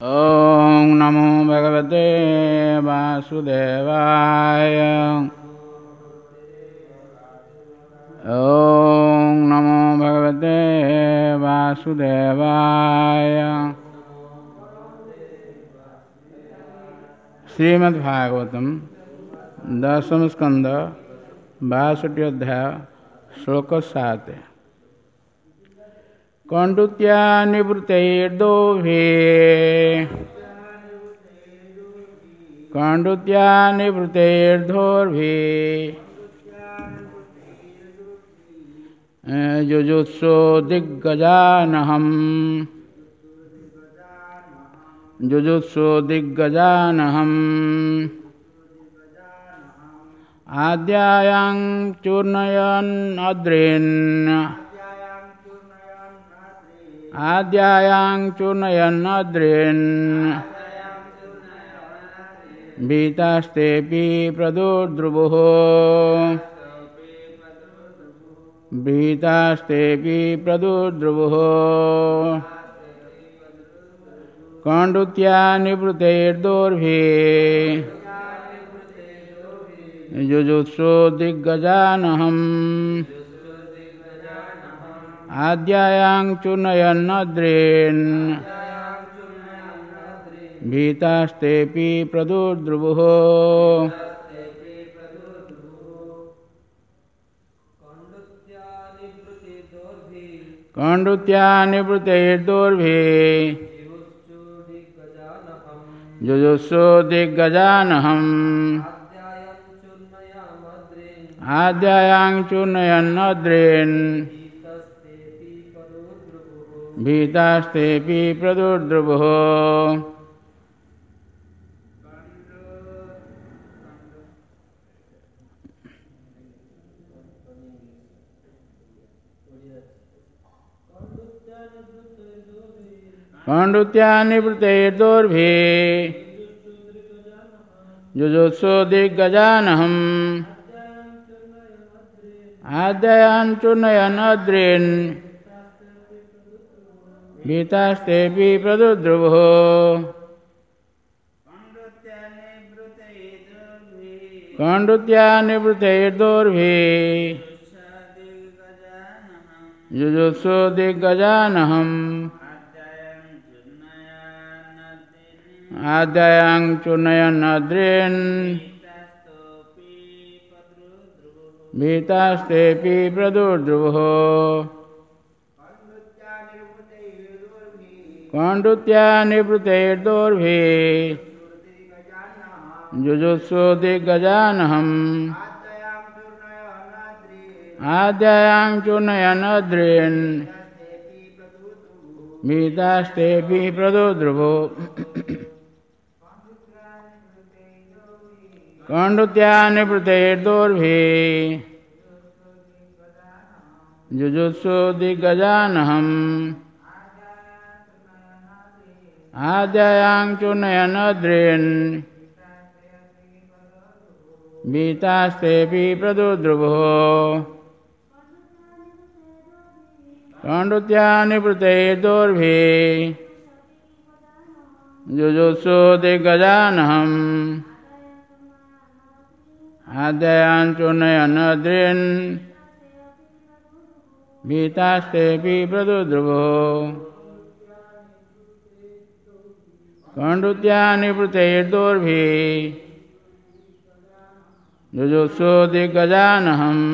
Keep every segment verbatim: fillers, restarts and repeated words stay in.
ॐ नमो भगवते वासुदेवाय। ॐ नमो भगवते वासुदेवाय। श्रीमद् भागवतम दशम स्कंद बासठ अध्याय श्लोक सात। कण्डुत्या निवृत्तैर्दोभे कण्डुत्या निवृत्तैर्धोर्भि जुजुत्सो दिग्गजानहम् जुजुत्सो दिग्गजानहम् आद्यायां चूर्णयन् अद्रिन् आद्यायां चूर्णयन् अद्रिन् भीतास्तेऽपि प्रदुर्द्रुवुः भीतास्तेऽपि प्रदुर्द्रुवुः कण्डुत्या निवृत्तैर्दोर्भिः जुजुत्सो दिग्गजानहम् आद्यायां चूर्णयन् अद्रिन् भीतास्तेऽपि प्रदुर्द्रुवुः। कण्डुत्या निवृत्तैर्दोर्भिः जुजुत्सो दिग्गजानहम् आद्यायां चूर्णयन् अद्रिन् भीतास्तेऽपि प्रदुर्द्रुवुः। कण्डुत्या निवृत्तैर्दोर्भिः जुजुत्सो दिग्गजानहम् आद्यायां चूर्णयन् अद्रिन् भीतास्तेऽपि प्रदुर्द्रुवुः। कण्डुत्या निवृत्तैर्दोर्भिः जुजुत्सो दिग्गजानहम् आद्यायां चूर्णयन् अद्रिन् भीतास्तेऽपि प्रदुर्द्रुवुः। कण्डुत्या निवृत्तैर्दोर्भिः जुजुत्सो दिग्गजानहम् आद्यायां चूर्णयन् अद्रिन् भीतास्तेऽपि प्रदुर्द्रुवुः। कण्डुत्या निवृत्तैर्दोर्भिः जुजुत्सो दिग्गजानहम् आद्यायां चूर्णयन् अद्रिन् भीतास्तेऽपि प्रदुर्द्रुवुः। कण्डुत्या निवृत्तैर्दोर्भिः जुजुत्सो दिग्गजानहम् आद्यायां चूर्णयन् अद्रिन् भीतास्तेऽपि प्रदुर्द्रुवुः। कण्डुत्या निवृत्तैर्दोर्भिः जुजुत्सो दिग्गजानहम्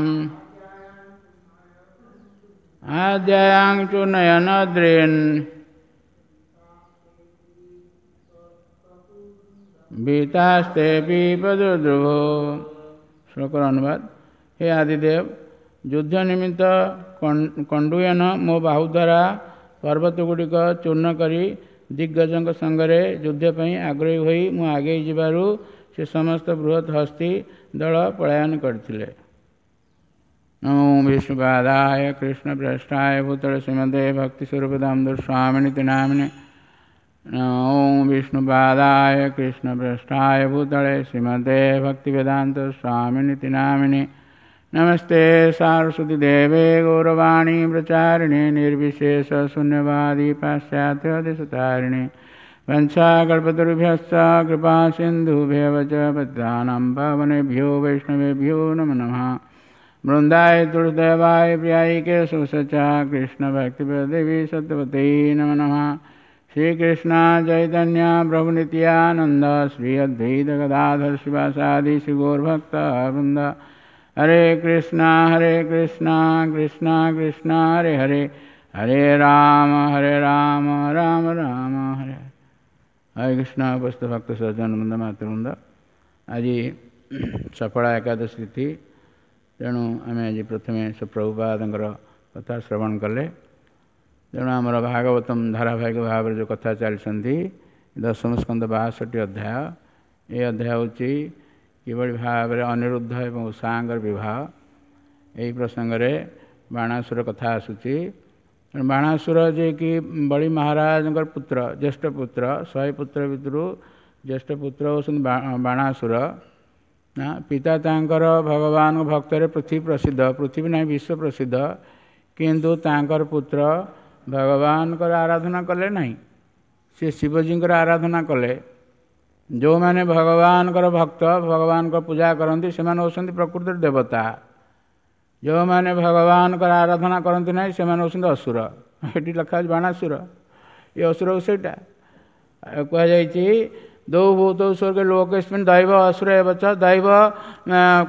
आद्यायां चूर्णयन् अद्रिन् भीतास्तेऽपि प्रदुर्द्रुवुः। श्लोकर अनुवाद। हे आदिदेव, युद्ध निमित्त कण्डुयन मो बाहु द्वारा पर्वत गुड़िक चूर्ण करी दिग्गजଙ୍କ ସାଙ୍ଗରେ ଯୁଦ୍ଧ ପାଇଁ ଆଗ୍ରହୀ ହୋଇ ମୁଁ ଆଗେଇ ଯିବାରୁ ସେ ସମସ୍ତ ବୃହତ୍ ହସ୍ତି ଦଳ ପଳାୟନ କରିଥିଲେ। ନମୋ ବିଷ୍ଣୁପାଦାୟ କୃଷ୍ଣ ପ୍ରେଷ୍ଠାୟ ଭୂତଳେ ଶ୍ରୀମତେ ଭକ୍ତି ସ୍ୱରୂପ ଦାମୋଦର ସ୍ୱାମିନିତି ନାମିନେ। ଓଁ ବିଷ୍ଣୁପାଦାୟ କୃଷ୍ଣ ପ୍ରେଷ୍ଠାୟ ଭୂତଳେ ଶ୍ରୀମତେ ଭକ୍ତିବେଦାନ୍ତ ସ୍ୱାମିନିତି ନାମିନେ। नमस्ते सारस्वती देवे गौरवाणी प्रचारिणे निर्विशेष शून्यवादी पाश्चात्य देशतारिणे वंशाकल्पतरुभ्यश्च कृपा सिन्धुभ्येव च पतितानां पावनेभ्यो वैष्णवेभ्यो नमो नमः। वृन्दाय तुलसीदेवाय प्रियाय केशवस्य च कृष्णभक्तिप्रदेवी सत्यवती नमो नमः। श्रीकृष्ण चैतन्य प्रभु नित्यानंद श्री अद्वैत गदाधर शिवासादि श्री गौरभक्त वृंद। हरे कृष्णा हरे कृष्णा कृष्णा कृष्णा हरे हरे, हरे राम हरे राम राम राम हरे। हरे कृष्ण। उपस्थित भक्त सज्जन वृंद मातृवृंद, आज सफला एकादशी तिथि, तेणु आम आज प्रथमे प्रभुपादंकर कथा श्रवण कले। तेणु आमर भागवतम धारावाहिक भाव जो कथा चली दशम स्कंद बाषठी अध्याय, ये अध्याय हूँ किभଳି भाव अनिरुद्ध और उषांगर विवाह। यही प्रसंग बाणासुर कथा आसूची। बाणासुर जे कि बलि महाराज पुत्र, ज्येष्ठ पुत्र, शहे पुत्र भितर ज्येष्ठ पुत्र होउଛନ୍ତି बाणासुर। पिता तांकर भगवान भक्तर पृथ्वी प्रसिद्ध, पृथ्वी नहीं विश्व प्रसिद्ध, किंतु तांकर पुत्र भगवान आराधना कले नहीं, से शिवजी आराधना कले। जो मैंने भगवान भक्त भगवान पूजा करती से होउଛନ୍ତି प्रकृति देवता, जो मैंने भगवान आराधना करती ना से होउଛନ୍ତି असुर। ये लेखा बाणासुर, ये असुर सेटा कहुई दौ भूत स्वर्ग लोकेस्मिन् दैव असुर एव च, दैव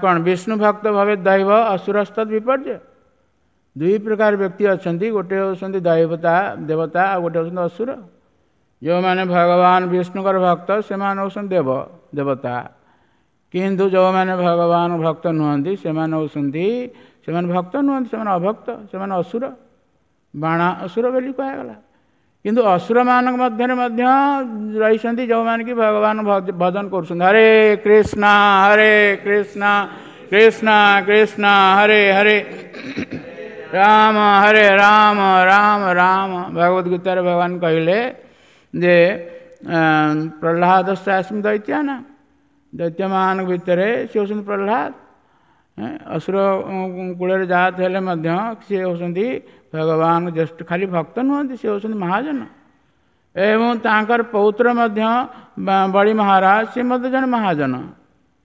कौन विष्णु भक्त भवे दैव असुरस्तद विपर्य। दुई प्रकार व्यक्ति अच्छा, गोटे होउଛନ୍ତି दैवता देवता आ गोटे होउଛନ୍ତି असुर। जो मैंने भगवान विष्णुकर भक्त से होउଛନ୍ତି देव देवता, किंतु जो मैंने भगवान भक्त नुहंती से होउଛନ୍ତି से भक्त नुहंती, से अभक्त, से असुर। बाणा असुर बोली कहगला, किंतु असुर मान मध्य मध्य रही जो मैंने कि भगवान भजन करुଛନ୍ତି। हरे कृष्णा हरे कृष्णा कृष्णा कृष्णा हरे हरे, राम हरे राम राम राम। भगवद गीता भगवान कहले जे प्रहलाद अस्मि दैत्याना, दैत्य मान भितर से होउଛନ୍ତି प्रहलाद। असुर कूल जात हेले मध्य से होउଛନ୍ତି भगवान ज्येष्ठ, खाली भक्त नुहंती, से होउଛନ୍ତି महाजन। एवं तांकर पौत्र मध्य बलि महाराज से मध्य जन महाजन,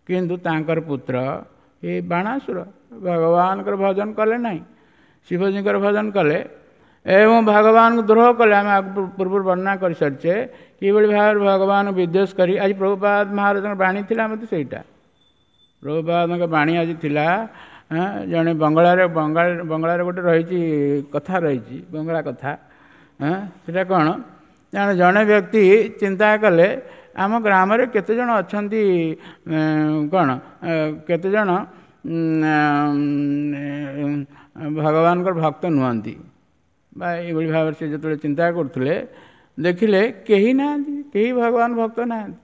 किंतु तांकर पुत्र ये बाणासुर भगवान भजन कले नहीं, शिवजी भजन कले एवं भगवान को द्रोह कले। आम पूर्व वर्णना कर सारिचे किभଳି भाव भगवान विद्वेष करी। आज प्रभुपाद महाराज बाणी थिला मते सेटा प्रभुपाद बाणी आज थिला। जड़े बंगलार बंगाल बंगलार गोटे रही कथा रही बंगला कथा, सेटा कौन जड़े व्यक्ति चिंता कले आम ग्राम रे केते जण अछंती कौन केते जण भगवान भक्त नुहंती बा एभଳି भाव से जो चिंता करुले देखिले केही नाहांती, केही भगवान भक्त नाहांती,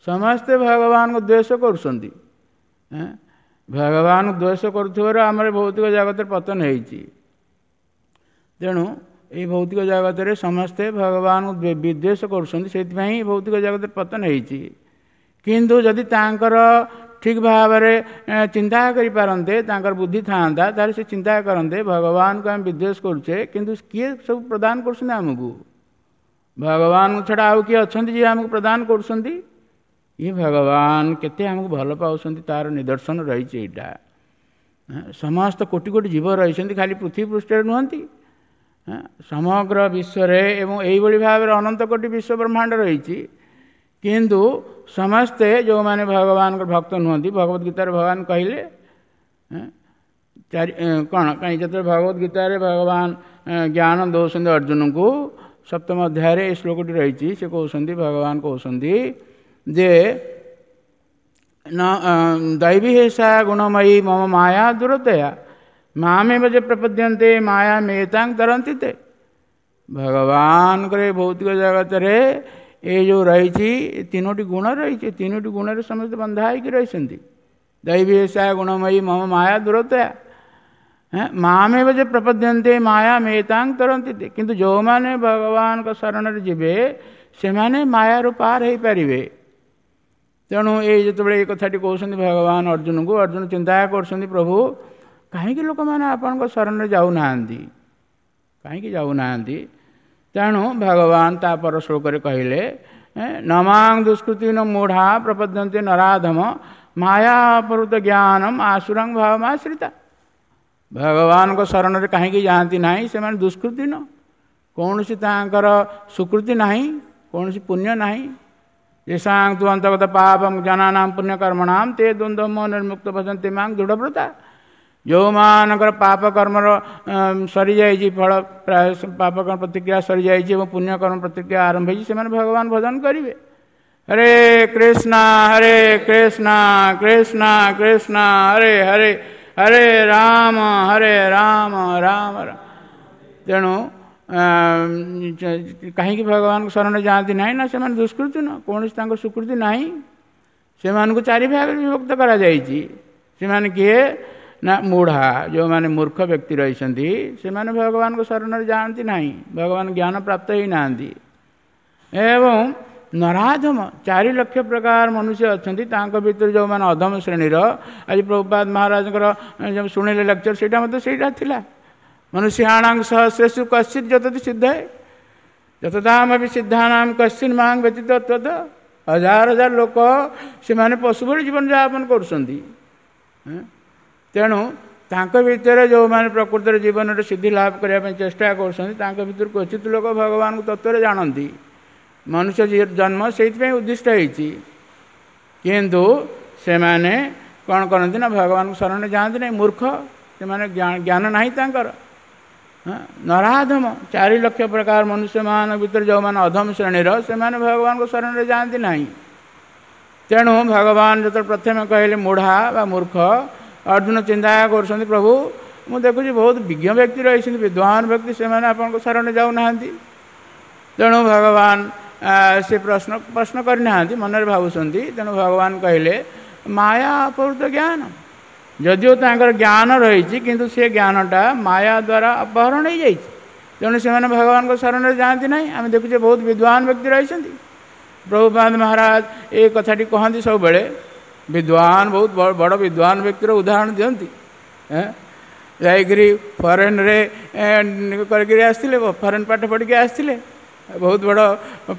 समस्ते भगवान को द्वेष करुଛନ୍ତି। भगवान द्वेष करुथिबाରୁ ଆମର भौतिक जगत पतन ହେଇଛି। तेणु ये भौतिक जगत रे समस्ते भगवान विद्वेष करुଛନ୍ତି, सेथिपाई भौतिक जगत पतन ହେଇଛି। किंतु जदि तांकर ठीक भाव रे चिंता करि पारन्ते, तांकर बुद्धि थांता, तार से चिंता करन्ते भगवान को हम विद्वेष करुचे, किंतु किए सब प्रदान करुଛନ୍ତି आमकु? भगवान छड़ा आउ किए अछंती जे आमकु प्रदान करुଛନ୍ତି? ये भगवान केते आमकु भल पाउଛନ୍ତି तार निदर्शन रहिछि। एटा समस्त कोटि कोटि जीव रहिଛନ୍ତି, खाली पृथ्वी पृष्ठरे नुहंती, समग्र विश्वरे एवं एइभଳି भाव रे अनंत कोटि विश्व ब्रह्मांड रहिछि। किंतु समस्ते जो मैंने भगवान भक्त नुहंती, भगवद गीता भगवान कहले चारि कौन कहीं जो भगवद गीता भगवान ज्ञान दौरान अर्जुन को सप्तम अध्याय ए श्लोकटी रही से कहते भगवान कहते जे न दैवी हेषा गुणमयी मम माया दुरतया मामेव जे प्रपद्यन्ते माया मेतां तरन्ति ते। भगवान करे भौतिक जगत रे ये जो रही तीनोटी गुण रही, तीनोटी गुण रे समस्त बंधा होइकी रहिसंती। दैवी हेषा गुणमयी मम माया दुरतया मामेव जे प्रपद्यन्ते माया मेतां तरन्ति ते। किंतु जो माने भगवान का शरण रे जिबे सेमाने मायारु पार होई परिबे। तेणु ये जितेबेले ए कथाटी कहउसंती भगवान अर्जुन को, अर्जुन चिंता करसंती प्रभु काहेकि लोक माने आपनक शरण रे जाउ नाहांती, काहेकि जाउ नाहांती। ତେଣୁ ଭଗବାନ ତାପର ଶ୍ଲୋକରେ କହିଲେ, ନମାଂ ଦୁଷ୍କୃତିନ ମୂଢ଼ା ପ୍ରପଦ୍ୟନ୍ତେ ନରାଧମ ମାୟା ଅପହୃତ ଜ୍ଞାନମ ଆସୁରଂ ଭାବମାଶ୍ରିତା। ଭଗବାନଙ୍କ ଶରଣରେ କାହିଁକି ଯାଆନ୍ତି ନାହିଁ? ସେମାନେ ଦୁଷ୍କୃତିନ, କୌଣସି ତାଙ୍କର ସୁକୃତି ନାହିଁ, କୌଣସି ପୁଣ୍ୟ ନାହିଁ। ଯେସାଂ ତୁ ଅନ୍ତର୍ଗତ ପାପಂ ଜନାନାಂ ପୁଣ୍ୟକର୍ମଣାಂ ତେ ଦ୍ୱନ୍ଦ୍ୱ ମୋହ ନିର୍ମୁକ୍ତ ଭଜନ୍ତି ମାଂ ଦୃଢ଼ବ୍ରତା। ଯେଉଁମାନଙ୍କର ପାପ କର୍ମର ସରିଯାଇଛି, ଫଳ ପ୍ରାୟ ପାପ କର୍ମ ପ୍ରତିକ୍ରିୟା ସରିଯାଇଛି ଏବଂ ପୁଣ୍ୟକର୍ମ ପ୍ରତିକ୍ରିୟା ଆରମ୍ଭ ହେଇଛି, ସେମାନେ ଭଗବାନ ଭଜନ କରିବେ। ହରେ କୃଷ୍ଣ ହରେ କୃଷ୍ଣ କୃଷ୍ଣ କୃଷ୍ଣ ହରେ ହରେ, ହରେ ରାମ ହରେ ରାମ ରାମ ରାମ। ତେଣୁ କାହିଁକି ଭଗବାନଙ୍କ ଶରଣ ଯାଆନ୍ତି ନାହିଁ? ନା ସେମାନେ ଦୁଷ୍କୃତି ନୁହଁ, କୌଣସି ତାଙ୍କ ସ୍ୱୀକୃତି ନାହିଁ। ସେମାନଙ୍କୁ ଚାରି ଭାଗରେ ବିଭକ୍ତ କରାଯାଇଛି। ସେମାନେ କିଏ? ନା ମୂଢ଼ା, ଯେଉଁମାନେ ମୂର୍ଖ ବ୍ୟକ୍ତି ରହିଛନ୍ତି, ସେମାନେ ଭଗବାନଙ୍କ ଶରଣରେ ଯାଆନ୍ତି ନାହିଁ, ଭଗବାନ ଜ୍ଞାନ ପ୍ରାପ୍ତ ହେଇନାହାନ୍ତି। ଏବଂ ନରାଧମ, ଚାରି ଲକ୍ଷ ପ୍ରକାର ମନୁଷ୍ୟ ଅଛନ୍ତି, ତାଙ୍କ ଭିତରେ ଯେଉଁମାନେ ଅଧମ ଶ୍ରେଣୀର, ଆଜି ପ୍ରଭୁପାଦ ମହାରାଜଙ୍କର ଯେଉଁ ଶୁଣିଲେ ଲେକ୍ଚର, ସେଇଟା ମଧ୍ୟ ସେଇଟା ଥିଲା। ମନୁଷ୍ୟାଣାଂ ସହସ୍ରେଷୁ କଶ୍ଚିତ୍ ଯତତି ସିଦ୍ଧେ ଯତତାମପି ସିଦ୍ଧାନାಂ କଶ୍ଚିନ୍ ମାଂ ବ୍ୟତୀତ ତତ। ହଜାର ହଜାର ଲୋକ ସେମାନେ ପଶୁ ଭଳି ଜୀବନଯାପନ କରୁଛନ୍ତି। ତେଣୁ ତାଙ୍କ ଭିତରେ ଯେଉଁମାନେ ପ୍ରକୃତରେ ଜୀବନରେ ସିଦ୍ଧି ଲାଭ କରିବା ପାଇଁ ଚେଷ୍ଟା କରୁଛନ୍ତି, ତାଙ୍କ ଭିତରୁ କ୍ୱଚିତ ଲୋକ ଭଗବାନଙ୍କୁ ତତ୍ତ୍ୱରେ ଜାଣନ୍ତି। ମନୁଷ୍ୟ ଜନ୍ମ ସେଇଥିପାଇଁ ଉଦ୍ଦିଷ୍ଟ ହେଇଛି, କିନ୍ତୁ ସେମାନେ କ'ଣ କରନ୍ତି ନା ଭଗବାନଙ୍କ ଶରଣରେ ଯାଆନ୍ତି ନାହିଁ। ମୂର୍ଖ ସେମାନେ, ଜ୍ଞାନ ନାହିଁ ତାଙ୍କର। ନରାଧମ, ଚାରି ଲକ୍ଷ ପ୍ରକାର ମନୁଷ୍ୟମାନଙ୍କ ଭିତରେ ଯେଉଁମାନେ ଅଧମ ଶ୍ରେଣୀର, ସେମାନେ ଭଗବାନଙ୍କ ଶରଣରେ ଯାଆନ୍ତି ନାହିଁ। ତେଣୁ ଭଗବାନ ଯେତେବେଳେ ପ୍ରଥମେ କହିଲେ ମୂଢ଼ା ବା ମୂର୍ଖ, ଅର୍ଜୁନ ଚିନ୍ତା କରୁଛନ୍ତି, ପ୍ରଭୁ ମୁଁ ଦେଖୁଛି ବହୁତ ବିଜ୍ଞ ବ୍ୟକ୍ତି ରହିଛନ୍ତି, ବିଦ୍ୱାନ ବ୍ୟକ୍ତି, ସେମାନେ ଆପଣଙ୍କ ଶରଣରେ ଯାଉନାହାନ୍ତି। ତେଣୁ ଭଗବାନ ସେ ପ୍ରଶ୍ନ ପ୍ରଶ୍ନ କରିନାହାନ୍ତି, ମନରେ ଭାବୁଛନ୍ତି। ତେଣୁ ଭଗବାନ କହିଲେ ମାୟା ଅପହୃତ ଜ୍ଞାନ। ଯଦିଓ ତାଙ୍କର ଜ୍ଞାନ ରହିଛି, କିନ୍ତୁ ସେ ଜ୍ଞାନଟା ମାୟା ଦ୍ୱାରା ଅପହରଣ ହେଇଯାଇଛି। ତେଣୁ ସେମାନେ ଭଗବାନଙ୍କ ଶରଣରେ ଯାଆନ୍ତି ନାହିଁ। ଆମେ ଦେଖୁଛେ ବହୁତ ବିଦ୍ୱାନ ବ୍ୟକ୍ତି ରହିଛନ୍ତି। ପ୍ରଭୁପାଦ ମହାରାଜ ଏ କଥାଟି କହନ୍ତି ସବୁବେଳେ, ବିଦ୍ୱାନ ବହୁତ ବଡ଼ ବିଦ୍ୱାନ ବ୍ୟକ୍ତିର ଉଦାହରଣ ଦିଅନ୍ତି। ଯାଇକରି ଫରେନ୍ରେ କରିକିରି ଆସିଥିଲେ, ଫରେନ୍ ପାଠ ପଢ଼ିକି ଆସିଥିଲେ, ବହୁତ ବଡ଼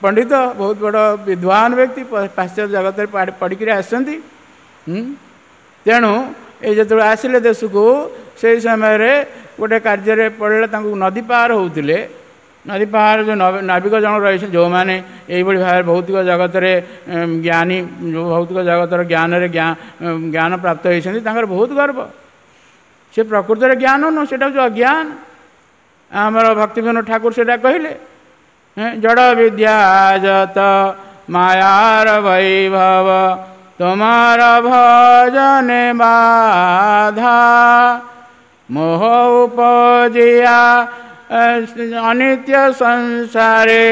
ପଣ୍ଡିତ, ବହୁତ ବଡ଼ ବିଦ୍ୱାନ ବ୍ୟକ୍ତି, ପାଶ୍ଚାତ୍ୟ ଜଗତରେ ପଢ଼ିକିରି ଆସିଛନ୍ତି। ତେଣୁ ଏ ଯେତେବେଳେ ଆସିଲେ ଦେଶକୁ, ସେଇ ସମୟରେ ଗୋଟେ କାର୍ଯ୍ୟରେ ପଡ଼ିଲେ, ତାଙ୍କୁ ନଦୀ ପାର ହେଉଥିଲେ। ନଦୀ ପାର ଯେଉଁ ନାବିକ ଜଣ ରହିଛନ୍ତି, ଯେଉଁମାନେ ଏଇଭଳି ଭାବରେ ଭୌତିକ ଜଗତରେ ଜ୍ଞାନୀ, ଯେଉଁ ଭୌତିକ ଜଗତର ଜ୍ଞାନରେ ଜ୍ଞାନ ପ୍ରାପ୍ତ ହେଇଛନ୍ତି, ତାଙ୍କର ବହୁତ ଗର୍ବ। ସେ ପ୍ରକୃତରେ ଜ୍ଞାନ ନୁହଁ, ସେଇଟା ହେଉଛି ଅଜ୍ଞାନ। ଆମର ଭକ୍ତିବିନୋଦ ଠାକୁର ସେଇଟା କହିଲେ, ଜଡ଼ ବିଦ୍ୟା ଯତ ମାୟାର ବୈଭବ ତୁମାର ଭଜନେ ବାଧା, ମୋହ ଉପଜିଆ ଅନିତ୍ୟ ସଂସାରେ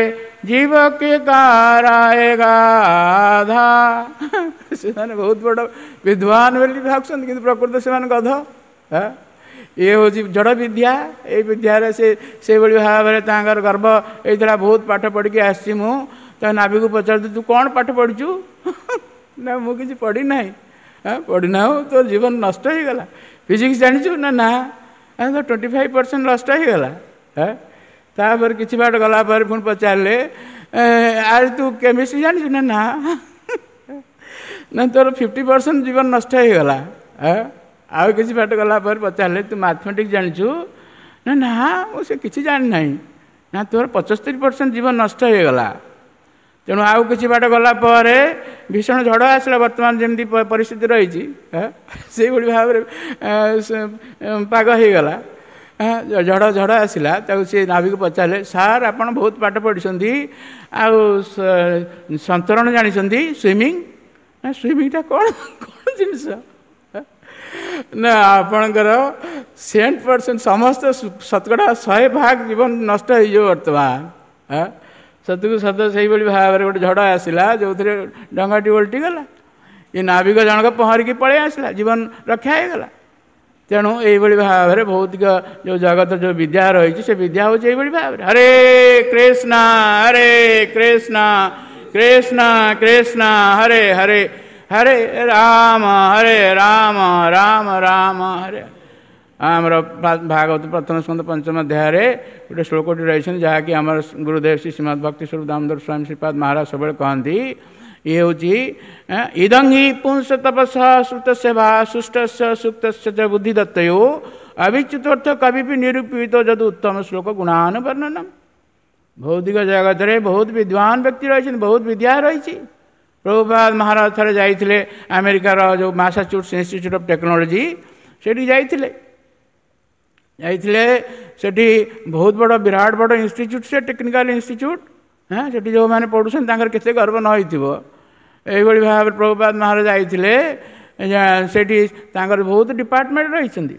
ଜୀବ କି କାରାଏ ଗାଧା। ସେମାନେ ବହୁତ ବଡ଼ ବିଦ୍ୱାନ ବୋଲି ଭାବୁଛନ୍ତି, କିନ୍ତୁ ପ୍ରକୃତ ସେମାନେ ଗଧ। ଇଏ ହେଉଛି ଜଡ଼ ବିଦ୍ୟା। ଏଇ ବିଦ୍ୟାରେ ସେ ସେଇଭଳି ଭାବରେ ତାଙ୍କର ଗର୍ବ ହେଇଥିଲା, ବହୁତ ପାଠ ପଢ଼ିକି ଆସିଛି ମୁଁ। ତା ନାବିକୁ ପଚାରୁଛି, ତୁ କ'ଣ ପାଠ ପଢ଼ିଛୁ? ନା ମୁଁ କିଛି ପଢ଼ିନାହିଁ। ପଢ଼ିନାହୁଁ, ତୋର ଜୀବନ ନଷ୍ଟ ହେଇଗଲା। ଫିଜିକ୍ସ ଜାଣିଛୁ? ନା ନା। ତ ଟ୍ୱେଣ୍ଟି ଫାଇଭ୍ ପରସେଣ୍ଟ ନଷ୍ଟ ହେଇଗଲା। ତାପରେ କିଛି ବାଟ ଗଲା ପରେ ପୁଣି ପଚାରିଲେ, ଆରେ ତୁ କେମିଷ୍ଟ୍ରି ଜାଣିଛୁ? ନା ନା। ନା ତୋର ଫିଫ୍ଟି ପରସେଣ୍ଟ ଜୀବନ ନଷ୍ଟ ହେଇଗଲା। ଆଉ କିଛି ବାଟ ଗଲା ପରେ ପଚାରିଲେ, ତୁ ମ୍ୟାଥମେଟିକ୍ସ ଜାଣିଛୁ? ନା ନା ମୁଁ ସେ କିଛି ଜାଣିନାହିଁ। ନା ତୋର ପଞ୍ଚସ୍ତରୀ ପରସେଣ୍ଟ ଜୀବନ ନଷ୍ଟ ହେଇଗଲା। ତେଣୁ ଆଉ କିଛି ବାଟ ଗଲା ପରେ ଭୀଷଣ ଝଡ଼ ଆସିଲା। ବର୍ତ୍ତମାନ ଯେମିତି ପରିସ୍ଥିତି ରହିଛି ସେଇଭଳି ଭାବରେ ପାଗ ହେଇଗଲା, ଝଡ଼ ଝଡ଼ ଆସିଲା। ତାକୁ ସେ ନାବିକୁ ପଚାରିଲେ, ସାର୍ ଆପଣ ବହୁତ ପାଠ ପଢ଼ିଛନ୍ତି, ଆଉ ସନ୍ତରଣ ଜାଣିଛନ୍ତି, ସୁଇମିଂ? ନା ସୁଇମିଂଟା କ'ଣ କ'ଣ ଜିନିଷ? ନା ଆପଣଙ୍କର ସେଣ୍ଟ ପରସେଣ୍ଟ ସମସ୍ତ ଶତକଡ଼ା ଶହେ ଭାଗ ଜୀବନ ନଷ୍ଟ ହେଇଯିବ ବର୍ତ୍ତମାନ। ସତକୁ ସତ ସେଇଭଳି ଭାବରେ ଗୋଟେ ଝଡ଼ ଆସିଲା, ଯେଉଁଥିରେ ଡଙ୍ଗାଟି ଓଲଟିଗଲା। ଏ ନାବିକ ଜଣକ ପହଁରିକି ପଳେଇ ଆସିଲା, ଜୀବନ ରକ୍ଷା ହେଇଗଲା। ତେଣୁ ଏଇଭଳି ଭାବରେ ଭୌତିକ ଯେଉଁ ଜଗତ ଯେଉଁ ବିଦ୍ୟା ରହିଛି, ସେ ବିଦ୍ୟା ହେଉଛି ଏଇଭଳି ଭାବରେ। ହରେ କୃଷ୍ଣ ହରେ କୃଷ୍ଣ କୃଷ୍ଣ କୃଷ୍ଣ ହରେ ହରେ, ହରେ ରାମ ହରେ ରାମ ରାମ ରାମ ହରେ। ଆମର ଭାଗବତ ପ୍ରଥମ ସ୍କନ୍ଧ ପଞ୍ଚମ ଅଧ୍ୟାୟରେ ଗୋଟେ ଶ୍ଲୋକଟି ରହିଛନ୍ତି, ଯାହାକି ଆମର ଗୁରୁଦେବ ଶ୍ରୀ ଶ୍ରୀମଦ୍ ଭକ୍ତି ସ୍ୱରୂପ ଦାମୋଦର ସ୍ୱାମୀ ଶ୍ରୀପାଦ ମହାରାଜ ସବୁବେଳେ କହନ୍ତି। ଇଏ ହେଉଛି ଇଦଂ ହି ପୁଂସ ତପସ ଶ୍ରୁତ ସେବା ସୁଷ୍ଟସ୍ୟ ସୁକ୍ତସ୍ୟ ଚ ବୁଦ୍ଧି ଦତ୍ତୟୋ ଅବିଚ୍ୟୁତର୍ଥ କବିପି ନିରୂପିତ ଯଦୁ ଉତ୍ତମ ଶ୍ଲୋକ ଗୁଣାନୁବର୍ଣ୍ଣନମ୍। ଭୌତିକ ଜଗତରେ ବହୁତ ବିଦ୍ୱାନ ବ୍ୟକ୍ତି ରହିଛନ୍ତି, ବହୁତ ବିଦ୍ୟା ରହିଛି। ପ୍ରଭୁପାଦ ମହାରାଜ ଥରେ ଯାଇଥିଲେ ଆମେରିକାର ଯେଉଁ ମାସାଚୁସେଟ୍ସ ଇନଷ୍ଟିଚ୍ୟୁଟ୍ ଅଫ୍ ଟେକ୍ନୋଲୋଜି, ସେଠି ଯାଇଥିଲେ ଯାଇଥିଲେ ସେଠି ବହୁତ ବଡ଼ ବିରାଟ ବଡ଼ ଇନଷ୍ଟିଚ୍ୟୁଟ୍, ସେ ଟେକ୍ନିକାଲ ଇନଷ୍ଟିଚ୍ୟୁଟ୍। ହଁ, ସେଠି ଯେଉଁମାନେ ପଢ଼ୁଛନ୍ତି ତାଙ୍କର କେତେ ଗର୍ବ ନ ହେଇଥିବ। ଏଇଭଳି ଭାବରେ ପ୍ରଭୁପାଦ ମହାରାଜ ଯାଇଥିଲେ, ସେଠି ତାଙ୍କର ବହୁତ ଡିପାର୍ଟମେଣ୍ଟ ରହିଛନ୍ତି।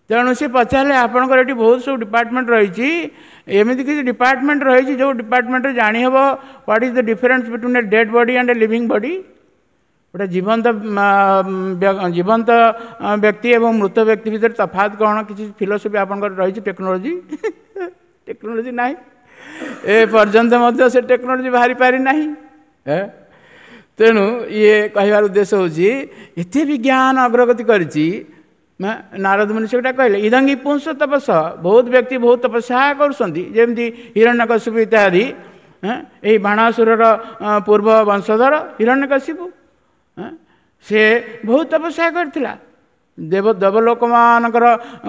ତେଣୁ ସେ ପଚାରିଲେ, ଆପଣଙ୍କର ଏଠି ବହୁତ ସବୁ ଡିପାର୍ଟମେଣ୍ଟ ରହିଛି, ଏମିତି କିଛି ଡିପାର୍ଟମେଣ୍ଟ ରହିଛି ଯେଉଁ ଡିପାର୍ଟମେଣ୍ଟରେ ଜାଣିହେବ what is the difference between a dead body and a living body? ଗୋଟେ ଜୀବନ୍ତ ଜୀବନ୍ତ ବ୍ୟକ୍ତି ଏବଂ ମୃତ ବ୍ୟକ୍ତି ଭିତରେ ତଫାତ କ'ଣ? କିଛି ଫିଲୋସଫି ଆପଣଙ୍କର ରହିଛି? ଟେକ୍ନୋଲୋଜି ଟେକ୍ନୋଲୋଜି ନାହିଁ, ଏ ପର୍ଯ୍ୟନ୍ତ ମଧ୍ୟ ସେ ଟେକ୍ନୋଲୋଜି ବାହାରି ପାରିନାହିଁ। ତେଣୁ ଇଏ କହିବାର ଉଦ୍ଦେଶ୍ୟ ହେଉଛି ଏତେ ବିଜ୍ଞାନ ଅଗ୍ରଗତି କରିଛି। ନାରଦ ମୁନି ସେଗୁଟା କହିଲେ, ଇଦଙ୍ଗି ପୁଂସ ତପସ, ବହୁତ ବ୍ୟକ୍ତି ବହୁତ ତପସ୍ୟା କରୁଛନ୍ତି, ଯେମିତି ହିରଣ୍ୟକଶିପୁ ଇତ୍ୟାଦି। ଏଇ ବାଣାସୁରର ପୂର୍ବ ବଂଶଧର ହିରଣ୍ୟକଶିପୁ, ସେ ବହୁତ ତପସ୍ୟା କରିଥିଲା। ଦେବ ଦେବଲୋକମାନଙ୍କର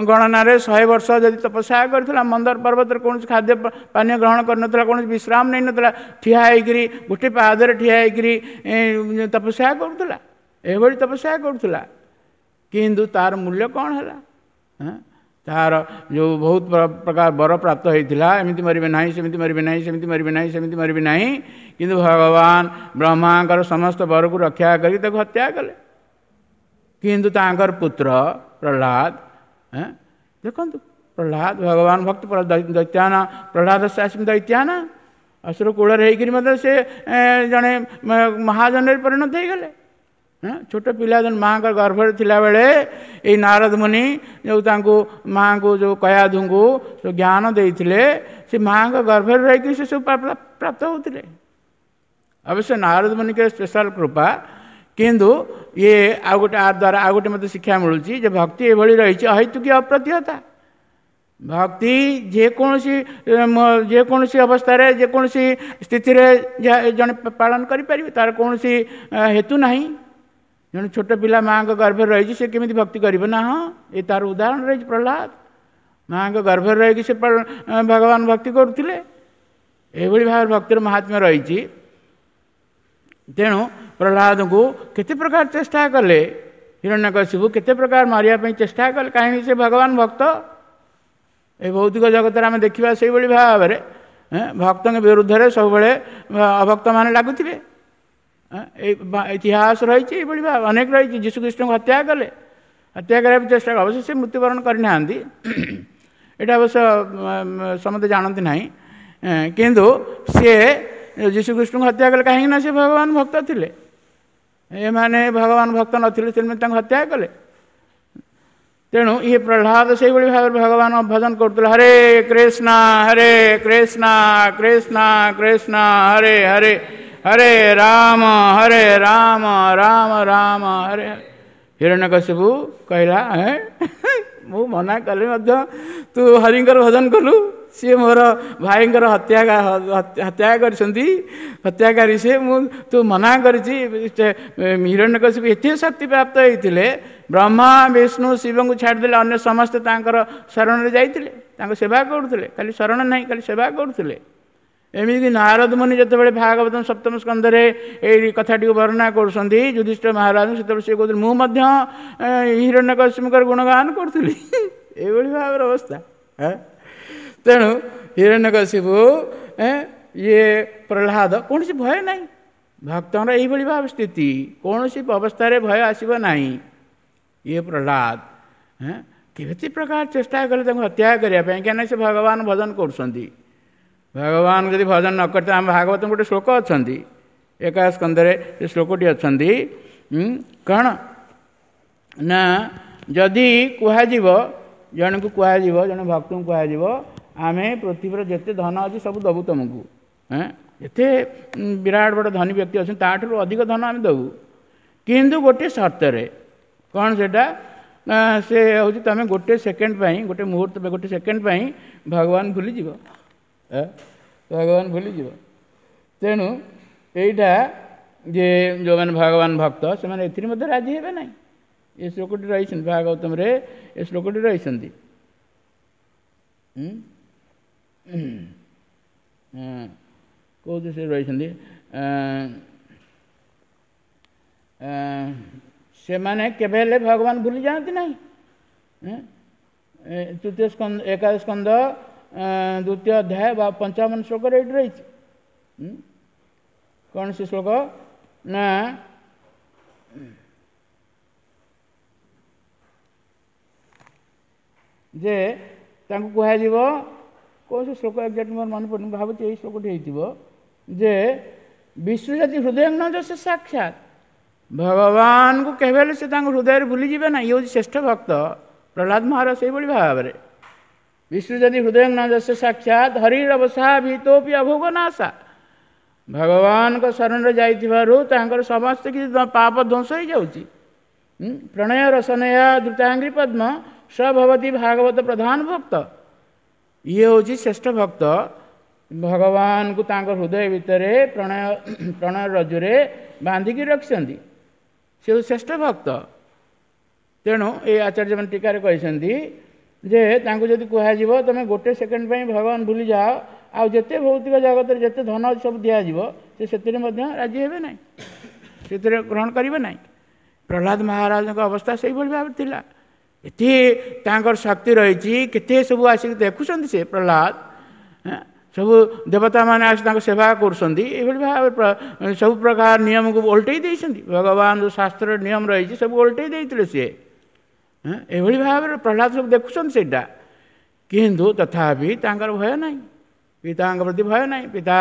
ଗଣନାରେ ଶହେ ବର୍ଷ ଯଦି ତପସ୍ୟା କରିଥିଲା, ମନ୍ଦର ପର୍ବତରେ କୌଣସି ଖାଦ୍ୟ ପାନୀୟ ଗ୍ରହଣ କରିନଥିଲା, କୌଣସି ବିଶ୍ରାମ ନେଇନଥିଲା, ଠିଆ ହେଇକରି ଗୋଟେ ପାଦରେ ଠିଆ ହେଇକରି ତପସ୍ୟା କରୁଥିଲା, ଏଭଳି ତପସ୍ୟା କରୁଥିଲା। କିନ୍ତୁ ତାର ମୂଲ୍ୟ କ'ଣ ହେଲା? ତାର ଯେଉଁ ବହୁତ ପ୍ରକାର ବର ପ୍ରାପ୍ତ ହେଇଥିଲା, ଏମିତି ମରିବେ ନାହିଁ, ସେମିତି ମରିବେ ନାହିଁ, ସେମିତି ମରିବେ ନାହିଁ, ସେମିତି ମରିବେ ନାହିଁ, କିନ୍ତୁ ଭଗବାନ ବ୍ରହ୍ମାଙ୍କର ସମସ୍ତ ବରକୁ ରକ୍ଷା କରି ତାକୁ ହତ୍ୟା କଲେ। କିନ୍ତୁ ତାଙ୍କର ପୁତ୍ର ପ୍ରହ୍ଲାଦ, ଦେଖନ୍ତୁ ପ୍ରହ୍ଲାଦ ଭଗବାନ ଭକ୍ତ, ଦୈତ୍ୟାନା ପ୍ରହ୍ଲାଦ ଆସିମ ଦୈତ୍ୟାନା, ଅସୁର କୂଳରେ ହେଇକରି ମଧ୍ୟ ସେ ଜଣେ ମହାଜନରେ ପରିଣତ ହେଇଗଲେ। ଛୋଟ ପିଲା ମାଆଙ୍କ ଗର୍ଭରେ ଥିଲାବେଳେ ଏଇ ନାରଦ ମୁନି ଯେଉଁ ତାଙ୍କୁ ମାଆଙ୍କୁ ଯେଉଁ କୟାଧୁଙ୍କୁ ଯେଉଁ ଜ୍ଞାନ ଦେଇଥିଲେ, ସେ ମାଆଙ୍କ ଗର୍ଭରେ ରହିକି ସେ ସବୁ ପ୍ରାପ୍ତ ହେଉଥିଲେ। ଅବଶ୍ୟ ନାରଦ ମୁନିଙ୍କର ସ୍ପେଶାଲ କୃପା, କିନ୍ତୁ ଇଏ ଆଉ ଗୋଟେ ଆ ଦ୍ୱାରା ଆଉ ଗୋଟେ ମୋତେ ଶିକ୍ଷା ମିଳୁଛି ଯେ ଭକ୍ତି ଏଭଳି ରହିଛି, ଅହେତୁକି ଅପ୍ରତିହତା। ଭକ୍ତି ଯେକୌଣସି ଯେକୌଣସି ଅବସ୍ଥାରେ ଯେକୌଣସି ସ୍ଥିତିରେ ଜଣେ ପାଳନ କରିପାରିବେ, ତାର କୌଣସି ହେତୁ ନାହିଁ। ଜଣେ ଛୋଟ ପିଲା ମାଆଙ୍କ ଗର୍ଭରେ ରହିଛି, ସେ କେମିତି ଭକ୍ତି କରିବ ନା? ହଁ, ଏ ତାର ଉଦାହରଣ ରହିଛି ପ୍ରହ୍ଲାଦ। ମାଆଙ୍କ ଗର୍ଭରେ ରହିକି ସେ ଭଗବାନ ଭକ୍ତି କରୁଥିଲେ। ଏଇଭଳି ଭାବରେ ଭକ୍ତିର ମହାତ୍ମ୍ୟ ରହିଛି। ତେଣୁ ପ୍ରହ୍ଲାଦଙ୍କୁ କେତେ ପ୍ରକାର ଚେଷ୍ଟା କଲେ ହିରଣ୍ୟକଶିପୁ, କେତେ ପ୍ରକାର ମାରିବା ପାଇଁ ଚେଷ୍ଟା କଲେ, କାହିଁକି ସେ ଭଗବାନ ଭକ୍ତ। ଏ ଭୌତିକ ଜଗତରେ ଆମେ ଦେଖିବା ସେଇଭଳି ଭାବରେ ଭକ୍ତଙ୍କ ବିରୁଦ୍ଧରେ ସବୁବେଳେ ଅଭକ୍ତମାନେ ଲାଗୁଥିବେ। ଏଇ ଇତିହାସ ରହିଛି ଏଇଭଳି ଭାବେ ଅନେକ ରହିଛି। ଯୀଶୁଖ୍ରୀଷ୍ଟଙ୍କୁ ହତ୍ୟା କଲେ, ହତ୍ୟା କରିବା ପାଇଁ ଚେଷ୍ଟା କଲେ, ଅବଶ୍ୟ ସେ ମୃତ୍ୟୁବରଣ କରିନାହାନ୍ତି, ଏଇଟା ଅବଶ୍ୟ ସମସ୍ତେ ଜାଣନ୍ତି ନାହିଁ, କିନ୍ତୁ ସିଏ ଯୀଶୁଖ୍ରୀଷ୍ଟଙ୍କୁ ହତ୍ୟା କଲେ କାହିଁକି ନା ସେ ଭଗବାନ ଭକ୍ତ ଥିଲେ। ଏମାନେ ଭଗବାନ ଭକ୍ତ ନଥିଲେ, ସେମାନେ ତାଙ୍କୁ ହତ୍ୟା କଲେ। ତେଣୁ ଇଏ ପ୍ରହ୍ଲାଦ ସେଇଭଳି ଭାବରେ ଭଗବାନ ଭଜନ କରୁଥିଲେ, ହରେ କୃଷ୍ଣ ହରେ କୃଷ୍ଣ କୃଷ୍ଣ କୃଷ୍ଣ ହରେ ହରେ, ହରେ ରାମ ହରେ ରାମ ରାମ ରାମ ହରେ ହରେ। ହିରଣ୍ୟକଶିପୁ କହିଲା, ମୁଁ ମନା କଲେ ମଧ୍ୟ ତୁ ହରିଙ୍କର ଭଜନ କଲୁ, ସିଏ ମୋର ଭାଇଙ୍କର ହତ୍ୟା ହତ୍ୟା କରିଛନ୍ତି, ହତ୍ୟାକାରୀ ସିଏ, ମୁଁ ତୁ ମନା କରିଛି। ହିରଣ୍ୟକଶିପୁ ଏତେ ଶକ୍ତି ପ୍ରାପ୍ତ ହେଇଥିଲେ, ବ୍ରହ୍ମା ବିଷ୍ଣୁ ଶିବଙ୍କୁ ଛାଡ଼ିଦେଲେ ଅନ୍ୟ ସମସ୍ତେ ତାଙ୍କର ଶରଣରେ ଯାଇଥିଲେ, ତାଙ୍କ ସେବା କରୁଥିଲେ, ଖାଲି ଶରଣ ନାହିଁ, ଖାଲି ସେବା କରୁଥିଲେ। ଏମିତିକି ନାରଦ ମୁନି ଯେତେବେଳେ ଭାଗବତ ସପ୍ତମ ସ୍କନ୍ଧରେ ଏଇ କଥାଟିକୁ ବର୍ଣ୍ଣନା କରୁଛନ୍ତି ଯୁଧିଷ୍ଠିର ମହାରାଜ, ସେତେବେଳେ ସେ କହୁଥିଲେ ମୁଁ ମଧ୍ୟ ହିରଣ୍ୟକଶିପୁଙ୍କର ଗୁଣଗାନ କରୁଥିଲି। ଏଇଭଳି ଭାବରେ ଅବସ୍ଥା। ତେଣୁ ହିରଣ୍ୟକଶିପୁ ଇଏ ପ୍ରହ୍ଲାଦ କୌଣସି ଭୟ ନାହିଁ, ଭକ୍ତଙ୍କର ଏଇଭଳି ଭାବେ ସ୍ଥିତି, କୌଣସି ଅବସ୍ଥାରେ ଭୟ ଆସିବ ନାହିଁ। ଇଏ ପ୍ରହ୍ଲାଦ କେତେ ପ୍ରକାର ଚେଷ୍ଟା କଲେ ତାଙ୍କୁ ହତ୍ୟା କରିବା ପାଇଁ, କାହିଁକିନା ସେ ଭଗବାନ ଭଜନ କରୁଛନ୍ତି। ଭଗବାନ ଯଦି ଭଜନ ନ କରିତେ, ଆମ ଭାଗବତ ଗୋଟେ ଶ୍ଲୋକ ଅଛନ୍ତି, ଏକାଦଶ ସ୍କନ୍ଧରେ ସେ ଶ୍ଲୋକଟି ଅଛନ୍ତି, କ'ଣ ନା ଯଦି କୁହାଯିବ ଜଣକୁ କୁହାଯିବ, ଜଣେ ଭକ୍ତଙ୍କୁ କୁହାଯିବ, ଆମେ ପୃଥିବୀର ଯେତେ ଧନ ଅଛି ସବୁ ଦେବୁ ତୁମକୁ, ଯେତେ ବିରାଟ ବଡ଼ ଧନୀ ବ୍ୟକ୍ତି ଅଛନ୍ତି ତାଠାରୁ ଅଧିକ ଧନ ଆମେ ଦେବୁ, କିନ୍ତୁ ଗୋଟିଏ ସର୍ତ୍ତରେ। କ'ଣ ସେଇଟା ନା ସେ ହେଉଛି ତୁମେ ଗୋଟେ ସେକେଣ୍ଡ ପାଇଁ, ଗୋଟେ ମୁହୂର୍ତ୍ତ, ଗୋଟେ ସେକେଣ୍ଡ ପାଇଁ ଭଗବାନ ଭୁଲିଯିବ, ଭଗବାନ ଭୁଲିଯିବ। ତେଣୁ ଏଇଟା ଯେ ଯେଉଁମାନେ ଭଗବାନ ଭକ୍ତ ସେମାନେ ଏଥିରେ ମଧ୍ୟ ରାଜି ହେବେ ନାହିଁ। ଏ ଶ୍ଲୋକଟି ରହିଛନ୍ତି ଭାଗବତମରେ, ଏ ଶ୍ଲୋକଟି ରହିଛନ୍ତି। କେଉଁଠି ସେ ରହିଛନ୍ତି? ସେମାନେ କେବେ ହେଲେ ଭଗବାନ ଭୁଲି ଯାଆନ୍ତି ନାହିଁ। ତୃତୀୟ ସ୍କନ୍ଦ, ଏକାଦଶ ସ୍କନ୍ଦ, ଦ୍ୱିତୀୟ ଅଧ୍ୟାୟ ବା ପଞ୍ଚାବନ ଶ୍ଲୋକରେ ଏଇଠି ରହିଛି। କ'ଣ ସେ ଶ୍ଲୋକ ନା, ଯେ ତାଙ୍କୁ କୁହାଯିବ, କୌଣସି ଶ୍ଲୋକ ଏକ୍ଜାକ୍ଟ ମୋର ମନେ ପଡ଼ୁନି, ଭାବୁଛି ଏଇ ଶ୍ଲୋକଟି ହେଇଥିବ, ଯେ ବିଷ୍ଣୁ ଯଦି ହୃଦୟ ନ ସେ ସାକ୍ଷାତ ଭଗବାନଙ୍କୁ କେବେ ହେଲେ ସେ ତାଙ୍କ ହୃଦୟରେ ଭୁଲିଯିବେ ନା। ଇଏ ହେଉଛି ଶ୍ରେଷ୍ଠ ଭକ୍ତ ପ୍ରହ୍ଲାଦ ମହାରାଜ। ସେଇଭଳି ଭାବରେ ବିଷ୍ଣୁ ଯଦି ହୃଦୟ ନ ଯଶ ସାକ୍ଷାତ ହରିର ଅବସା ଭୀତୋପି ଅଭୋଗ ନାଶା, ଭଗବାନଙ୍କ ଶରଣରେ ଯାଇଥିବାରୁ ତାଙ୍କର ସମସ୍ତ କିଛି ପାପ ଧ୍ୱଂସ ହେଇଯାଉଛି। ପ୍ରଣୟ ରସନୟା ଦ୍ରୁତାଙ୍ଗୀ ପଦ୍ମ ସଭବତୀ ଭାଗବତ ପ୍ରଧାନ ଭକ୍ତ। ଇଏ ହେଉଛି ଶ୍ରେଷ୍ଠ ଭକ୍ତ, ଭଗବାନଙ୍କୁ ତାଙ୍କ ହୃଦୟ ଭିତରେ ପ୍ରଣୟ ପ୍ରଣୟ ରଜୁରେ ବାନ୍ଧିକି ରଖିଛନ୍ତି, ସେ ହେଉଛି ଶ୍ରେଷ୍ଠ ଭକ୍ତ। ତେଣୁ ଏ ଆଚାର୍ଯ୍ୟମାନେ ଟୀକାରେ କହିଛନ୍ତି ଯେ ତାଙ୍କୁ ଯଦି କୁହାଯିବ ତୁମେ ଗୋଟେ ସେକେଣ୍ଡ ପାଇଁ ଭଗବାନ ଭୁଲିଯାଅ, ଆଉ ଯେତେ ଭୌତିକ ଜଗତରେ ଯେତେ ଧନ ଅଛି ସବୁ ଦିଆଯିବ, ସେ ସେଥିରେ ମଧ୍ୟ ରାଜି ହେବେ ନାହିଁ, ସେଥିରେ ଗ୍ରହଣ କରିବେ ନାହିଁ। ପ୍ରହ୍ଲାଦ ମହାରାଜଙ୍କ ଅବସ୍ଥା ସେଇଭଳି ଭାବରେ ଥିଲା। ଏତେ ତାଙ୍କର ଶକ୍ତି ରହିଛି, କେତେ ସବୁ ଆସିକି ଦେଖୁଛନ୍ତି ସେ ପ୍ରହ୍ଲାଦ, ସବୁ ଦେବତାମାନେ ଆସି ତାଙ୍କ ସେବା କରୁଛନ୍ତି। ଏଇଭଳି ଭାବରେ ସବୁ ପ୍ରକାର ନିୟମକୁ ଓଲଟେଇ ଦେଇଛନ୍ତି। ଭଗବାନ ଯେଉଁ ଶାସ୍ତ୍ରର ନିୟମ ରହିଛି ସବୁ ଓଲଟେଇ ଦେଇଥିଲେ ସିଏ। ଏଭଳି ଭାବରେ ପ୍ରହ୍ଲାଦ ସବୁ ଦେଖୁଛନ୍ତି ସେଇଟା, କିନ୍ତୁ ତଥାପି ତାଙ୍କର ଭୟ ନାହିଁ, ପିତାଙ୍କ ପ୍ରତି ଭୟ ନାହିଁ। ପିତା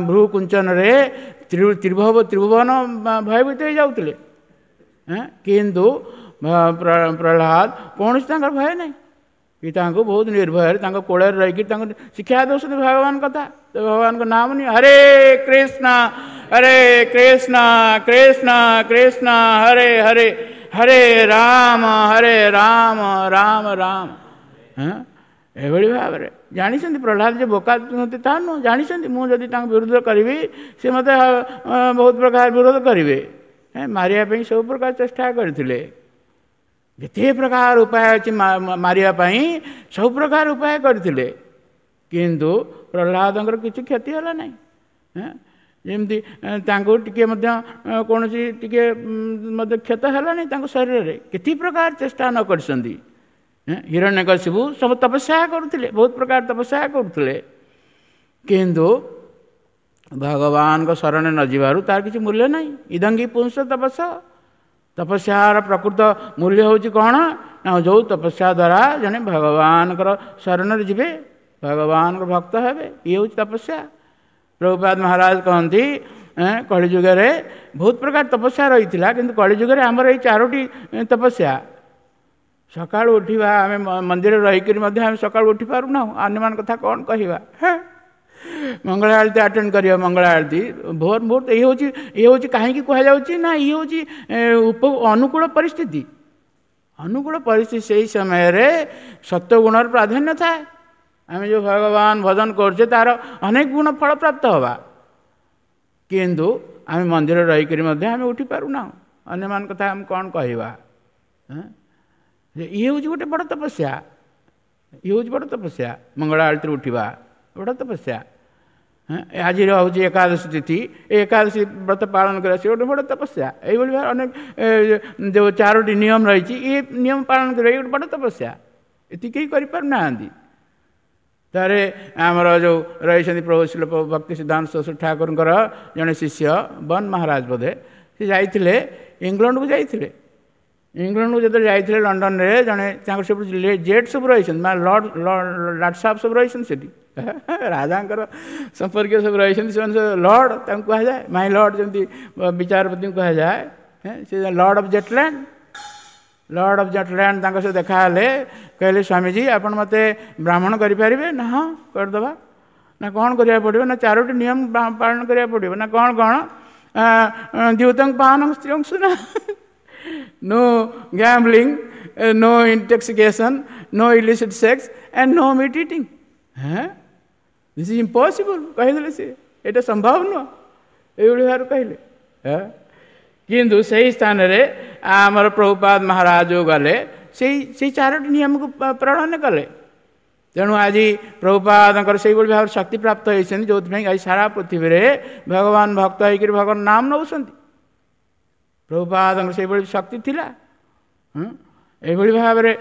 ଭ୍ରୁ କୁଞ୍ଚନରେ ତ୍ରିଭୁବ ତ୍ରିଭୁବନ ଭୟଭୀତ ହେଇଯାଉଥିଲେ, କିନ୍ତୁ ପ୍ରହ୍ଲାଦ କୌଣସି ତାଙ୍କର ଭୟ ନାହିଁ। ପିତାଙ୍କୁ ବହୁତ ନିର୍ଭୟରେ ତାଙ୍କ କୋଳରେ ରହିକି ତାଙ୍କୁ ଶିକ୍ଷା ଦେଉଛନ୍ତି ଭଗବାନ କଥା, ତ ଭଗବାନଙ୍କ ନାମ ନିଅ, ହରେ କୃଷ୍ଣ ହରେ କୃଷ୍ଣ କୃଷ୍ଣ କୃଷ୍ଣ ହରେ ହରେ, ହରେ ରାମ ହରେ ରାମ ରାମ ରାମ। ହଁ, ଏଭଳି ଭାବରେ ଜାଣିଛନ୍ତି ପ୍ରହ୍ଲାଦ ଯେ ବୋକା ନୁହନ୍ତି ତା ନୁହଁ, ଜାଣିଛନ୍ତି ମୁଁ ଯଦି ତାଙ୍କ ବିରୋଧ କରିବି ସେ ମୋତେ ବହୁତ ପ୍ରକାର ବିରୋଧ କରିବେ, ମାରିବା ପାଇଁ ସବୁ ପ୍ରକାର ଚେଷ୍ଟା କରିଥିଲେ। ଯେତେ ପ୍ରକାର ଉପାୟ ଅଛି ମାରିବା ପାଇଁ ସବୁ ପ୍ରକାର ଉପାୟ କରିଥିଲେ, କିନ୍ତୁ ପ୍ରହ୍ଲାଦଙ୍କର କିଛି କ୍ଷତି ହେଲା ନାହିଁ। ଯେମିତି ତାଙ୍କୁ ଟିକେ ମଧ୍ୟ କୌଣସି ଟିକେ ମଧ୍ୟ କ୍ଷତ ହେଲାନି ତାଙ୍କ ଶରୀରରେ, କେତେ ପ୍ରକାର ଚେଷ୍ଟା ନ କରିଛନ୍ତି। ହିରଣ୍ୟକଶିପୁ ସବୁ ତପସ୍ୟା କରୁଥିଲେ, ବହୁତ ପ୍ରକାର ତପସ୍ୟା କରୁଥିଲେ, କିନ୍ତୁ ଭଗବାନଙ୍କ ଶରଣ ନ ଯିବାରୁ ତାର କିଛି ମୂଲ୍ୟ ନାହିଁ। ଇଦଙ୍ଗୀ ପୁଂସ ତପସ୍ୟ, ତପସ୍ୟାର ପ୍ରକୃତ ମୂଲ୍ୟ ହେଉଛି କ'ଣ ନା ଯେଉଁ ତପସ୍ୟା ଦ୍ୱାରା ଜଣେ ଭଗବାନଙ୍କର ଶରଣରେ ଯିବେ, ଭଗବାନଙ୍କ ଭକ୍ତ ହେବେ, ଇଏ ହେଉଛି ତପସ୍ୟା। ପ୍ରଭୁପାଦ ମହାରାଜ କହନ୍ତି କଳିଯୁଗରେ ବହୁତ ପ୍ରକାର ତପସ୍ୟା ରହିଥିଲା, କିନ୍ତୁ କଳିଯୁଗରେ ଆମର ଏଇ ଚାରୋଟି ତପସ୍ୟା। ସକାଳୁ ଉଠିବା, ଆମେ ମନ୍ଦିରରେ ରହିକରି ମଧ୍ୟ ଆମେ ସକାଳୁ ଉଠି ପାରୁନାହୁଁ, ଅନ୍ୟମାନଙ୍କ କଥା କ'ଣ କହିବା। ମଙ୍ଗଳ ଆଳତୀ ଆଟେଣ୍ଡ କରିବା, ମଙ୍ଗଳ ଆଳତୀ ଭୋର ମୁହୂର୍ତ୍ତ, ଇଏ ହେଉଛି ଇଏ ହେଉଛି କାହିଁକି କୁହାଯାଉଛି ନା ଇଏ ହେଉଛି ଉପ ଅନୁକୂଳ ପରିସ୍ଥିତି। ଅନୁକୂଳ ପରିସ୍ଥିତି ସେଇ ସମୟରେ ସତ୍ୱଗୁଣର ପ୍ରାଧାନ୍ୟ ଥାଏ। ଆମେ ଯେଉଁ ଭଗବାନ ଭଜନ କରୁଛେ ତାର ଅନେକ ଗୁଣ ଫଳ ପ୍ରାପ୍ତ ହେବା, କିନ୍ତୁ ଆମେ ମନ୍ଦିରରେ ରହିକରି ମଧ୍ୟ ଆମେ ଉଠି ପାରୁନାହୁଁ, ଅନ୍ୟମାନଙ୍କ କଥା ଆମେ କ'ଣ କହିବା। ଇଏ ହେଉଛି ଗୋଟେ ବଡ଼ ତପସ୍ୟା, ଇଏ ହେଉଛି ବଡ଼ ତପସ୍ୟା, ମଙ୍ଗଳ ଆଳତୀରେ ଉଠିବା ବଡ଼ ତପସ୍ୟା। ଆଜିର ହେଉଛି ଏକାଦଶୀ ତିଥି, ଏ ଏକାଦଶୀ ବ୍ରତ ପାଳନ କରିବା ସେ ଗୋଟେ ବଡ଼ ତପସ୍ୟା। ଏଇଭଳି ଭାବେ ଅନେକ ଯେଉଁ ଚାରୋଟି ନିୟମ ରହିଛି, ଏ ନିୟମ ପାଳନ କରିବା ଏ ଗୋଟେ ବଡ଼ ତପସ୍ୟା, ଏତିକି କେହି କରିପାରୁନାହାନ୍ତି। ତାରେ ଆମର ଯେଉଁ ରହିଛନ୍ତି ପ୍ରଭୁ ଶ୍ରୀଲ ଭକ୍ତି ସିଦ୍ଧାନ୍ତ ସରସ୍ୱତୀ ଠାକୁରଙ୍କର ଜଣେ ଶିଷ୍ୟ ବନ ମହାରାଜ ବୋଧେ, ସେ ଯାଇଥିଲେ ଇଂଲଣ୍ଡକୁ ଯାଇଥିଲେ। ଇଂଲଣ୍ଡକୁ ଯେତେବେଳେ ଯାଇଥିଲେ ଲଣ୍ଡନରେ ଜଣେ ତାଙ୍କର ସବୁ ଜେଟ୍ ସବୁ ରହିଛନ୍ତି, ମାନେ ଲର୍ଡ଼ ଲାଟ ସାହେବ ସବୁ ରହିଛନ୍ତି ସେଠି, ରାଜାଙ୍କର ସମ୍ପର୍କୀୟ ସବୁ ରହିଛନ୍ତି, ସେମାନେ ସବୁ ଲର୍ଡ଼ ତାଙ୍କୁ କୁହାଯାଏ, ମାଇ ଲର୍ଡ଼ ଯେମିତି ବିଚାରପତିଙ୍କୁ କୁହାଯାଏ, ସେ lord of Zetland, lord of Zetland ତାଙ୍କ ସହ ଦେଖାହେଲେ, କହିଲେ ସ୍ୱାମୀଜୀ ଆପଣ ମୋତେ ବ୍ରାହ୍ମଣ କରିପାରିବେ ନା? ହଁ କରିଦେବା। ନା କ'ଣ କରିବାକୁ ପଡ଼ିବ? ନା ଚାରୋଟି ନିୟମ ପାଳନ କରିବାକୁ ପଡ଼ିବ। ନା କ'ଣ କ'ଣ? ଦ୍ୟୁତଂ ପାନଂ ସ୍ତ୍ରୀଅଂ ସୁନା, no gambling, No intoxication, no illicit sex and no meat eating. ହଁ, this is impossible କହିଦେଲେ ସେ, ଏଇଟା ସମ୍ଭବ ନୁହଁ, ଏଇଭଳି ଭାବରେ କହିଲେ। କିନ୍ତୁ ସେଇ ସ୍ଥାନରେ ଆମର ପ୍ରଭୁପାଦ ମହାରାଜ ଗଲେ, ସେଇ ସେଇ ଚାରୋଟି ନିୟମକୁ ପ୍ରଣୟନ କଲେ। ତେଣୁ ଆଜି ପ୍ରଭୁପାଦଙ୍କର ସେଇଭଳି ଭାବରେ ଶକ୍ତି ପ୍ରାପ୍ତ ହେଇଛନ୍ତି, ଯେଉଁଥିପାଇଁ ଆଜି ସାରା ପୃଥିବୀରେ ଭଗବାନ ଭକ୍ତ ହେଇକରି ଭଗବାନ ନାମ ନେଉଛନ୍ତି। ପ୍ରଭୁପାଦଙ୍କର ସେଇଭଳି ଶକ୍ତି ଥିଲା। ଏଇଭଳି ଭାବରେ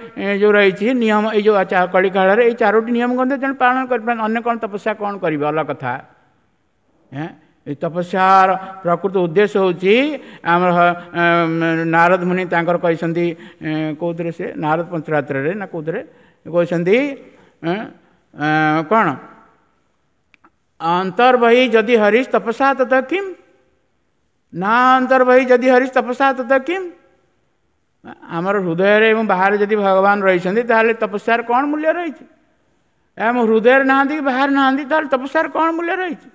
ଯେଉଁ ରହିଛି ନିୟମ, ଏଇ ଯେଉଁ କଳିକାଳରେ ଏଇ ଚାରୋଟି ନିୟମ ମଧ୍ୟ ଜଣେ ପାଳନ କରିପାରନ୍ତି, ଅନ୍ୟ କ'ଣ ତପସ୍ୟା କ'ଣ କରିବେ ଅଲଗା କଥା। ଏଇ ତପସ୍ୟାର ପ୍ରକୃତ ଉଦ୍ଦେଶ୍ୟ ହେଉଛି ଆମର ନାରଦ ମୁନି ତାଙ୍କର କହିଛନ୍ତି, କେଉଁଥିରେ ସେ ନାରଦ ପଞ୍ଚରାତ୍ରରେ ନା କେଉଁଥିରେ କହିଛନ୍ତି କ'ଣ, ଅନ୍ତର୍ବହି ଯଦି ହରିଶ ତପସ୍ୟା ତତ କିମ୍ ନା, ଅନ୍ତର୍ବହି ଯଦି ହରିଶ ତପସ୍ୟା ତତ କିମ୍। ଆମର ହୃଦୟରେ ଏବଂ ବାହାରେ ଯଦି ଭଗବାନ ରହିଛନ୍ତି ତାହେଲେ ତପସ୍ୟାର କ'ଣ ମୂଲ୍ୟ ରହିଛି? ଆମ ହୃଦୟରେ ନାହାନ୍ତି କି ବାହାରେ ନାହାନ୍ତି, ତାହେଲେ ତପସ୍ୟାର କ'ଣ ମୂଲ୍ୟ ରହିଛି?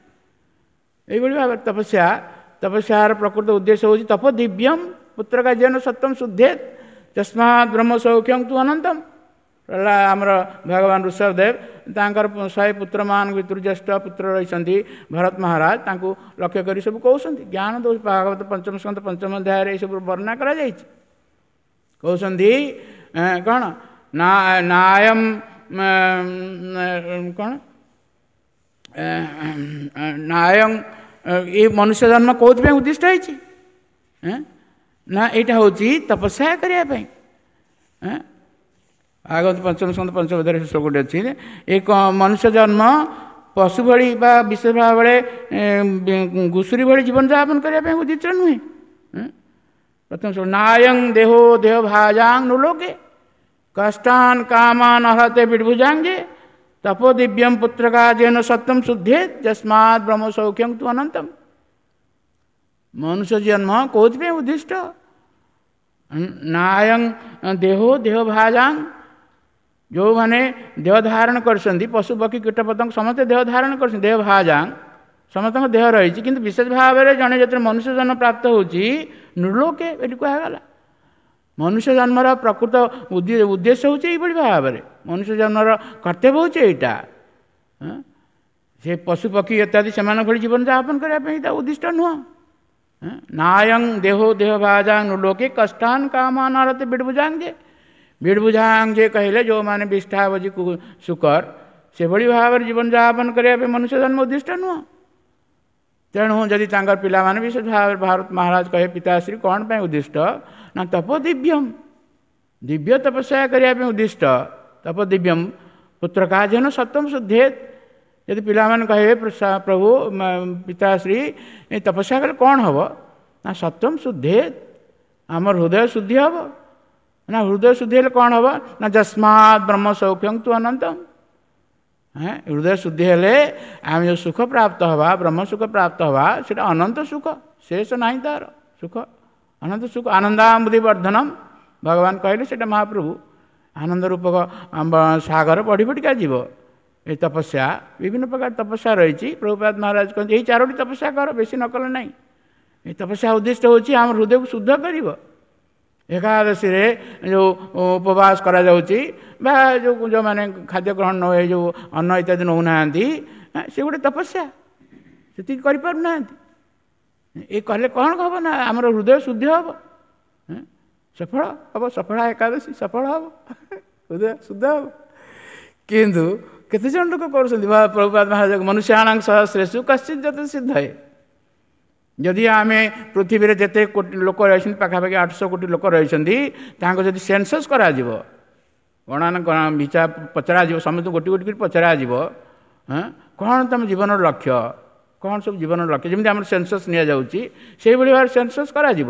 ଏଇଭଳି ଭାବରେ ତପସ୍ୟା, ତପସ୍ୟାର ପ୍ରକୃତ ଉଦ୍ଦେଶ୍ୟ ହେଉଛି ତପ ଦିବ୍ୟମ ପୁତ୍ର କାର୍ଯ୍ୟନ ସତ୍ୟମ ଶୁଦ୍ଧେତ ତସ୍ମାତ୍ ବ୍ରହ୍ମ ସୌଖ୍ୟಂ ତୁ ଅନନ୍ତମ। ହେଲା ଆମର ଭଗବାନ ଋଷଭଦେବ ତାଙ୍କର ଶହେ ପୁତ୍ରମାନଙ୍କ ଭିତରୁ ଜ୍ୟେଷ୍ଠ ପୁତ୍ର ରହିଛନ୍ତି ଭରତ ମହାରାଜ, ତାଙ୍କୁ ଲକ୍ଷ୍ୟ କରି ସବୁ କହୁଛନ୍ତି ଜ୍ଞାନ ଦୋଷ। ଭାଗବତ ପଞ୍ଚମ ସ୍କନ୍ଧ ପଞ୍ଚମ ଅଧ୍ୟାୟରେ ଏସବୁ ବର୍ଣ୍ଣନା କରାଯାଇଛି। କହୁଛନ୍ତି କ'ଣ ନା ନାୟମ କ'ଣ ନାୟଂ, ଏ ମନୁଷ୍ୟ ଜନ୍ମ କେଉଁଥିପାଇଁ ଉଦ୍ଦିଷ୍ଟ ହେଇଛି ନା ଏଇଟା ହେଉଛି ତପସ୍ୟା କରିବା ପାଇଁ। ଭାଗବତ ପଞ୍ଚମ ସ୍କନ୍ଧ ପଞ୍ଚମ ଅଧ୍ୟାୟରେ ଶ୍ଲୋକଟି ଅଛି। ଏ ମନୁଷ୍ୟ ଜନ୍ମ ପଶୁ ଭଳି ବା ବିଶେଷ ଭାବରେ ଘୁଷୁରୀ ଭଳି ଜୀବନଯାପନ କରିବା ପାଇଁ ଉଦ୍ଦିଷ୍ଟ ନୁହେଁ। ପ୍ରଥମ ଶ୍ଲୋକ, ନାୟଂ ଦେହୋ ଦେହ ଭାଜାଂ ନୁଲୋକେ କଷ୍ଟାନ କାମାନ ଅର୍ହତେ ବିଡ଼ଭୁଜାଙ୍ଗେ ତପୋ ଦିବ୍ୟମ ପୁତ୍ରକା ଯେନ ସତ୍ୟମ ଶୁଦ୍ଧେ ଯସ୍ମାତ୍ ବ୍ରହ୍ମ ସୌଖ୍ୟଂ ତୁ ଅନନ୍ତମ। ମନୁଷ୍ୟ ଜନ୍ମ କେଉଁଥିପାଇଁ ଉଦ୍ଦିଷ୍ଟ? ନାୟଂ ଦେହୋ ଦେହ ଭାଜାଂ, ଯେଉଁମାନେ ଦେହ ଧାରଣ କରିଛନ୍ତି, ପଶୁ ପକ୍ଷୀ କୀଟପତଙ୍ଗ ସମସ୍ତେ ଦେହ ଧାରଣ କରିଛନ୍ତି, ଦେହ ଭାଜାଂ ସମସ୍ତଙ୍କ ଦେହ ରହିଛି, କିନ୍ତୁ ବିଶେଷ ଭାବରେ ଜଣେ ଯେତେବେଳେ ମନୁଷ୍ୟ ଜନ୍ମ ପ୍ରାପ୍ତ ହେଉଛି ନୃଲୋକେ ଏଠି କୁହାଗଲା। ମନୁଷ୍ୟ ଜନ୍ମର ପ୍ରକୃତ ଉଦ୍ଦେଶ୍ୟ ହେଉଛି ଏଇଭଳି ଭାବରେ, ମନୁଷ୍ୟ ଜନ୍ମର କର୍ତ୍ତବ୍ୟ ହେଉଛି ଏଇଟା। ସେ ପଶୁ ପକ୍ଷୀ ଇତ୍ୟାଦି ସେମାନଙ୍କ ଭଳି ଜୀବନଯାପନ କରିବା ପାଇଁ ଏଇଟା ଉଦ୍ଦିଷ୍ଟ ନୁହଁ। ନାୟଂ ଦେହୋ ଦେହ ଭାଜାଂ ନୃଲୋକେ କଷ୍ଟାନ କାମାନାରତେ ବିଡ଼ଭୁଜାଙ୍ଗେ। ବିଡ଼ଭୁଜାଙ୍ଗ କହିଲେ ଯେଉଁମାନେ ବିଷ୍ଠାବଜି ଶୁକର, ସେଭଳି ଭାବରେ ଜୀବନଯାପନ କରିବା ପାଇଁ ମନୁଷ୍ୟ ଜନ୍ମ ଉଦ୍ଦିଷ୍ଟ ନୁହଁ। ତେଣୁ ଯଦି ତାଙ୍କର ପିଲାମାନେ ବିଶେଷ ଭାବରେ ଭାରତ ମହାରାଜ କହେ ପିତାଶ୍ରୀ କ'ଣ ପାଇଁ ଉଦ୍ଦିଷ୍ଟ ନା ତପ ଦିବ୍ୟମ, ଦିବ୍ୟ ତପସ୍ୟା କରିବା ପାଇଁ ଉଦ୍ଦିଷ୍ଟ। ତପ ଦିବ୍ୟମ ପୁତ୍ର କାଜନ ସତ୍ୟମ ଶୁଦ୍ଧେତ। ଯଦି ପିଲାମାନେ କହିବେ ପ୍ରଭୁ ପିତାଶ୍ରୀ ତପସ୍ୟା କଲେ କ'ଣ ହେବ ନା ସତ୍ୟମ ଶୁଦ୍ଧେତ, ଆମର ହୃଦୟ ଶୁଦ୍ଧି ହେବ। ନା ହୃଦୟ ଶୁଦ୍ଧି ହେଲେ କ'ଣ ହେବ ନା ଯସ୍ମାତ୍ ବ୍ରହ୍ମ ସୌଖ୍ୟଂ ତୁ ଅନନ୍ତମ। ହୃଦୟ ଶୁଦ୍ଧି ହେଲେ ଆମେ ଯେଉଁ ସୁଖ ପ୍ରାପ୍ତ ହେବା, ବ୍ରହ୍ମ ସୁଖ ପ୍ରାପ୍ତ ହେବା, ସେଇଟା ଅନନ୍ତ ସୁଖ, ଶେଷ ନାହିଁ ତାର ସୁଖ, ଅନନ୍ତ ସୁଖ। ଆନନ୍ଦାମ୍ବୁଧି ବର୍ଦ୍ଧନମ ଭଗବାନ କହିଲେ ସେଇଟା ମହାପ୍ରଭୁ ଆନନ୍ଦ ରୂପକ ସାଗର ବଢ଼ି ବଢ଼ିକା ଯିବ। ଏ ତପସ୍ୟା ବିଭିନ୍ନ ପ୍ରକାର ତପସ୍ୟା ରହିଛି। ପ୍ରଭୁପାଦ ମହାରାଜ କହନ୍ତି ଏଇ ଚାରୋଟି ତପସ୍ୟା କର, ବେଶୀ ନ କଲେ ନାହିଁ। ଏ ତପସ୍ୟା ଉଦ୍ଦିଷ୍ଟ ହେଉଛି ଆମ ହୃଦୟକୁ ଶୁଦ୍ଧ କରିବ। ଏକାଦଶୀରେ ଯେଉଁ ଉପବାସ କରାଯାଉଛି ବା ଯେଉଁ ଯେଉଁମାନେ ଖାଦ୍ୟ ଗ୍ରହଣ ନ ଏ ଯେଉଁ ଅନ୍ନ ଇତ୍ୟାଦି ନେଉନାହାନ୍ତି, ସେ ଗୋଟେ ତପସ୍ୟା, ସେତିକି କରିପାରୁନାହାନ୍ତି। ଏ କଲେ କ'ଣ ହେବ ନା ଆମର ହୃଦୟ ଶୁଦ୍ଧି ହେବ, ସଫଳ ହେବ, ସଫଳା ଏକାଦଶୀ ସଫଳ ହେବ, ହୃଦୟ ଶୁଦ୍ଧ ହେବ। କିନ୍ତୁ କେତେ ଜଣ ଲୋକ କରୁଛନ୍ତି? ପ୍ରଭୁପାଦ ମହାରାଜ ମନୁଷ୍ୟାଣାଂ ସହସ୍ରେଷୁ କଶ୍ଚିତ୍ ଯତ ସିଦ୍ଧ ହେ। ଯଦି ଆମେ ପୃଥିବୀରେ ଯେତେ କୋଟି ଲୋକ ରହିଛନ୍ତି, ପାଖାପାଖି ଆଠଶହ କୋଟି ଲୋକ ରହିଛନ୍ତି, ତାଙ୍କୁ ଯଦି ସେନ୍ସସ୍ କରାଯିବ, ଗଣନା ବିଚାର ପଚରାଯିବ, ସମସ୍ତଙ୍କୁ ଗୋଟି ଗୋଟି କରି ପଚରାଯିବ, ହଁ କ'ଣ ତୁମ ଜୀବନର ଲକ୍ଷ୍ୟ, କ'ଣ ସବୁ ଜୀବନର ଲକ୍ଷ୍ୟ, ଯେମିତି ଆମର ସେନ୍ସସ୍ ନିଆଯାଉଛି ସେଇଭଳି ଭାବରେ ସେନ୍ସସ୍ କରାଯିବ।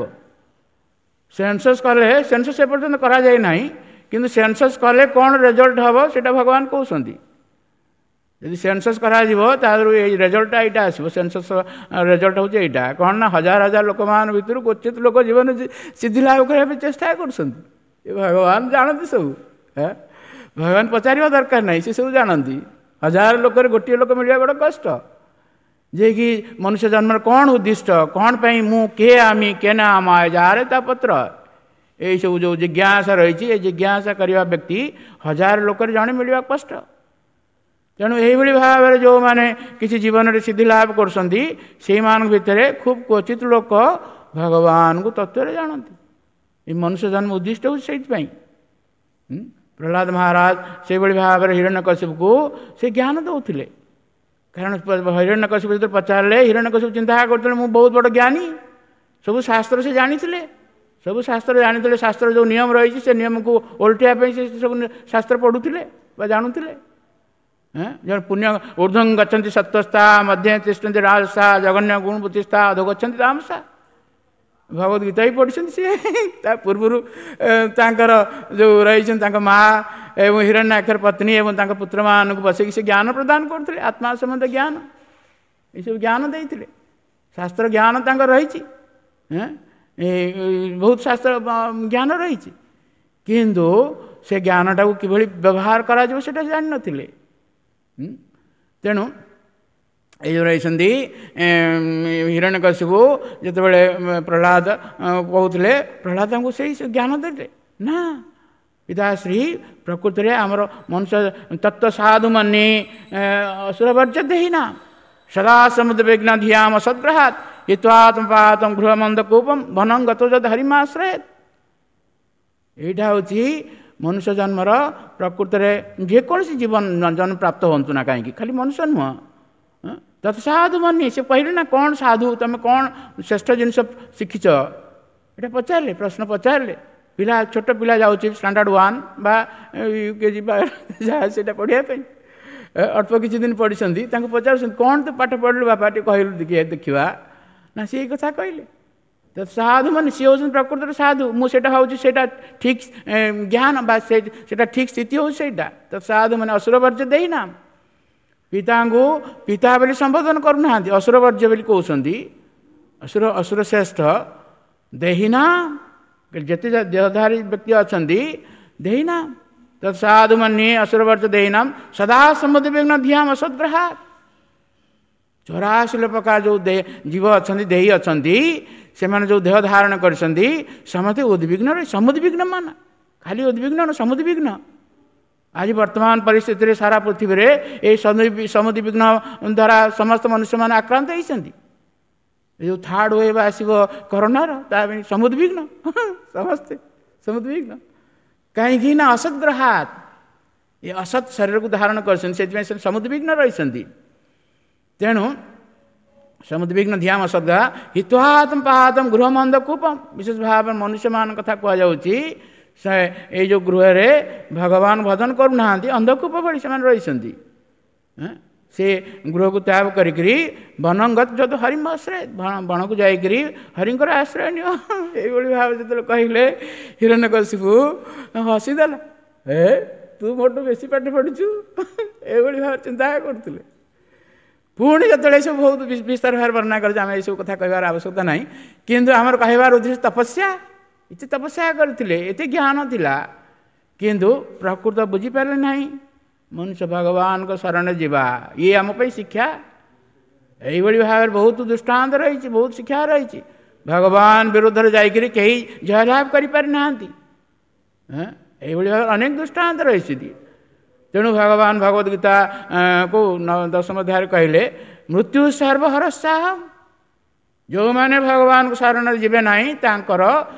ସେନ୍ସସ୍ କଲେ, ସେନ୍ସସ୍ ଏପର୍ଯ୍ୟନ୍ତ କରାଯାଇ ନାହିଁ, କିନ୍ତୁ ସେନ୍ସସ୍ କଲେ କ'ଣ ରେଜଲ୍ଟ ହେବ ସେଇଟା ଭଗବାନ କହୁଛନ୍ତି। ଯଦି ସେନ୍ସସ୍ କରାଯିବ ତାଦେହରୁ ଏଇ ରେଜଲ୍ଟଟା ଏଇଟା ଆସିବ। ସେନ୍ସସ୍ ରେଜଲ୍ଟ ହେଉଛି ଏଇଟା, କ'ଣ ନା ହଜାର ହଜାର ଲୋକମାନଙ୍କ ଭିତରୁ କ୍ୱଚିତ ଲୋକ ଜୀବନ ସିଦ୍ଧି ଲାଭ କରିବା ପାଇଁ ଚେଷ୍ଟା କରୁଛନ୍ତି। ଏ ଭଗବାନ ଜାଣନ୍ତି ସବୁ, ଭଗବାନ ପଚାରିବା ଦରକାର ନାହିଁ, ସେ ସବୁ ଜାଣନ୍ତି। ହଜାର ଲୋକରେ ଗୋଟିଏ ଲୋକ ମିଳିବା ବଡ଼ କଷ୍ଟ, ଯିଏକି ମନୁଷ୍ୟ ଜନ୍ମର କ'ଣ ଉଦ୍ଦିଷ୍ଟ, କ'ଣ ପାଇଁ ମୁଁ, କିଏ ଆମେ, କେ ନା ଆମ ଯାହାର ତା ପତ୍ର, ଏଇସବୁ ଯେଉଁ ଜିଜ୍ଞାସା ରହିଛି, ଏ ଜିଜ୍ଞାସା କରିବା ବ୍ୟକ୍ତି ହଜାର ଲୋକରେ ଜଣେ ମିଳିବା କଷ୍ଟ। ତେଣୁ ଏଇଭଳି ଭାବରେ ଯେଉଁମାନେ କିଛି ଜୀବନରେ ସିଦ୍ଧି ଲାଭ କରୁଛନ୍ତି, ସେଇମାନଙ୍କ ଭିତରେ ଖୁବ୍ କ୍ୱଚିତ ଲୋକ ଭଗବାନଙ୍କୁ ତତ୍ତ୍ୱରେ ଜାଣନ୍ତି। ଏ ମନୁଷ୍ୟ ଜନ୍ମ ଉଦ୍ଦିଷ୍ଟ ହେଉଛି ସେଇଥିପାଇଁ। ପ୍ରହ୍ଲାଦ ମହାରାଜ ସେଇଭଳି ଭାବରେ ହିରଣ୍ୟକଶିପୁକୁ ସେ ଜ୍ଞାନ ଦେଉଥିଲେ। କାରଣ ହିରଣ୍ୟକଶିପୁ ଯେତେବେଳେ ପଚାରିଲେ, ହିରଣ୍ୟକଶିପୁ ଚିନ୍ତା କରୁଥିଲେ ମୁଁ ବହୁତ ବଡ଼ ଜ୍ଞାନୀ, ସବୁ ଶାସ୍ତ୍ର ସେ ଜାଣିଥିଲେ, ସବୁ ଶାସ୍ତ୍ର ଜାଣିଥିଲେ, ଶାସ୍ତ୍ର ଯେଉଁ ନିୟମ ରହିଛି ସେ ନିୟମକୁ ଓଲଟିବା ପାଇଁ ସେ ସବୁ ଶାସ୍ତ୍ର ପଢ଼ୁଥିଲେ ବା ଜାଣୁଥିଲେ। ଜଣେ ପୁଣ୍ୟ ଉର୍ଦ୍ଧ୍ୱଂ ଗଛନ୍ତି ସତ୍ୱସ୍ଥା ମଧ୍ୟେ ତିଷ୍ଠନ୍ତି ରାଜସା ଜଘନ୍ୟ ଗୁଣ ବୁଦ୍ଧିସ୍ଥା ଅଧୋ ଗଛନ୍ତି ତାମସା। ଭଗବତ ଗୀତା ବି ପଢ଼ିଛନ୍ତି ସିଏ। ତା ପୂର୍ବରୁ ତାଙ୍କର ଯେଉଁ ରହିଛନ୍ତି ତାଙ୍କ ମା ଏବଂ ହିରଣ୍ୟାକ୍ଷର ପତ୍ନୀ ଏବଂ ତାଙ୍କ ପୁତ୍ରମାନଙ୍କୁ ବସେଇକି ସେ ଜ୍ଞାନ ପ୍ରଦାନ କରୁଥିଲେ, ଆତ୍ମା ସମ୍ବନ୍ଧ ଜ୍ଞାନ, ଏସବୁ ଜ୍ଞାନ ଦେଇଥିଲେ। ଶାସ୍ତ୍ର ଜ୍ଞାନ ତାଙ୍କର ରହିଛି, ବହୁତ ଶାସ୍ତ୍ର ଜ୍ଞାନ ରହିଛି, କିନ୍ତୁ ସେ ଜ୍ଞାନଟାକୁ କିଭଳି ବ୍ୟବହାର କରାଯିବ ସେଇଟା ଜାଣିନଥିଲେ। ତେଣୁ ଏଇ ଯେଉଁ ରହିଛନ୍ତି ହିରଣ୍ୟକଶିପୁ ଯେତେବେଳେ ପ୍ରହ୍ଲାଦ କହୁଥିଲେ, ପ୍ରହ୍ଲାଦ ତାଙ୍କୁ ସେଇ ଜ୍ଞାନ ଦେଲେ ନା ପିତାଶ୍ରୀ, ପ୍ରକୃତିରେ ଆମର ମନୁଷ୍ୟ ତତ୍ତ୍ୱ ସାଧୁ ମନି ଅସୁରବର୍ଜ୍ୟ ଦେହି ନା ସଦା ସମୁଦ୍ର ବିଘ୍ନ ଧିୟାମ ସଦ୍ଗ୍ରହାତ ହିତ୍ୱାତ୍ମପାତମ ଗୃହମନ୍ଦ କୂପମ ବନଂ ଗତ ଯଦ ହରିମାଶ୍ରୟ। ଏଇଟା ହେଉଛି ମନୁଷ୍ୟ ଜନ୍ମର ପ୍ରକୃତରେ ଯେକୌଣସି ଜୀବନ ଜନ୍ମ ପ୍ରାପ୍ତ ହୁଅନ୍ତୁ ନା କାହିଁକି, ଖାଲି ମନୁଷ୍ୟ ନୁହଁ, ତତ ସାଧୁ ମନି। ସେ କହିଲେ ନା କ'ଣ ସାଧୁ, ତୁମେ କ'ଣ ଶ୍ରେଷ୍ଠ ଜିନିଷ ଶିଖିଛ, ଏଇଟା ପଚାରିଲେ, ପ୍ରଶ୍ନ ପଚାରିଲେ। ପିଲା ଛୋଟ ପିଲା ଯାଉଛି ଷ୍ଟାଣ୍ଡାର୍ଡ଼ ୱାନ୍ ବା ୟୁ କେ ଜି ବା ଯାହା ସେଇଟା ପଢ଼ିବା ପାଇଁ, ଅଳ୍ପ କିଛି ଦିନ ପଢ଼ିଛନ୍ତି, ତାଙ୍କୁ ପଚାରୁଛନ୍ତି କ'ଣ ତୁ ପାଠ ପଢ଼ିଲୁ ବାପା, ଟିକେ କହିଲୁ ଟିକେ ଦେଖିବା ନା। ସେ ଏଇ କଥା କହିଲେ ତ ସାଧୁ ମାନେ ସିଏ ହେଉଛନ୍ତି ପ୍ରକୃତରେ ସାଧୁ। ମୁଁ ସେଇଟା ଭାବୁଛି ସେଇଟା ଠିକ୍ ଜ୍ଞାନ ବା ସେ ସେଇଟା ଠିକ୍ ସ୍ଥିତି ହେଉଛି ସେଇଟା। ତ ସାଧୁ ମାନେ ଅସୁରବର୍ଜ୍ୟ ଦେଇନା, ପିତାଙ୍କୁ ପିତା ବୋଲି ସମ୍ବୋଧନ କରୁନାହାନ୍ତି, ଅସୁରବର୍ଜ୍ୟ ବୋଲି କହୁଛନ୍ତି। ଅସୁର ଅସୁର ଶ୍ରେଷ୍ଠ ଦେହିନା, ଯେତେ ଦେହଧାରୀ ବ୍ୟକ୍ତି ଅଛନ୍ତି ଦେହିନା ତ ସାଧୁ ମାନେ ଅସୁରବର୍ଜ୍ୟ ଦେହିନାମ ସଦା ସମୁଦ୍ର ବିଘ୍ନ ଧିୟାମ ଅସଦ୍ଗ୍ରହାତ। ଚଉରାଶୀ ପ୍ରକାର ଯେଉଁ ଜୀବ ଅଛନ୍ତି, ଦେହୀ ଅଛନ୍ତି, ସେମାନେ ଯେଉଁ ଦେହ ଧାରଣ କରିଛନ୍ତି ସମସ୍ତେ ଉଦ୍ବିଗ୍ନ, ସମୁଦ୍ବିଗ୍ନ ମାନ, ଖାଲି ଉଦ୍ବିଗ୍ନ ସମୁଦ୍ବିଗ୍ନ। ଆଜି ବର୍ତ୍ତମାନ ପରିସ୍ଥିତିରେ ସାରା ପୃଥିବୀରେ ଏଇ ସମୁଦ୍ବିଗ୍ନ ଦ୍ୱାରା ସମସ୍ତ ମନୁଷ୍ୟମାନେ ଆକ୍ରାନ୍ତ ହେଇଛନ୍ତି। ଏ ଯେଉଁ ଥାର୍ଡ଼ ୱେଭ୍ ଆସିବ କରୋନାର, ତା ପାଇଁ ସମୁଦ୍ବିଗ୍ନ ସମସ୍ତେ ସମୁଦ୍ବିଗ୍ନ। କାହିଁକି ନା ଅସଦ୍ଗ୍ରହାତ, ଏ ଅସତ୍ ଶରୀରକୁ ଧାରଣ କରିଛନ୍ତି, ସେଥିପାଇଁ ସେ ସମୁଦ୍ବିଗ୍ନ ରହିଛନ୍ତି। ତେଣୁ ସମୁଦ୍ବିଗ୍ନ ଧିୟାମ ଅସଦ୍ଗ୍ରହା ହିତ୍ୱାତ୍ମ ପାହାତମ ଗୃହମନ୍ଦ କୂପମ। ବିଶେଷ ଭାବରେ ମନୁଷ୍ୟମାନଙ୍କ କଥା କୁହାଯାଉଛି, ସେ ଏଇ ଯେଉଁ ଗୃହରେ ଭଗବାନ ଭଜନ କରୁନାହାନ୍ତି, ଅନ୍ଧକୂପ ଭଳି ସେମାନେ ରହିଛନ୍ତି। ସେ ଗୃହକୁ ତ୍ୟାଗ କରିକିରି ବନଙ୍ଗତ ଯଦି ହରିମ ଆଶ୍ରୟ, ବଣକୁ ଯାଇକରି ହରିଙ୍କର ଆଶ୍ରୟ ନିଅ। ଏଇଭଳି ଭାବେ ଯେତେବେଳେ କହିଲେ ହିରଣ୍ୟକଶିପୁ ହସିଦେଲା, ଏ ତୁ ମୋଠୁ ବେଶୀ ପାଠ ପଢ଼ିଛୁ, ଏଇଭଳି ଭାବରେ ଚିନ୍ତା କରୁଥିଲେ। ପୁଣି ଯେତେବେଳେ ଏସବୁ ବହୁତ ବିସ୍ତାର ଭାବରେ ବର୍ଣ୍ଣନା କରୁଛି, ଆମେ ଏସବୁ କଥା କହିବାର ଆବଶ୍ୟକତା ନାହିଁ, କିନ୍ତୁ ଆମର କହିବାର ଉଦ୍ଦେଶ୍ୟ ତପସ୍ୟା। ଏତେ ତପସ୍ୟା କରିଥିଲେ, ଏତେ ଜ୍ଞାନ ଥିଲା, କିନ୍ତୁ ପ୍ରକୃତ ବୁଝିପାରିଲେ ନାହିଁ। ମନୁଷ୍ୟ ଭଗବାନଙ୍କ ଶରଣ ଯିବା ଇଏ ଆମ ପାଇଁ ଶିକ୍ଷା। ଏଇଭଳି ଭାବରେ ବହୁତ ଦୃଷ୍ଟାନ୍ତ ରହିଛି, ବହୁତ ଶିକ୍ଷା ରହିଛି। ଭଗବାନ ବିରୁଦ୍ଧରେ ଯାଇକରି କେହି ଜୟଲାଭ କରିପାରିନାହାନ୍ତି। ଏଇଭଳି ଭାବରେ ଅନେକ ଦୃଷ୍ଟାନ୍ତ ରହିଛନ୍ତି। ତେଣୁ ଭଗବାନ ଭଗବତ ଗୀତା କୁ ଦଶମ ଅଧ୍ୟାୟରେ କହିଲେ ମୃତ୍ୟୁ ସର୍ବହରସାହମ। ଯେଉଁମାନେ ଭଗବାନଙ୍କ ଶରଣରେ ଯିବେ ନାହିଁ ତାଙ୍କର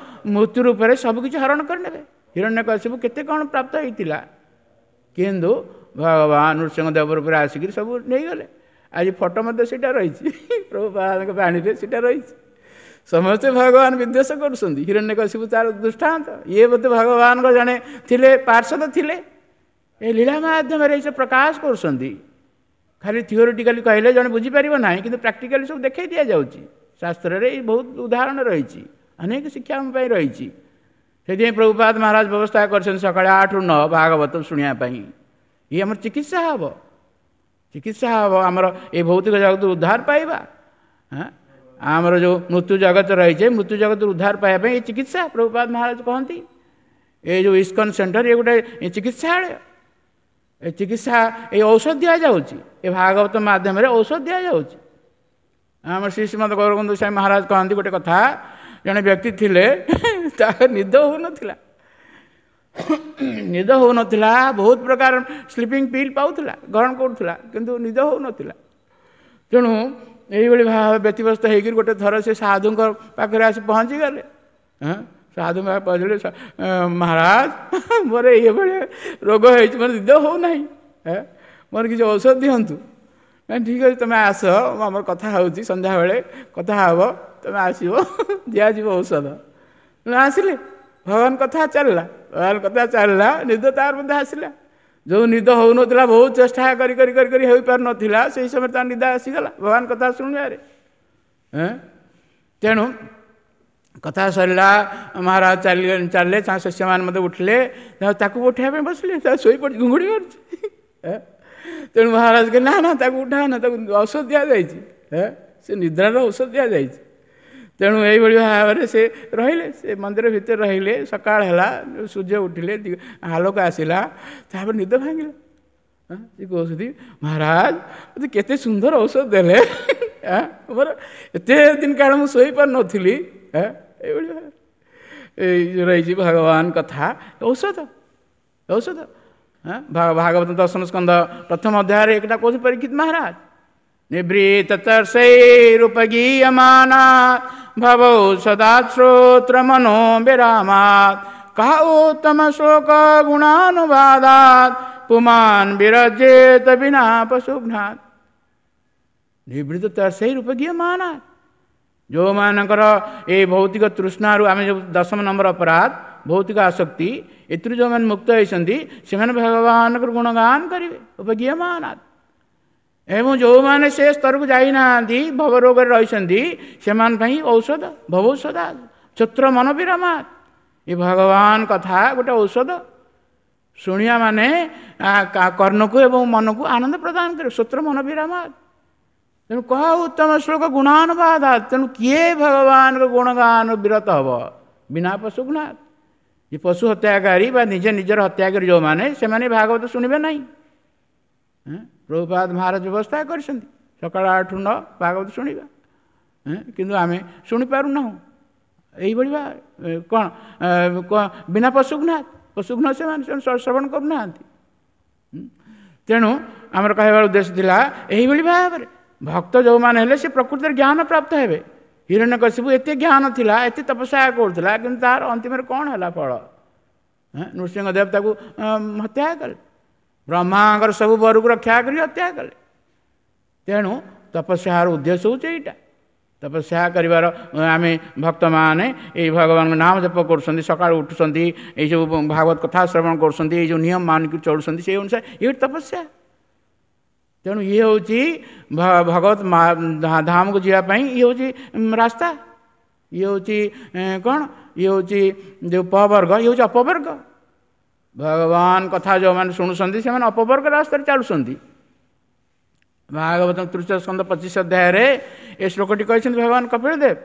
ମୃତ୍ୟୁ ରୂପରେ ସବୁକିଛି ହରଣ କରିନେବେ। ହିରଣ୍ୟକଶିପୁ କେତେ କ'ଣ ପ୍ରାପ୍ତ ହେଇଥିଲା, କିନ୍ତୁ ଭଗବାନ ନୃସିଂହ ଦେବ ରୂପରେ ଆସିକିରି ସବୁ ନେଇଗଲେ। ଆଜି ଫଟୋ ମଧ୍ୟ ସେଇଟା ରହିଛି, ପ୍ରଭୁପାଦଙ୍କ ବାଣୀରେ ସେଇଟା ରହିଛି। ସମସ୍ତେ ଭଗବାନ ବିଦ୍ୱେଷ କରୁଛନ୍ତି, ହିରଣ୍ୟକଶିପୁ ତାର ଦୃଷ୍ଟାନ୍ତ। ଇଏ ବୋଧେ ଭଗବାନଙ୍କ ଜଣେ ଥିଲେ, ପାର୍ଶ୍ୱଦ ଥିଲେ, ଏ ଲୀଳା ମାଧ୍ୟମରେ ଏସବୁ ପ୍ରକାଶ କରୁଛନ୍ତି। ଖାଲି ଥିଓରିଟିକାଲି କହିଲେ ଜଣେ ବୁଝିପାରିବ ନାହିଁ, କିନ୍ତୁ ପ୍ରାକ୍ଟିକାଲି ସବୁ ଦେଖାଇ ଦିଆଯାଉଛି। ଶାସ୍ତ୍ରରେ ଏଇ ବହୁତ ଉଦାହରଣ ରହିଛି, ଅନେକ ଶିକ୍ଷା ଆମ ପାଇଁ ରହିଛି। ସେଥିପାଇଁ ପ୍ରଭୁପାଦ ମହାରାଜ ବ୍ୟବସ୍ଥା କରିଛନ୍ତି ସକାଳେ ଆଠରୁ ନଅ ଭାଗବତ ଶୁଣିବା ପାଇଁ। ଇଏ ଆମର ଚିକିତ୍ସା ହେବ, ଚିକିତ୍ସା ହେବ, ଆମର ଏ ଭୌତିକ ଜଗତରୁ ଉଦ୍ଧାର ପାଇବା। ଆମର ଯେଉଁ ମୃତ୍ୟୁ ଜଗତ ରହିଛି, ମୃତ୍ୟୁ ଜଗତରୁ ଉଦ୍ଧାର ପାଇବା ପାଇଁ ଏ ଚିକିତ୍ସା ପ୍ରଭୁପାଦ ମହାରାଜ କହନ୍ତି। ଏ ଯେଉଁ ଇସ୍କନ ସେଣ୍ଟର ଇଏ ଗୋଟେ ଚିକିତ୍ସାଳୟ। ଏ ଚିକିତ୍ସା, ଏ ଔଷଧ ଦିଆଯାଉଛି, ଏ ଭାଗବତ ମାଧ୍ୟମରେ ଔଷଧ ଦିଆଯାଉଛି। ଆମର ଶ୍ରୀ ଶ୍ରୀମଦ ଗୌରବନ୍ଧୁ ସ୍ୱାମୀ ମହାରାଜ କହନ୍ତି ଗୋଟେ କଥା, ଜଣେ ବ୍ୟକ୍ତି ଥିଲେ, ତାର ନିଦ ହେଉନଥିଲା, ନିଦ ହେଉନଥିଲା, ବହୁତ ପ୍ରକାର ସ୍ଲିପିଂ ପିଲ୍ ପାଉଥିଲା, ଗ୍ରହଣ କରୁଥିଲା, କିନ୍ତୁ ନିଦ ହେଉନଥିଲା। ତେଣୁ ଏଇଭଳି ଭାବେ ବ୍ୟତିବ୍ୟସ୍ତ ହେଇକରି ଗୋଟେ ଥର ସେ ସାଧୁଙ୍କ ପାଖରେ ଆସି ପହଞ୍ଚିଗଲେ। ହଁ, ସାଧୁଙ୍କ ପାଖରେ ପହଞ୍ଚିଲେ, ମହାରାଜ ମୋର ଏଇଭଳି ରୋଗ ହେଇଛି, ମୋର ନିଦ ହେଉନାହିଁ, ମୋର କିଛି ଔଷଧ ଦିଅନ୍ତୁ। ନାଇଁ ଠିକ୍ ଅଛି, ତୁମେ ଆସ, ଆମର କଥା ହେଉଛି, ସନ୍ଧ୍ୟାବେଳେ କଥା ହେବ, ତୁମେ ଆସିବ, ଦିଆଯିବ ଔଷଧ। ଆସିଲେ, ଭଗବାନ କଥା ଚାଲିଲା, ଭଗବାନ କଥା ଚାଲିଲା, ନିଦ ତାର ମଧ୍ୟ ଆସିଲା। ଯେଉଁ ନିଦ ହେଉନଥିଲା, ବହୁତ ଚେଷ୍ଟା କରି କରି କରି କରି ହୋଇପାରୁନଥିଲା, ସେଇ ସମୟରେ ତାର ନିଦ ଆସିଗଲା ଭଗବାନ କଥା ଶୁଣିବାରେ। ତେଣୁ କଥା ସରିଲା, ମହାରାଜ ଚାଲି ଚାଲିଲେ, ତାଙ୍କ ଶିଷ୍ୟମାନେ ମଧ୍ୟ ଉଠିଲେ, ତାକୁ ଉଠାଇବା ପାଇଁ ବସିଲେ, ତା ଶୋଇପଡ଼ିଛି, ଘୁଙ୍ଗୁଡ଼ି ମାରୁଛି। ତେଣୁ ମହାରାଜ କହିଲେ ନା ନା, ତାକୁ ଉଠା ନା, ତାକୁ ଔଷଧ ଦିଆଯାଇଛି, ସେ ନିଦ୍ରାର ଔଷଧ ଦିଆଯାଇଛି। ତେଣୁ ଏଇଭଳି ଭାବରେ ସେ ରହିଲେ, ସେ ମନ୍ଦିର ଭିତରେ ରହିଲେ। ସକାଳ ହେଲା, ସୂର୍ଯ୍ୟ ଉଠିଲେ, ଆଲୋକ ଆସିଲା, ତାପରେ ନିଦ ଭାଙ୍ଗିଲା। ସେ କହୁଛନ୍ତି, ମହାରାଜ ମୋତେ କେତେ ସୁନ୍ଦର ଔଷଧ ଦେଲେ, ମୋର ଏତେ ଦିନ କାଳ ମୁଁ ଶୋଇପାରୁନଥିଲି। ଏଇଭଳି ଭାବରେ ଏଇ ରହିଛି ଭଗବାନ କଥା ଔଷଧ, ଔଷଧ। ଭାଗବତ ଦଶମ ସ୍କନ୍ଧ ପ୍ରଥମ ଅଧ୍ୟାୟରେ ଏକଟା କହୁଛି ପରୀକ୍ଷିତ ମହାରାଜ, ନିବୃତ୍ତ ତର୍ଷୈରୁପଗୀୟମାନା ଭବୌ ସଦା ଶ୍ରୋତ୍ର ମନୋ ବିରାମାତ୍ କହ ଉତ୍ତମ ଶ୍ଲୋକ ଗୁଣାନୁବାଦାତ୍ ପୁମାନ୍ ବିରଜେତ ବିନା ପଶୁଘ୍ନାତ୍। ନିବୃତ୍ତ ତର୍ଷୈରୁପଗୀୟମାନା, ଯେଉଁମାନଙ୍କର ଏଇ ଭୌତିକ ତୃଷ୍ଣାରୁ, ଆମେ ଯେଉଁ ଦଶମ ନମ୍ବର ଅପରାଧ ଭୌତିକ ଆସକ୍ତି, ଏଥିରୁ ଯେଉଁମାନେ ମୁକ୍ତ ହେଇଛନ୍ତି ସେମାନେ ଭଗବାନଙ୍କର ଗୁଣଗାନ କରିବେ ଉପଗୀୟମାନାତ୍। ଏବଂ ଯେଉଁମାନେ ସେ ସ୍ତରକୁ ଯାଇନାହାନ୍ତି, ଭବରୋଗରେ ରହିଛନ୍ତି, ସେମାନଙ୍କ ପାଇଁ ଔଷଧ ଭବୌଷଧ ଛତ୍ର ମନ ବିରମାତ। ଏ ଭଗବାନ କଥା ଗୋଟେ ଔଷଧ, ଶୁଣିବା ମାନେ କର୍ଣ୍ଣକୁ ଏବଂ ମନକୁ ଆନନ୍ଦ ପ୍ରଦାନ କରିବ, ଶ୍ରୋତ୍ର ମନ ବିରାମାତ। ତେଣୁ କହ ଉତ୍ତମ ଶ୍ଲୋକ ଗୁଣାନୁବାଦ, ତେଣୁ କିଏ ଭଗବାନଙ୍କ ଗୁଣଗାନ ବିରତ ହେବ ବିନା ପଶୁଘ୍ନାତ। ଏ ପଶୁ ହତ୍ୟାକାରୀ ବା ନିଜେ ନିଜର ହତ୍ୟାକାରୀ ଯେଉଁମାନେ, ସେମାନେ ଭାଗବତ ଶୁଣିବେ ନାହିଁ। ପ୍ରଭୁପାଦ ମହାରାଜ ବ୍ୟବସ୍ଥା କରିଛନ୍ତି ସକାଳ ଆଠରୁ ନଅ ଭାଗବତ ଶୁଣିବା, କିନ୍ତୁ ଆମେ ଶୁଣିପାରୁନାହୁଁ। ଏଇଭଳି ବା କ'ଣ ବିନା ପଶୁଘ୍ନାତ, ପଶୁଘ୍ନ ସେମାନେ ଶ୍ରବଣ କରୁନାହାନ୍ତି। ତେଣୁ ଆମର କହିବାର ଉଦ୍ଦେଶ୍ୟ ଥିଲା ଏଇଭଳି ଭାବରେ ଭକ୍ତ ଯେଉଁମାନେ ହେଲେ ସେ ପ୍ରକୃତିରେ ଜ୍ଞାନ ପ୍ରାପ୍ତ ହେବେ। ହିରଣ୍ୟକଶିପୁ ଏତେ ଜ୍ଞାନ ଥିଲା, ଏତେ ତପସ୍ୟା କରୁଥିଲା, କିନ୍ତୁ ତାର ଅନ୍ତିମରେ କ'ଣ ହେଲା ଫଳ? ନୃସିଂହଦେବ ତାକୁ ହତ୍ୟା କଲେ, ବ୍ରହ୍ମାଙ୍କର ସବୁ ବରକୁ ରକ୍ଷା କରି ହତ୍ୟା କଲେ। ତେଣୁ ତପସ୍ୟାର ଉଦ୍ଦେଶ୍ୟ ହେଉଛି ଏଇଟା। ତପସ୍ୟା କରିବାର ଆମେ ଭକ୍ତମାନେ ଏଇ ଭଗବାନଙ୍କ ନାମ ଜପ କରୁଛନ୍ତି, ସକାଳୁ ଉଠୁଛନ୍ତି, ଏଇସବୁ ଭାଗବତ କଥା ଶ୍ରବଣ କରୁଛନ୍ତି, ଏଇ ଯେଉଁ ନିୟମ ମାନିକି ଚଳୁଛନ୍ତି, ସେଇ ଅନୁସାରେ ଇଏ ତପସ୍ୟା। ତେଣୁ ଇଏ ହେଉଛି ଭଗବତ ଧାମକୁ ଯିବା ପାଇଁ ଇଏ ହେଉଛି ରାସ୍ତା। ଇଏ ହେଉଛି କ'ଣ? ଇଏ ହେଉଛି ଯେଉଁ ପବର୍ଗ, ଇଏ ହେଉଛି ଅପବର୍ଗ। ଭଗବାନ କଥା ଯେଉଁମାନେ ଶୁଣୁଛନ୍ତି ସେମାନେ ଅପବର୍ଗ ରାସ୍ତାରେ ଚାଲୁଛନ୍ତି। ଭାଗବତ ତୃତୀୟ ସ୍କନ୍ଧ ପଚିଶ ଅଧ୍ୟାୟରେ ଏ ଶ୍ଲୋକଟି କହିଛନ୍ତି ଭଗବାନ କପିଳ ଦେବ।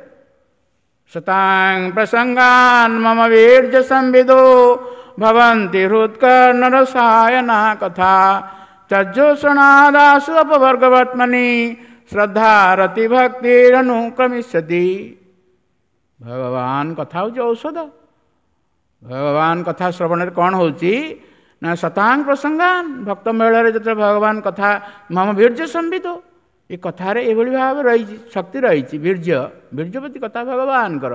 ଶତାଂ ପ୍ରସଙ୍ଗାନ ମମ ବୀର୍ଯ୍ୟ ସମ୍ବିଦୋ ଭବନ୍ତି ହୃତ୍କର୍ଣ୍ଣ ରସାୟନା କଥା ଚଜୋଷଣାଦାସୁ ଅପବର୍ଗବର୍ତ୍ମନି ଶ୍ରଦ୍ଧା ରତି ଭକ୍ତିରନୁକ୍ରମିଷ୍ୟତି। ଭଗବାନ କଥା ହେଉଛି ଔଷଧ। ଭଗବାନ କଥା ଶ୍ରବଣରେ କ'ଣ ହେଉଛି ନା ଶତାଙ୍ଗ ପ୍ରସଙ୍ଗାନ, ଭକ୍ତ ମେଳରେ ଯେତେବେଳେ ଭଗବାନ କଥା ମମ ବୀର୍ଯ୍ୟ ସମ୍ବିତ, ଏ କଥାରେ ଏଭଳି ଭାବେ ରହିଛି, ଶକ୍ତି ରହିଛି, ବୀର୍ଯ୍ୟ ବୀର୍ଯ୍ୟପତି କଥା ଭଗବାନଙ୍କର।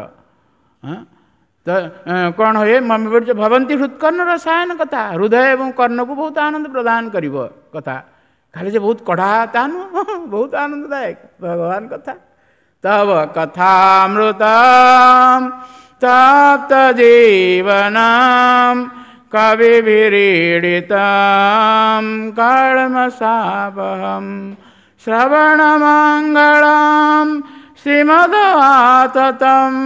ତ କ'ଣ ହୁଏ? ମମ ବୀର୍ଯ୍ୟ ଭବନ୍ତି ହୃତ୍କର୍ଣ୍ଣ ରସାୟନ କଥା, ହୃଦୟ ଏବଂ କର୍ଣ୍ଣକୁ ବହୁତ ଆନନ୍ଦ ପ୍ରଦାନ କରିବ କଥା। ଖାଲି ଯେ ବହୁତ କଢ଼ା ତା ନୁହଁ, ବହୁତ ଆନନ୍ଦଦାୟକ ଭଗବାନ କଥା। ତବ କଥାମୃତମ୍ ତପ୍ତ ଜୀବନମ୍ କବିଭିରୀଡ଼ିତମ୍ କଳମଶାପହम् ଶ୍ରବଣମଙ୍ଗଳମ୍ ଶ୍ରୀମଦଆତତମ୍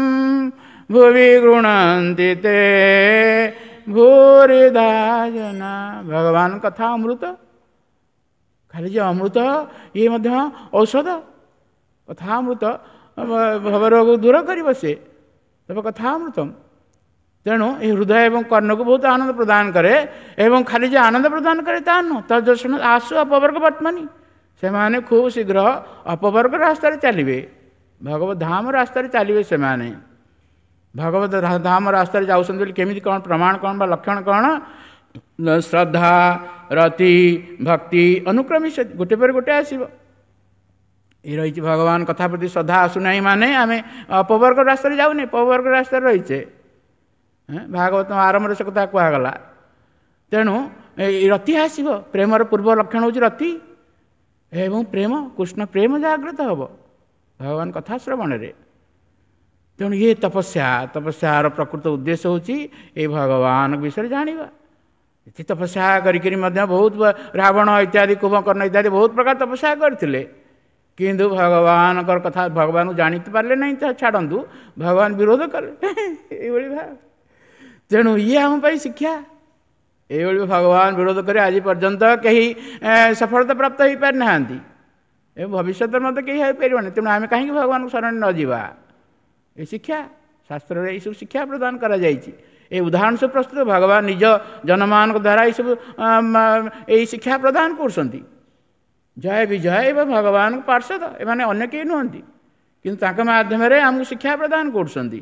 ଭୁବି ଗୃଣନ୍ତି ତେ ଭୂରିଦା ଜନା। ଭଗବାନ କଥା ଅମୃତ, ଖାଲି ଯେ ଅମୃତ ଇଏ ମଧ୍ୟ ଔଷଧ। କଥା ଅମୃତ ଭବରୋଗ ଦୂର କରିବ ସେ, ତେବେ କଥା ଅମୃତମ୍। ତେଣୁ ଏ ହୃଦୟ ଏବଂ କର୍ଣ୍ଣକୁ ବହୁତ ଆନନ୍ଦ ପ୍ରଦାନ କରେ, ଏବଂ ଖାଲି ଯେ ଆନନ୍ଦ ପ୍ରଦାନ କରେ ତା ନୁହଁ, ତଦ୍ଦର୍ଶନ ଆସୁ ଅପବର୍ଗ ବର୍ତ୍ତମାନୀ, ସେମାନେ ଖୁବ୍ ଶୀଘ୍ର ଅପବର୍ଗ ରାସ୍ତାରେ ଚାଲିବେ, ଭଗବତ ଧାମ ରାସ୍ତାରେ ଚାଲିବେ ସେମାନେ। ଭଗବତ ଧାମ ରାସ୍ତାରେ ଯାଉଛନ୍ତି ବୋଲି କେମିତି କ'ଣ ପ୍ରମାଣ କ'ଣ ବା ଲକ୍ଷଣ କ'ଣ? ଶ୍ରଦ୍ଧା, ରତି, ଭକ୍ତି ଅନୁକ୍ରମୀ, ଗୋଟେ ପରେ ଗୋଟେ ଆସିବ। ଏ ରହିଛି ଭଗବାନ କଥା ପ୍ରତି ଶ୍ରଦ୍ଧା ଆସୁନାହିଁ ମାନେ ଆମେ ଅପବର୍ଗ ରାସ୍ତାରେ ଯାଉନି, ପବର୍ଗ ରାସ୍ତାରେ ରହିଛେ। ଭାଗବତ ଆରମ୍ଭରେ ସେ କଥା କୁହାଗଲା। ତେଣୁ ଏଇ ରତି ଆସିବ। ପ୍ରେମର ପୂର୍ବ ଲକ୍ଷଣ ହେଉଛି ରତି ଏବଂ ପ୍ରେମ, କୃଷ୍ଣ ପ୍ରେମ ଜାଗ୍ରତ ହେବ ଭଗବାନ କଥା ଶ୍ରବଣରେ। ତେଣୁ ଇଏ ତପସ୍ୟା। ତପସ୍ୟାର ପ୍ରକୃତ ଉଦ୍ଦେଶ୍ୟ ହେଉଛି ଏଇ ଭଗବାନଙ୍କ ବିଷୟରେ ଜାଣିବା। ଏତେ ତପସ୍ୟା କରିକିରି ମଧ୍ୟ ବହୁତ ରାବଣ ଇତ୍ୟାଦି, କୁମ୍ଭକର୍ଣ୍ଣ ଇତ୍ୟାଦି ବହୁତ ପ୍ରକାର ତପସ୍ୟା କରିଥିଲେ, କିନ୍ତୁ ଭଗବାନଙ୍କର କଥା ଭଗବାନଙ୍କୁ ଜାଣି ପାରିଲେ ନାହିଁ, ତା ଛାଡ଼ନ୍ତୁ, ଭଗବାନ ବିରୋଧ କଲେ। ଏଇଭଳି ଭାବ। ତେଣୁ ଇଏ ଆମ ପାଇଁ ଶିକ୍ଷା। ଏଇଭଳି ଭଗବାନ ବିରୋଧ କରି ଆଜି ପର୍ଯ୍ୟନ୍ତ କେହି ସଫଳତା ପ୍ରାପ୍ତ ହୋଇପାରିନାହାନ୍ତି ଏବଂ ଭବିଷ୍ୟତରେ ମଧ୍ୟ କେହି ହୋଇପାରିବନି। ତେଣୁ ଆମେ କାହିଁକି ଭଗବାନଙ୍କୁ ଶରଣ ନ ଯିବା? ଏ ଶିକ୍ଷା ଶାସ୍ତ୍ରରେ ଏଇସବୁ ଶିକ୍ଷା ପ୍ରଦାନ କରାଯାଇଛି। ଏ ଉଦାହରଣ ସବୁ ପ୍ରସ୍ତୁତ ଭଗବାନ ନିଜ ଜନମାନଙ୍କ ଦ୍ୱାରା ଏଇସବୁ ଏଇ ଶିକ୍ଷା ପ୍ରଦାନ କରୁଛନ୍ତି। ଜୟ ବିଜୟ ଏବଂ ଭଗବାନଙ୍କ ପାର୍ଶ୍ୱଦ, ଏମାନେ ଅନ୍ୟ କେହି ନୁହନ୍ତି, କିନ୍ତୁ ତାଙ୍କ ମାଧ୍ୟମରେ ଆମକୁ ଶିକ୍ଷା ପ୍ରଦାନ କରୁଛନ୍ତି।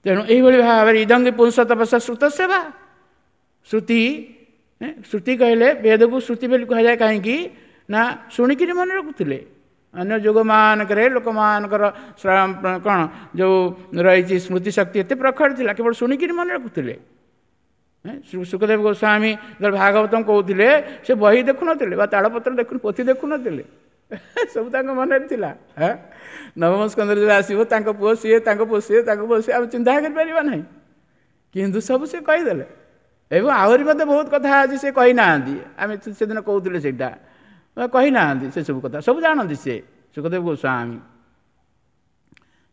ତେଣୁ ଏଇଭଳି ଭାବରେ ଇଦଙ୍ଗି ପୁରୁଷ ତପସ୍ୟା ଶ୍ରୁତ ସେବା। ଶ୍ରୁତି, ଶ୍ରୁତି କହିଲେ ବେଦକୁ ଶ୍ରୁତି ବୋଲି କୁହାଯାଏ କାହିଁକି ନା ଶୁଣିକିରି ମନେ ରଖୁଥିଲେ। ଅନ୍ୟ ଯୁଗମାନଙ୍କରେ ଲୋକମାନଙ୍କର କ'ଣ ଯେଉଁ ରହିଛି ସ୍ମୃତି ଶକ୍ତି ଏତେ ପ୍ରଖର ଥିଲା, କେବଳ ଶୁଣିକିରି ମନେ ରଖୁଥିଲେ। ଶୁକଦେବ ଗୋସ୍ୱାମୀ ଯେତେବେଳେ ଭାଗବତମ କହୁଥିଲେ, ସେ ବହି ଦେଖୁନଥିଲେ ବା ତାଳପତ୍ର ଦେଖୁ ପୋଥି ଦେଖୁନଥିଲେ, ସବୁ ତାଙ୍କ ମନରେ ଥିଲା। ନବମ ସ୍କନ୍ଧରେ ଯେବେ ଆସିବ ତାଙ୍କ ପୁଅ ସିଏ, ତାଙ୍କ ପୁଅ ସିଏ, ତାଙ୍କ ପୁଅ ସିଏ, ଆମେ ଚିନ୍ତା କରିପାରିବା ନାହିଁ, କିନ୍ତୁ ସବୁ ସେ କହିଦେଲେ। ଏବଂ ଆହୁରି ମଧ୍ୟ ବହୁତ କଥା ଅଛି ସେ କହିନାହାନ୍ତି, ଆମେ ସେଦିନ କହୁଥିଲେ ସେଇଟା କହିନାହାନ୍ତି, ସେସବୁ କଥା ସବୁ ଜାଣନ୍ତି ସେ ଶୁକଦେବ ଗୋସ୍ୱାମୀ।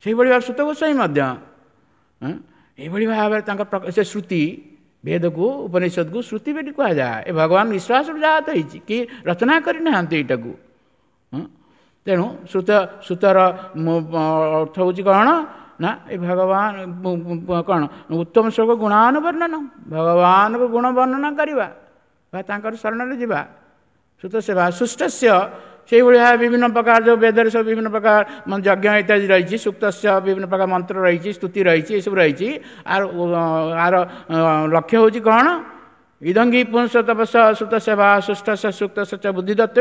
ସେଇଭଳି ଭାବେ ସୁତ ଗୋସ୍ୱାମୀ ମଧ୍ୟ ଏଇଭଳି ଭାବରେ ତାଙ୍କ ସେ ଶ୍ରୁତି, ବେଦକୁ ଉପନିଷଦକୁ ଶ୍ରୁତି ବୋଲି କୁହାଯାଏ। ଏ ଭଗବାନ ବିଶ୍ୱାସରୁ ଜାତ ହେଇଛି କି ରଚନା କରିନାହାନ୍ତି ଏଇଟାକୁ। ତେଣୁ ଶ୍ରୁତ, ଶ୍ରୁତର ଅର୍ଥ ହେଉଛି କ'ଣ ନା ଏ ଭଗବାନ କ'ଣ ଉତ୍ତମ ଶ୍ଲୋକ ଗୁଣାନୁବର୍ଣ୍ଣନ, ଭଗବାନଙ୍କ ଗୁଣ ବର୍ଣ୍ଣନା କରିବା ବା ତାଙ୍କର ଶରଣରେ ଯିବା। ଶ୍ରୁତ ସେବା ସୁଷ୍ଟସ୍ୟ, ସେଇଭଳି ଭାବେ ବିଭିନ୍ନ ପ୍ରକାର ଯେଉଁ ବେଦରେ ସବୁ ବିଭିନ୍ନ ପ୍ରକାର ଯଜ୍ଞ ଇତ୍ୟାଦି ରହିଛି, ସୁକ୍ତସ୍ୟ ବିଭିନ୍ନ ପ୍ରକାର ମନ୍ତ୍ର ରହିଛି, ସ୍ତୁତି ରହିଛି, ଏସବୁ ରହିଛି। ଆର ଆର ଲକ୍ଷ୍ୟ ହେଉଛି କ'ଣ? ଇଦଙ୍ଗି ପୁଂସ ତପସ ଶ୍ରୁତ ସେବା ସୁଷ୍ଟସ୍ୟ ସୁକ୍ତସ୍ୟ ଚ ବୁଦ୍ଧିଦତ୍ତ।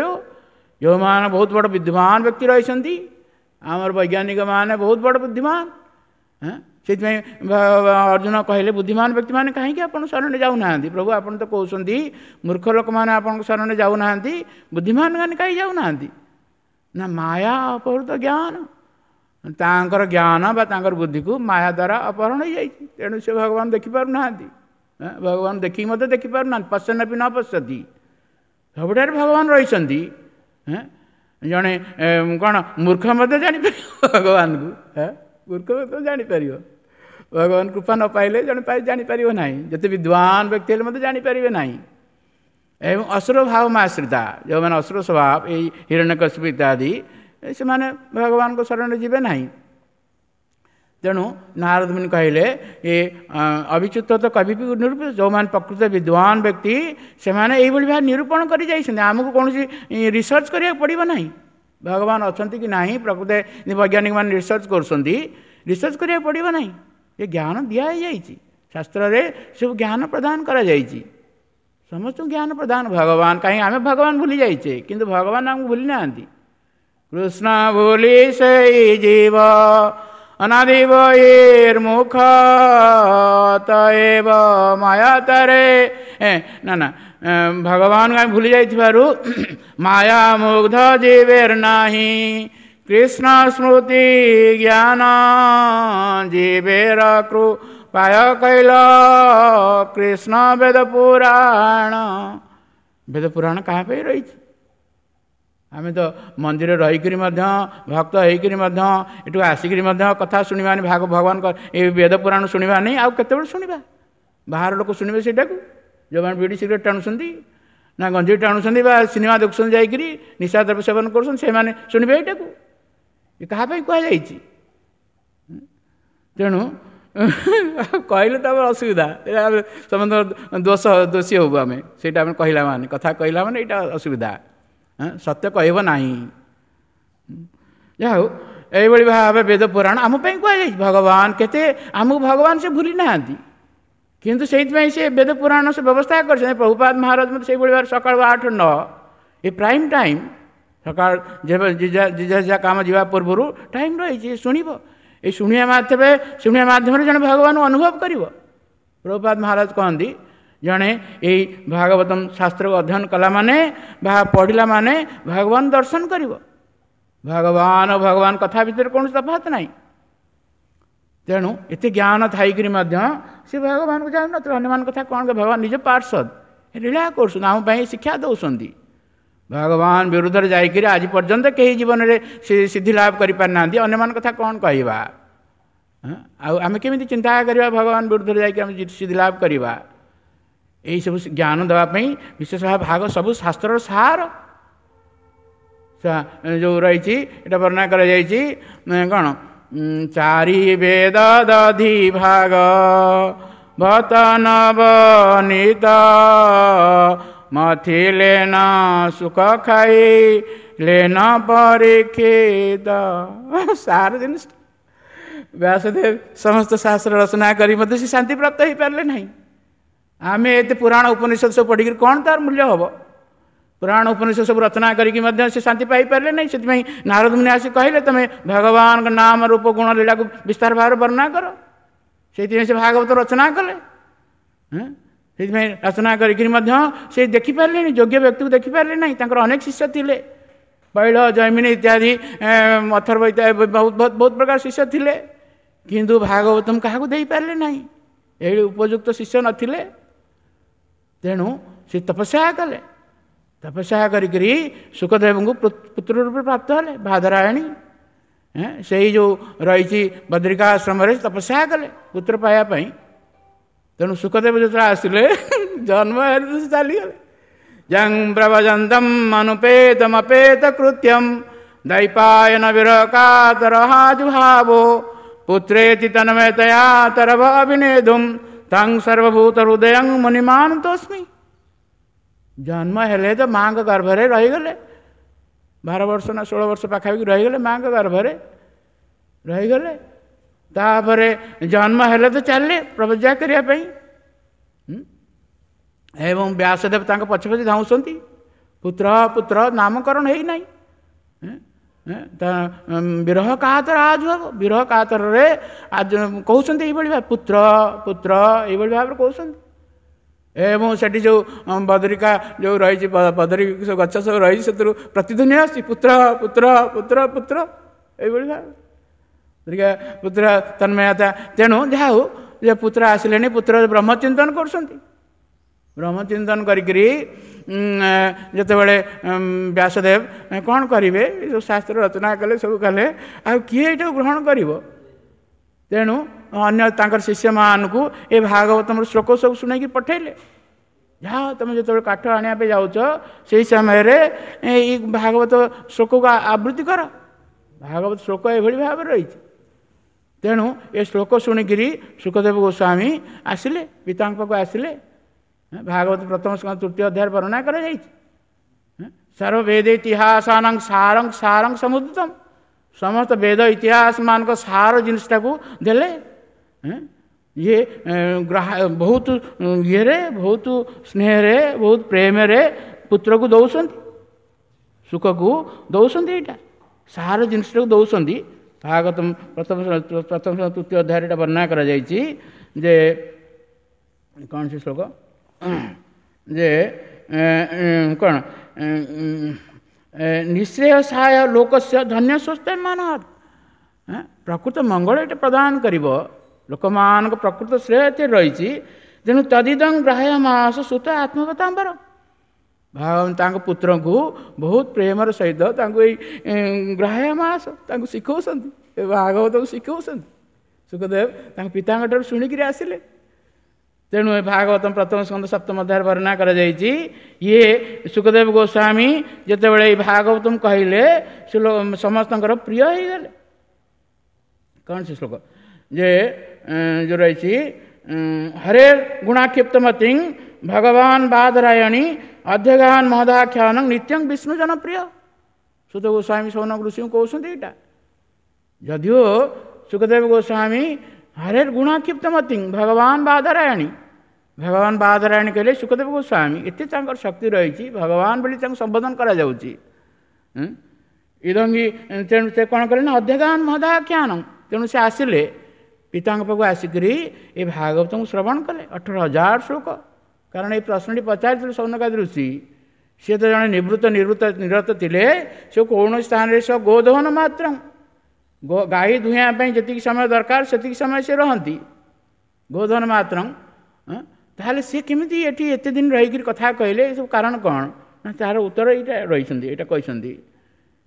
ଯେଉଁମାନେ ବହୁତ ବଡ଼ ବିଦ୍ୱାନ ବ୍ୟକ୍ତି ରହିଛନ୍ତି, ଆମର ବୈଜ୍ଞାନିକମାନେ ବହୁତ ବଡ଼ ବୁଦ୍ଧିମାନ, ସେଥିପାଇଁ ଅର୍ଜୁନ କହିଲେ ବୁଦ୍ଧିମାନ ବ୍ୟକ୍ତିମାନେ କାହିଁକି ଆପଣ ଶରଣରେ ଯାଉନାହାନ୍ତି? ପ୍ରଭୁ ଆପଣ ତ କହୁଛନ୍ତି ମୂର୍ଖ ଲୋକମାନେ ଆପଣଙ୍କ ଶରଣରେ ଯାଉନାହାନ୍ତି, ବୁଦ୍ଧିମାନ ମାନେ କାହିଁ ଯାଉନାହାନ୍ତି? ନା ମାୟା ଅପହୃତ ଜ୍ଞାନ, ତାଙ୍କର ଜ୍ଞାନ ବା ତାଙ୍କର ବୁଦ୍ଧିକୁ ମାୟା ଦ୍ୱାରା ଅପହରଣ ହେଇଯାଇଛି, ତେଣୁ ସେ ଭଗବାନ ଦେଖିପାରୁନାହାନ୍ତି। ଭଗବାନ ଦେଖିକି ମଧ୍ୟ ଦେଖିପାରୁନାହାନ୍ତି, ପଶ୍ୟନପି ନ ପଶ୍ୟତି, ସବୁଠାରେ ଭଗବାନ ରହିଛନ୍ତି। ଜଣେ କ'ଣ ମୂର୍ଖ ମଧ୍ୟ ଜାଣିପାରିବ ଭଗବାନଙ୍କୁ, ମୂର୍ଖ ମଧ୍ୟ ଜାଣିପାରିବ, ଭଗବାନ କୃପା ନ ପାଇଲେ ଜଣେ ଜାଣିପାରିବ ନାହିଁ, ଯେତେ ବିଦ୍ୱାନ ବ୍ୟକ୍ତି ହେଲେ ମଧ୍ୟ ଜାଣିପାରିବେ ନାହିଁ। ଏବଂ ଅସୁର ଭାବ ଆଶ୍ରିତା, ଯେଉଁମାନେ ଅସୁର ସ୍ୱଭାବ ଏଇ ହିରଣ୍ୟକଶିପୁ ଇତ୍ୟାଦି, ସେମାନେ ଭଗବାନଙ୍କ ଶରଣରେ ଯିବେ ନାହିଁ। ତେଣୁ ନାରଦ ମୁନି କହିଲେ ଏ ଅବିଚ୍ୟୁତ ତ କବି ନିରୂପିତ, ଯେଉଁମାନେ ପ୍ରକୃତ ବିଦ୍ୱାନ ବ୍ୟକ୍ତି ସେମାନେ ଏଇଭଳି ଭାବେ ନିରୂପଣ କରି ଯାଇଛନ୍ତି, ଆମକୁ କୌଣସି ରିସର୍ଚ୍ଚ କରିବାକୁ ପଡ଼ିବ ନାହିଁ। ଭଗବାନ ଅଛନ୍ତି କି ନାହିଁ ପ୍ରକୃତ ବୈଜ୍ଞାନିକମାନେ ରିସର୍ଚ୍ଚ କରୁଛନ୍ତି, ରିସର୍ଚ୍ଚ କରିବାକୁ ପଡ଼ିବ ନାହିଁ, ଏ ଜ୍ଞାନ ଦିଆ ହେଇଯାଇଛି ଶାସ୍ତ୍ରରେ, ସବୁ ଜ୍ଞାନ ପ୍ରଦାନ କରାଯାଇଛି, ସମସ୍ତଙ୍କୁ ଜ୍ଞାନ ପ୍ରଦାନ ଭଗବାନ। କାହିଁକି ଆମେ ଭଗବାନ ଭୁଲି ଯାଇଛେ, କିନ୍ତୁ ଭଗବାନ ଆମକୁ ଭୁଲି ନାହାନ୍ତି। କୃଷ୍ଣ ଭୁଲି ସେଇ ଜୀବ ଅନାଦି ବହିର୍ମୁଖ ତଏବ ମାୟା ତାରେ, ନା ନା ଭଗବାନଙ୍କୁ ଆମେ ଭୁଲି ଯାଇଥିବାରୁ ମାୟା ମୁଗ୍ଧ ଜୀବେର ନାହିଁ, କୃଷ୍ଣ ସ୍ମୃତି ଜ୍ଞାନ ଜୀବେର କୃପାୟ କୈଲ କୃଷ୍ଣ ବେଦ ପୁରାଣ। ବେଦ ପୁରାଣ କାହା ପାଇଁ ରହିଛି? ଆମେ ତ ମନ୍ଦିରରେ ରହିକରି ମଧ୍ୟ ଭକ୍ତ ହେଇକରି ମଧ୍ୟ ଏଠୁ ଆସିକରି ମଧ୍ୟ କଥା ଶୁଣିବାନି, ଭାଗ ଭଗବାନଙ୍କ ଏ ବେଦ ପୁରାଣ ଶୁଣିବାନି, ଆଉ କେତେବେଳେ ଶୁଣିବା? ବାହାର ଲୋକ ଶୁଣିବେ ସେଇଟାକୁ, ଯେଉଁମାନେ ବିଡ଼ି ସିଗାରେଟ୍ ଟାଣୁଛନ୍ତି ନା ଗଞ୍ଜେଇ ଟାଣୁଛନ୍ତି ବା ସିନେମା ଦେଖୁଛନ୍ତି ଯାଇକରି ନିଶା ଦ୍ରବ୍ୟ ସେବନ କରୁଛନ୍ତି, ସେମାନେ ଶୁଣିବେ ଏଇଟାକୁ? ଏ କାହା ପାଇଁ କୁହାଯାଇଛି? ତେଣୁ କହିଲେ ତ ଆମର ଅସୁବିଧା, ସମସ୍ତଙ୍କ ଦୋଷ ଦୋଷୀ ହବୁ ଆମେ, ସେଇଟା ଆମେ କହିଲା ମାନେ କଥା କହିଲା ମାନେ ଏଇଟା ଅସୁବିଧା, ସତ୍ୟ କହିବ ନାହିଁ। ଯାହା ହଉ ଏଇଭଳି ଭାବେ ବେଦ ପୁରାଣ ଆମ ପାଇଁ କୁହାଯାଇଛି। ଭଗବାନ କେତେ ଆମକୁ ଭଗବାନ ସେ ଭୁଲି ନାହାନ୍ତି, କିନ୍ତୁ ସେଇଥିପାଇଁ ସେ ବେଦ ପୁରାଣ ସେ ବ୍ୟବସ୍ଥା କରିଛନ୍ତି। ପ୍ରଭୁପାଦ ମହାରାଜ ମଧ୍ୟ ସେଇଭଳି ଭାବରେ ସକାଳୁ ଆଠ ନଅ ଏ ପ୍ରାଇମ୍ ଟାଇମ୍, ସକାଳ ଯେବେ ଯିଏ କାମ ଯିବା ପୂର୍ବରୁ ଟାଇମ୍ ରହିଛି ଶୁଣିବ। ଏଇ ଶୁଣିବା ମାଧ୍ୟମରେ ଶୁଣିବା ମାଧ୍ୟମରେ ଜଣେ ଭଗବାନଙ୍କୁ ଅନୁଭବ କରିବ। ପ୍ରଭୁପାଦ ମହାରାଜ କହନ୍ତି ଜଣେ ଏଇ ଭାଗବତମ ଶାସ୍ତ୍ରକୁ ଅଧ୍ୟୟନ କଲା ମାନେ ବା ପଢ଼ିଲା ମାନେ ଭଗବାନ ଦର୍ଶନ କରିବ। ଭଗବାନ ଭଗବାନ କଥା ଭିତରେ କୌଣସି ତଫାତ ନାହିଁ। ତେଣୁ ଏତେ ଜ୍ଞାନ ଥାଇକରି ମଧ୍ୟ ସେ ଭଗବାନଙ୍କୁ ଜାଣୁନଥିଲେ। ଅନ୍ୟମାନଙ୍କ କଥା କ'ଣ? ଭଗବାନ ନିଜ ପାର୍ଶ୍ୱଦ ଲୀଳା କରୁଛନ୍ତି, ଆମ ପାଇଁ ଶିକ୍ଷା ଦେଉଛନ୍ତି। ଭଗବାନ ବିରୁଦ୍ଧରେ ଯାଇକରି ଆଜି ପର୍ଯ୍ୟନ୍ତ କେହି ଜୀବନରେ ସେ ସିଦ୍ଧି ଲାଭ କରିପାରିନାହାନ୍ତି। ଅନ୍ୟମାନଙ୍କ କଥା କ'ଣ କହିବା? ଆଉ ଆମେ କେମିତି ଚିନ୍ତା କରିବା ଭଗବାନ ବିରୁଦ୍ଧରେ ଯାଇକି ଆମେ ସିଦ୍ଧି ଲାଭ କରିବା? ଏଇସବୁ ଜ୍ଞାନ ଦେବା ପାଇଁ ବିଶେଷ ଭାବେ ଭାଗ ସବୁ ଶାସ୍ତ୍ରର ସାର ଯେଉଁ ରହିଛି ଏଇଟା ବର୍ଣ୍ଣନା କରାଯାଇଛି। କ'ଣ? ଚାରି ବେଦ ଦଧି ଭାଗ ବତ ନବନୀତ ମଥିଲେ ନ ସୁଖ ଖାଇ ଲେନ ପରୀକ୍ଷିତ। ସାର ଜିନିଷ ବ୍ୟାସଦେବ ସମସ୍ତ ଶାସ୍ତ୍ର ରଚନା କରି ମଧ୍ୟ ସେ ଶାନ୍ତି ପ୍ରାପ୍ତ ହେଇପାରିଲେ ନାହିଁ। ଆମେ ଏତେ ପୁରାଣ ଉପନିଷଦ ସବୁ ପଢ଼ିକିରି କ'ଣ ତାର ମୂଲ୍ୟ ହେବ? ପୁରାଣ ଉପନିଷଦ ସବୁ ରଚନା କରିକି ମଧ୍ୟ ସେ ଶାନ୍ତି ପାଇପାରିଲେ ନାହିଁ। ସେଥିପାଇଁ ନାରଦ ମୁନି ଆସି କହିଲେ ତମେ ଭଗବାନଙ୍କ ନାମ ରୂପ ଗୁଣ ଲୀଳାକୁ ବିସ୍ତାର ଭାବରେ ବର୍ଣ୍ଣନା କର। ସେଇଥିପାଇଁ ସେ ଭାଗବତ ରଚନା କଲେ। ସେଇଥିପାଇଁ ରଚନା କରିକିରି ମଧ୍ୟ ସେ ଦେଖିପାରିଲେନି, ଯୋଗ୍ୟ ବ୍ୟକ୍ତିକୁ ଦେଖିପାରିଲେ ନାହିଁ। ତାଙ୍କର ଅନେକ ଶିଷ୍ୟ ଥିଲେ, ବୈଳ ଜୈମିନୀ ଇତ୍ୟାଦି, ଅଥର୍ବ ଇତ୍ୟାଦି, ବହୁତ ବହୁତ ବହୁତ ପ୍ରକାର ଶିଷ୍ୟ ଥିଲେ, କିନ୍ତୁ ଭାଗବତମ କାହାକୁ ଦେଇପାରିଲେ ନାହିଁ। ଏଇ ଉପଯୁକ୍ତ ଶିଷ୍ୟ ନଥିଲେ। ତେଣୁ ସେ ତପସ୍ୟା କଲେ। ତପସ୍ୟା କରିକିରି ଶୁକଦେବଙ୍କୁ ପୁତ୍ର ରୂପେ ପ୍ରାପ୍ତ ହେଲେ। ବାଦରାୟଣୀ ସେଇ ଯେଉଁ ରହିଛି ବଦ୍ରିକାଶ୍ରମରେ ତପସ୍ୟା କଲେ ପୁତ୍ର ପାଇବା ପାଇଁ। ତେଣୁ ଶୁକଦେବ ଯେତେବେଳେ ଆସିଲେ ଜନ୍ମ ହେଲେ ସେ ଚାଲିଗଲେ। ଯଂ ପ୍ରଭଜନ୍ତମ୍ ଅନୁପେତମପେତ କୃତ୍ୟମ୍ ଦୈପାୟନ ବିରକାତରହାଜୁଭାବୋ ପୁତ୍ରେତି ତନ୍ମୟତୟା ତରବ ଅଭିନେଧୁମ୍ ତଂ ସର୍ବଭୂତ ହୃଦୟଂ ମୁନିମାନତୋସ୍ମି। ଜନ୍ମ ହେଲେ ତ ମାଆଙ୍କ ଗର୍ଭରେ ରହିଗଲେ, ବାର ବର୍ଷ ନା ଷୋହଳ ବର୍ଷ ପାଖାପାଖି ରହିଗଲେ ମାଆଙ୍କ ଗର୍ଭରେ ରହିଗଲେ। ତାପରେ ଜନ୍ମ ହେଲେ ତ ଚାଲିଲେ ପ୍ରବଜ୍ୟା କରିବା ପାଇଁ, ଏବଂ ବ୍ୟାସଦେବ ତାଙ୍କ ପଛେ ପଛେ ଧାଉଁଛନ୍ତି। ପୁତ୍ର ପୁତ୍ର ନାମକରଣ ହେଇନାହିଁ। ବିରହ କାତର ଆଜ ହବ, ବିରହ କାତରରେ ଆଜ କହୁଛନ୍ତି ଏଇଭଳି ଭାବେ, ପୁତ୍ର ପୁତ୍ର ଏଇଭଳି ଭାବରେ କହୁଛନ୍ତି। ଏବଂ ସେଠି ଯେଉଁ ବଦରିକା ଯେଉଁ ରହିଛି, ବଦରୀ ସବୁ ଗଛ ସବୁ ରହିଛି, ସେଥିରୁ ପ୍ରତିଧ୍ୱନି ଆସୁଛି ପୁତ୍ର ପୁତ୍ର ପୁତ୍ର ପୁତ୍ର ଏଇଭଳି ଭାବେ ପୁତ୍ର ତନ୍ମୟତା। ତେଣୁ ଯାହା ହଉ ଯେ ପୁତ୍ର ଆସିଲେଣି, ପୁତ୍ର ବ୍ରହ୍ମଚିନ୍ତନ କରୁଛନ୍ତି। ବ୍ରହ୍ମଚିନ୍ତନ କରିକିରି ଯେତେବେଳେ ବ୍ୟାସଦେବ କ'ଣ କରିବେ, ସବୁ ଶାସ୍ତ୍ର ରଚନା କଲେ, ସବୁ କଲେ, ଆଉ କିଏ ଏଇଟାକୁ ଗ୍ରହଣ କରିବ? ତେଣୁ ଅନ୍ୟ ତାଙ୍କର ଶିଷ୍ୟମାନଙ୍କୁ ଏ ଭାଗବତମର ଶ୍ଲୋକ ସବୁ ଶୁଣାଇକି ପଠେଇଲେ। ଯାହା ତୁମେ ଯେତେବେଳେ କାଠ ଆଣିବା ପାଇଁ ଯାଉଛ ସେଇ ସମୟରେ ଏଇ ଭାଗବତ ଶ୍ଲୋକକୁ ଆବୃତ୍ତି କର। ଭାଗବତ ଶ୍ଲୋକ ଏଭଳି ଭାବରେ ରହିଛି। ତେଣୁ ଏ ଶ୍ଲୋକ ଶୁଣିକିରି ଶୁକଦେବ ଗୋସ୍ୱାମୀ ଆସିଲେ, ପିତାଙ୍କ ପାଖକୁ ଆସିଲେ। ଭାଗବତ ପ୍ରଥମ ସ୍କନ୍ଧ ତୃତୀୟ ଅଧ୍ୟାୟରେ ବର୍ଣ୍ଣନା କରାଯାଇଛି। ସର୍ବବେଦ ଇତିହାସାନାଂ ସାରଂ ସାରଂ ସମୁଦ୍ରିତମ୍, ସମସ୍ତ ବେଦ ଇତିହାସ ମାନଙ୍କ ସାର ଜିନିଷଟାକୁ ଦେଲେ। ଇଏ ବହୁତ ଇଏରେ, ବହୁତ ସ୍ନେହରେ, ବହୁତ ପ୍ରେମରେ ପୁତ୍ରକୁ ଦେଉଛନ୍ତି, ସୁଖକୁ ଦେଉଛନ୍ତି, ଏଇଟା ସାର ଜିନିଷଟାକୁ ଦେଉଛନ୍ତି। ଭାଗବତ ପ୍ରଥମ ପ୍ରଥମ ତୃତୀୟ ଅଧ୍ୟାୟରେ ଏଇଟା ବର୍ଣ୍ଣନା କରାଯାଇଛି ଯେ କ'ଣ ସେ ଶ୍ଲୋକ ଯେ କ'ଣ ନିଶ୍ରେୟସାୟ ଲୋକସ୍ୟ ଧନ୍ୟ ସ୍ୱସ୍ଥ ମାନତ୍। ପ୍ରକୃତ ମଙ୍ଗଳ ଏଇଟା ପ୍ରଦାନ କରିବ, ଲୋକମାନଙ୍କ ପ୍ରକୃତ ଶ୍ରେୟ ଏଥିରେ ରହିଛି। ତେଣୁ ତଦିଦଂ ଗ୍ରାହ୍ୟ ମାସ ସୁତ ଆତ୍ମବତାମ୍ବର। ଭଗବାନ ତାଙ୍କ ପୁତ୍ରଙ୍କୁ ବହୁତ ପ୍ରେମର ସହିତ ତାଙ୍କୁ ଏଇ ଗ୍ରାହ୍ୟ ମାସ ତାଙ୍କୁ ଶିଖଉଛନ୍ତି, ଏ ଭାଗବତକୁ ଶିଖଉଛନ୍ତି। ଶୁକଦେବ ତାଙ୍କ ପିତାଙ୍କ ଠାରୁ ଶୁଣିକିରି ଆସିଲେ। ତେଣୁ ଏ ଭାଗବତ ପ୍ରଥମ ସ୍କନ୍ଧ ସପ୍ତମ ଅଧ୍ୟାୟରେ ବର୍ଣ୍ଣନା କରାଯାଇଛି। ଇଏ ଶୁକଦେବ ଗୋସ୍ୱାମୀ ଯେତେବେଳେ ଏଇ ଭାଗବତମ କହିଲେ ସେ ସମସ୍ତଙ୍କର ପ୍ରିୟ ହେଇଗଲେ। କ'ଣ ସେ ଶ୍ଲୋକ ଯେ ଯେଉଁ ରହିଛି, ହରେ ଗୁଣାକ୍ଷିପ୍ତମତିଂ ଭଗବାନ ବାଦରାୟଣୀ ଅଧ୍ୟଗାନ ମହଦାଖ୍ୟାନ ନିତ୍ୟଂ ବିଷ୍ଣୁ ଜନପ୍ରିୟ। ସୁତ ଗୋସ୍ୱାମୀ ସୌନକ ଋଷିଙ୍କୁ କହୁଛନ୍ତି ଏଇଟା। ଯଦିଓ ସୁଖଦେବ ଗୋସ୍ୱାମୀ ହରେ ଗୁଣାକ୍ଷିପ୍ତମତି ଭଗବାନ ବାଦରାୟଣୀ, ଭଗବାନ ବାଦରାୟଣୀ କହିଲେ ସୁଖଦେବ ଗୋସ୍ୱାମୀ ଏତେ ତାଙ୍କର ଶକ୍ତି ରହିଛି, ଭଗବାନ ବୋଲି ତାଙ୍କୁ ସମ୍ବୋଧନ କରାଯାଉଛି। ଇଦଙ୍ଗୀ ତେଣୁ ସେ କ'ଣ କଲେ ନା ଅଧ୍ୟଗାନ ମହଦାଖ୍ୟାନ। ତେଣୁ ସେ ଆସିଲେ ପିତାଙ୍କ ପାଖକୁ, ଆସିକରି ଏ ଭାଗବତଙ୍କୁ ଶ୍ରବଣ କଲେ ଅଠର ହଜାର ଶ୍ଲୋକ। କାରଣ ଏଇ ପ୍ରଶ୍ନଟି ପଚାରିଥିଲେ ସୌନକାଦି ଋଷି, ସିଏ ତ ଜଣେ ନିବୃତ୍ତ ନିବୃତ୍ତ ନିରତ ଥିଲେ, ସେ କୌଣସି ସ୍ଥାନରେ ସେ ଗୋଦହନ ମାତ୍ର ଗାଈ ଦୁହିଁବା ପାଇଁ ଯେତିକି ସମୟ ଦରକାର ସେତିକି ସମୟ ସେ ରହନ୍ତି, ଗୋଧନ ମାତ୍ର। ତାହେଲେ ସିଏ କେମିତି ଏଠି ଏତେ ଦିନ ରହିକରି କଥା କହିଲେ, ଏସବୁ କାରଣ କ'ଣ? ନା ତାର ଉତ୍ତର ଏଇଟା ରହିଛନ୍ତି, ଏଇଟା କହିଛନ୍ତି।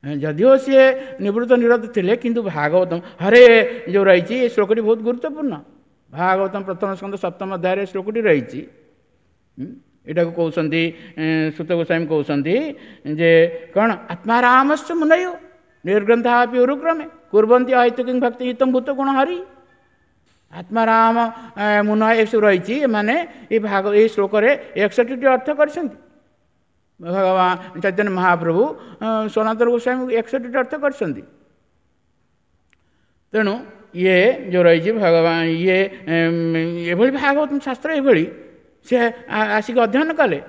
ଯଦିଓ ସିଏ ନିବୃତ୍ତ ନିରତ ଥିଲେ, କିନ୍ତୁ ଭାଗବତମ ହରେ ଯେଉଁ ରହିଛି ଏ ଶ୍ଲୋକଟି ବହୁତ ଗୁରୁତ୍ୱପୂର୍ଣ୍ଣ। ଭାଗବତମ ପ୍ରଥମ ସ୍କନ୍ଧ ସପ୍ତମ ଅଧ୍ୟାୟରେ ଶ୍ଲୋକଟି ରହିଛି। ଏଇଟାକୁ କହୁଛନ୍ତି ସୁତ ଗୋସ୍ୱାମୀ କହୁଛନ୍ତି ଯେ କ'ଣ ଆତ୍ମାରାମସ୍ୟ ମୁନୟ ନିର୍ଗ୍ରନ୍ଥାପି ଉରୁକ୍ରମେ କୁର୍ବନ୍ତି ଅହୈତୁକିଂ ଭକ୍ତି ହିତମ ଭୂତ ଗୁଣ ହରି। ଆତ୍ମାରାମ ମୁନ ଏସବୁ ରହିଛି, ଏମାନେ ଏଇ ଭାଗ ଏଇ ଶ୍ଲୋକରେ ଏକଷଠିଟି ଅର୍ଥ କରିଛନ୍ତି। ଭଗବାନ ଚୈତନ୍ୟ ମହାପ୍ରଭୁ ସନାତନ ଗୋସ୍ୱାମୀ ଏକଷଠିଟି ଅର୍ଥ କରିଛନ୍ତି। ତେଣୁ ଇଏ ଯେଉଁ ରହିଛି ଭଗବାନ ଇଏ ଏଭଳି ଭାଗବତ ଶାସ୍ତ୍ର ଏଭଳି ସେ ଆସିକି ଅଧ୍ୟୟନ କଲେ।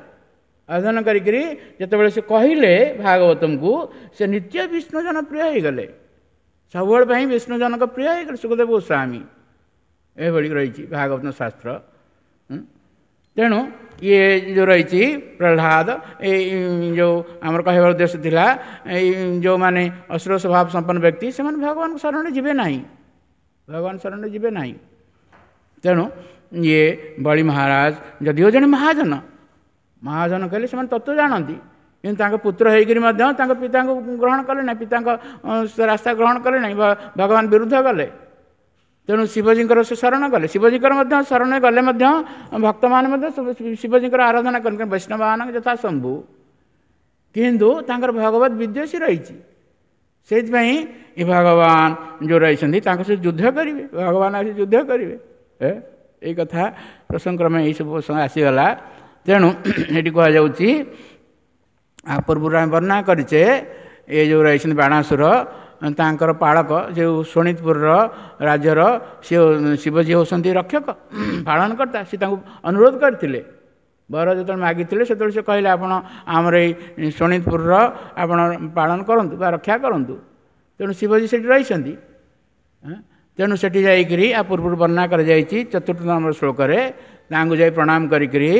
ଅଧ୍ୟୟନ କରିକିରି ଯେତେବେଳେ ସେ କହିଲେ ଭାଗବତଙ୍କୁ, ସେ ନିତ୍ୟ ବିଷ୍ଣୁଜନ ପ୍ରିୟ ହେଇଗଲେ, ସବୁବେଳେ ପାଇଁ ବିଷ୍ଣୁଜନଙ୍କ ପ୍ରିୟ ହେଇଗଲେ ସୁଖଦେବ ଗୋସ୍ୱାମୀ। ଏଭଳି ରହିଛି ଭାଗବତ ଶାସ୍ତ୍ର। ତେଣୁ ଇଏ ଯେଉଁ ରହିଛି ପ୍ରହ୍ଲାଦ, ଏଇ ଯେଉଁ ଆମର କହିବାର ଉଦ୍ଦେଶ୍ୟ ଥିଲା, ଏଇ ଯେଉଁମାନେ ଅସୁର ସ୍ୱଭାବ ସମ୍ପନ୍ନ ବ୍ୟକ୍ତି ସେମାନେ ଭଗବାନଙ୍କ ଶରଣରେ ଯିବେ ନାହିଁ, ଭଗବାନ ଶରଣରେ ଯିବେ ନାହିଁ। ତେଣୁ ଇଏ ବଳି ମହାରାଜ ଯଦିଓ ଜଣେ ମହାଜନ, ମହାଜନ କହିଲେ ସେମାନେ ତତ୍ତ୍ୱ ଜାଣନ୍ତି, କିନ୍ତୁ ତାଙ୍କ ପୁତ୍ର ହେଇକରି ମଧ୍ୟ ତାଙ୍କ ପିତାଙ୍କୁ ଗ୍ରହଣ କଲେ ନାହିଁ, ପିତାଙ୍କ ରାସ୍ତା ଗ୍ରହଣ କଲେ ନାହିଁ, ଭଗବାନ ବିରୁଦ୍ଧ ଗଲେ। ତେଣୁ ଶିବଜୀଙ୍କର ସେ ଶରଣ ଗଲେ, ଶିବଜୀଙ୍କର ମଧ୍ୟ ଶରଣ ଗଲେ ମଧ୍ୟ ଭକ୍ତମାନେ ମଧ୍ୟ ଶିବଜୀଙ୍କର ଆରାଧନା କରନ୍ତି, ବୈଷ୍ଣବମାନଙ୍କ ଯଥା ଶମ୍ଭୁ। କିନ୍ତୁ ତାଙ୍କର ଭଗବତ ବିଦ୍ୱେଷୀ ରହିଛି, ସେଇଥିପାଇଁ ଏ ଭଗବାନ ଯେଉଁ ରହିଛନ୍ତି ତାଙ୍କ ସହିତ ଯୁଦ୍ଧ କରିବେ, ଭଗବାନ ଆସି ଯୁଦ୍ଧ କରିବେ। ଏଇ କଥା ପ୍ରସଙ୍ଗକ୍ରମେ ଏଇସବୁ ପ୍ରସଙ୍ଗ ଆସିଗଲା। ତେଣୁ ଏଠି କୁହାଯାଉଛି, ଆ ପୂର୍ବରୁ ଆମେ ବର୍ଣ୍ଣନା କରିଛେ, ଏ ଯେଉଁ ରହିଛନ୍ତି ବାଣାସୁର ତାଙ୍କର ପାଳକ ଯେଉଁ ଶୋଣିତପୁରର ରାଜ୍ୟର ସେ ଶିବଜୀ ହେଉଛନ୍ତି ରକ୍ଷକ ପାଳନକର୍ତ୍ତା। ସେ ତାଙ୍କୁ ଅନୁରୋଧ କରିଥିଲେ, ବର ଯେତେବେଳେ ମାଗିଥିଲେ ସେତେବେଳେ ସେ କହିଲେ ଆପଣ ଆମର ଏଇ ଶୋଣିତପୁରର ଆପଣ ପାଳନ କରନ୍ତୁ ବା ରକ୍ଷା କରନ୍ତୁ। ତେଣୁ ଶିବଜୀ ସେଠି ରହିଛନ୍ତି। ତେଣୁ ସେଠି ଯାଇକରି ଆ ପୂର୍ବରୁ ବର୍ଣ୍ଣନା କରାଯାଇଛି ଚତୁର୍ଥ ନମ୍ବର ଶ୍ଲୋକରେ, ତାଙ୍କୁ ଯାଇ ପ୍ରଣାମ କରିକରି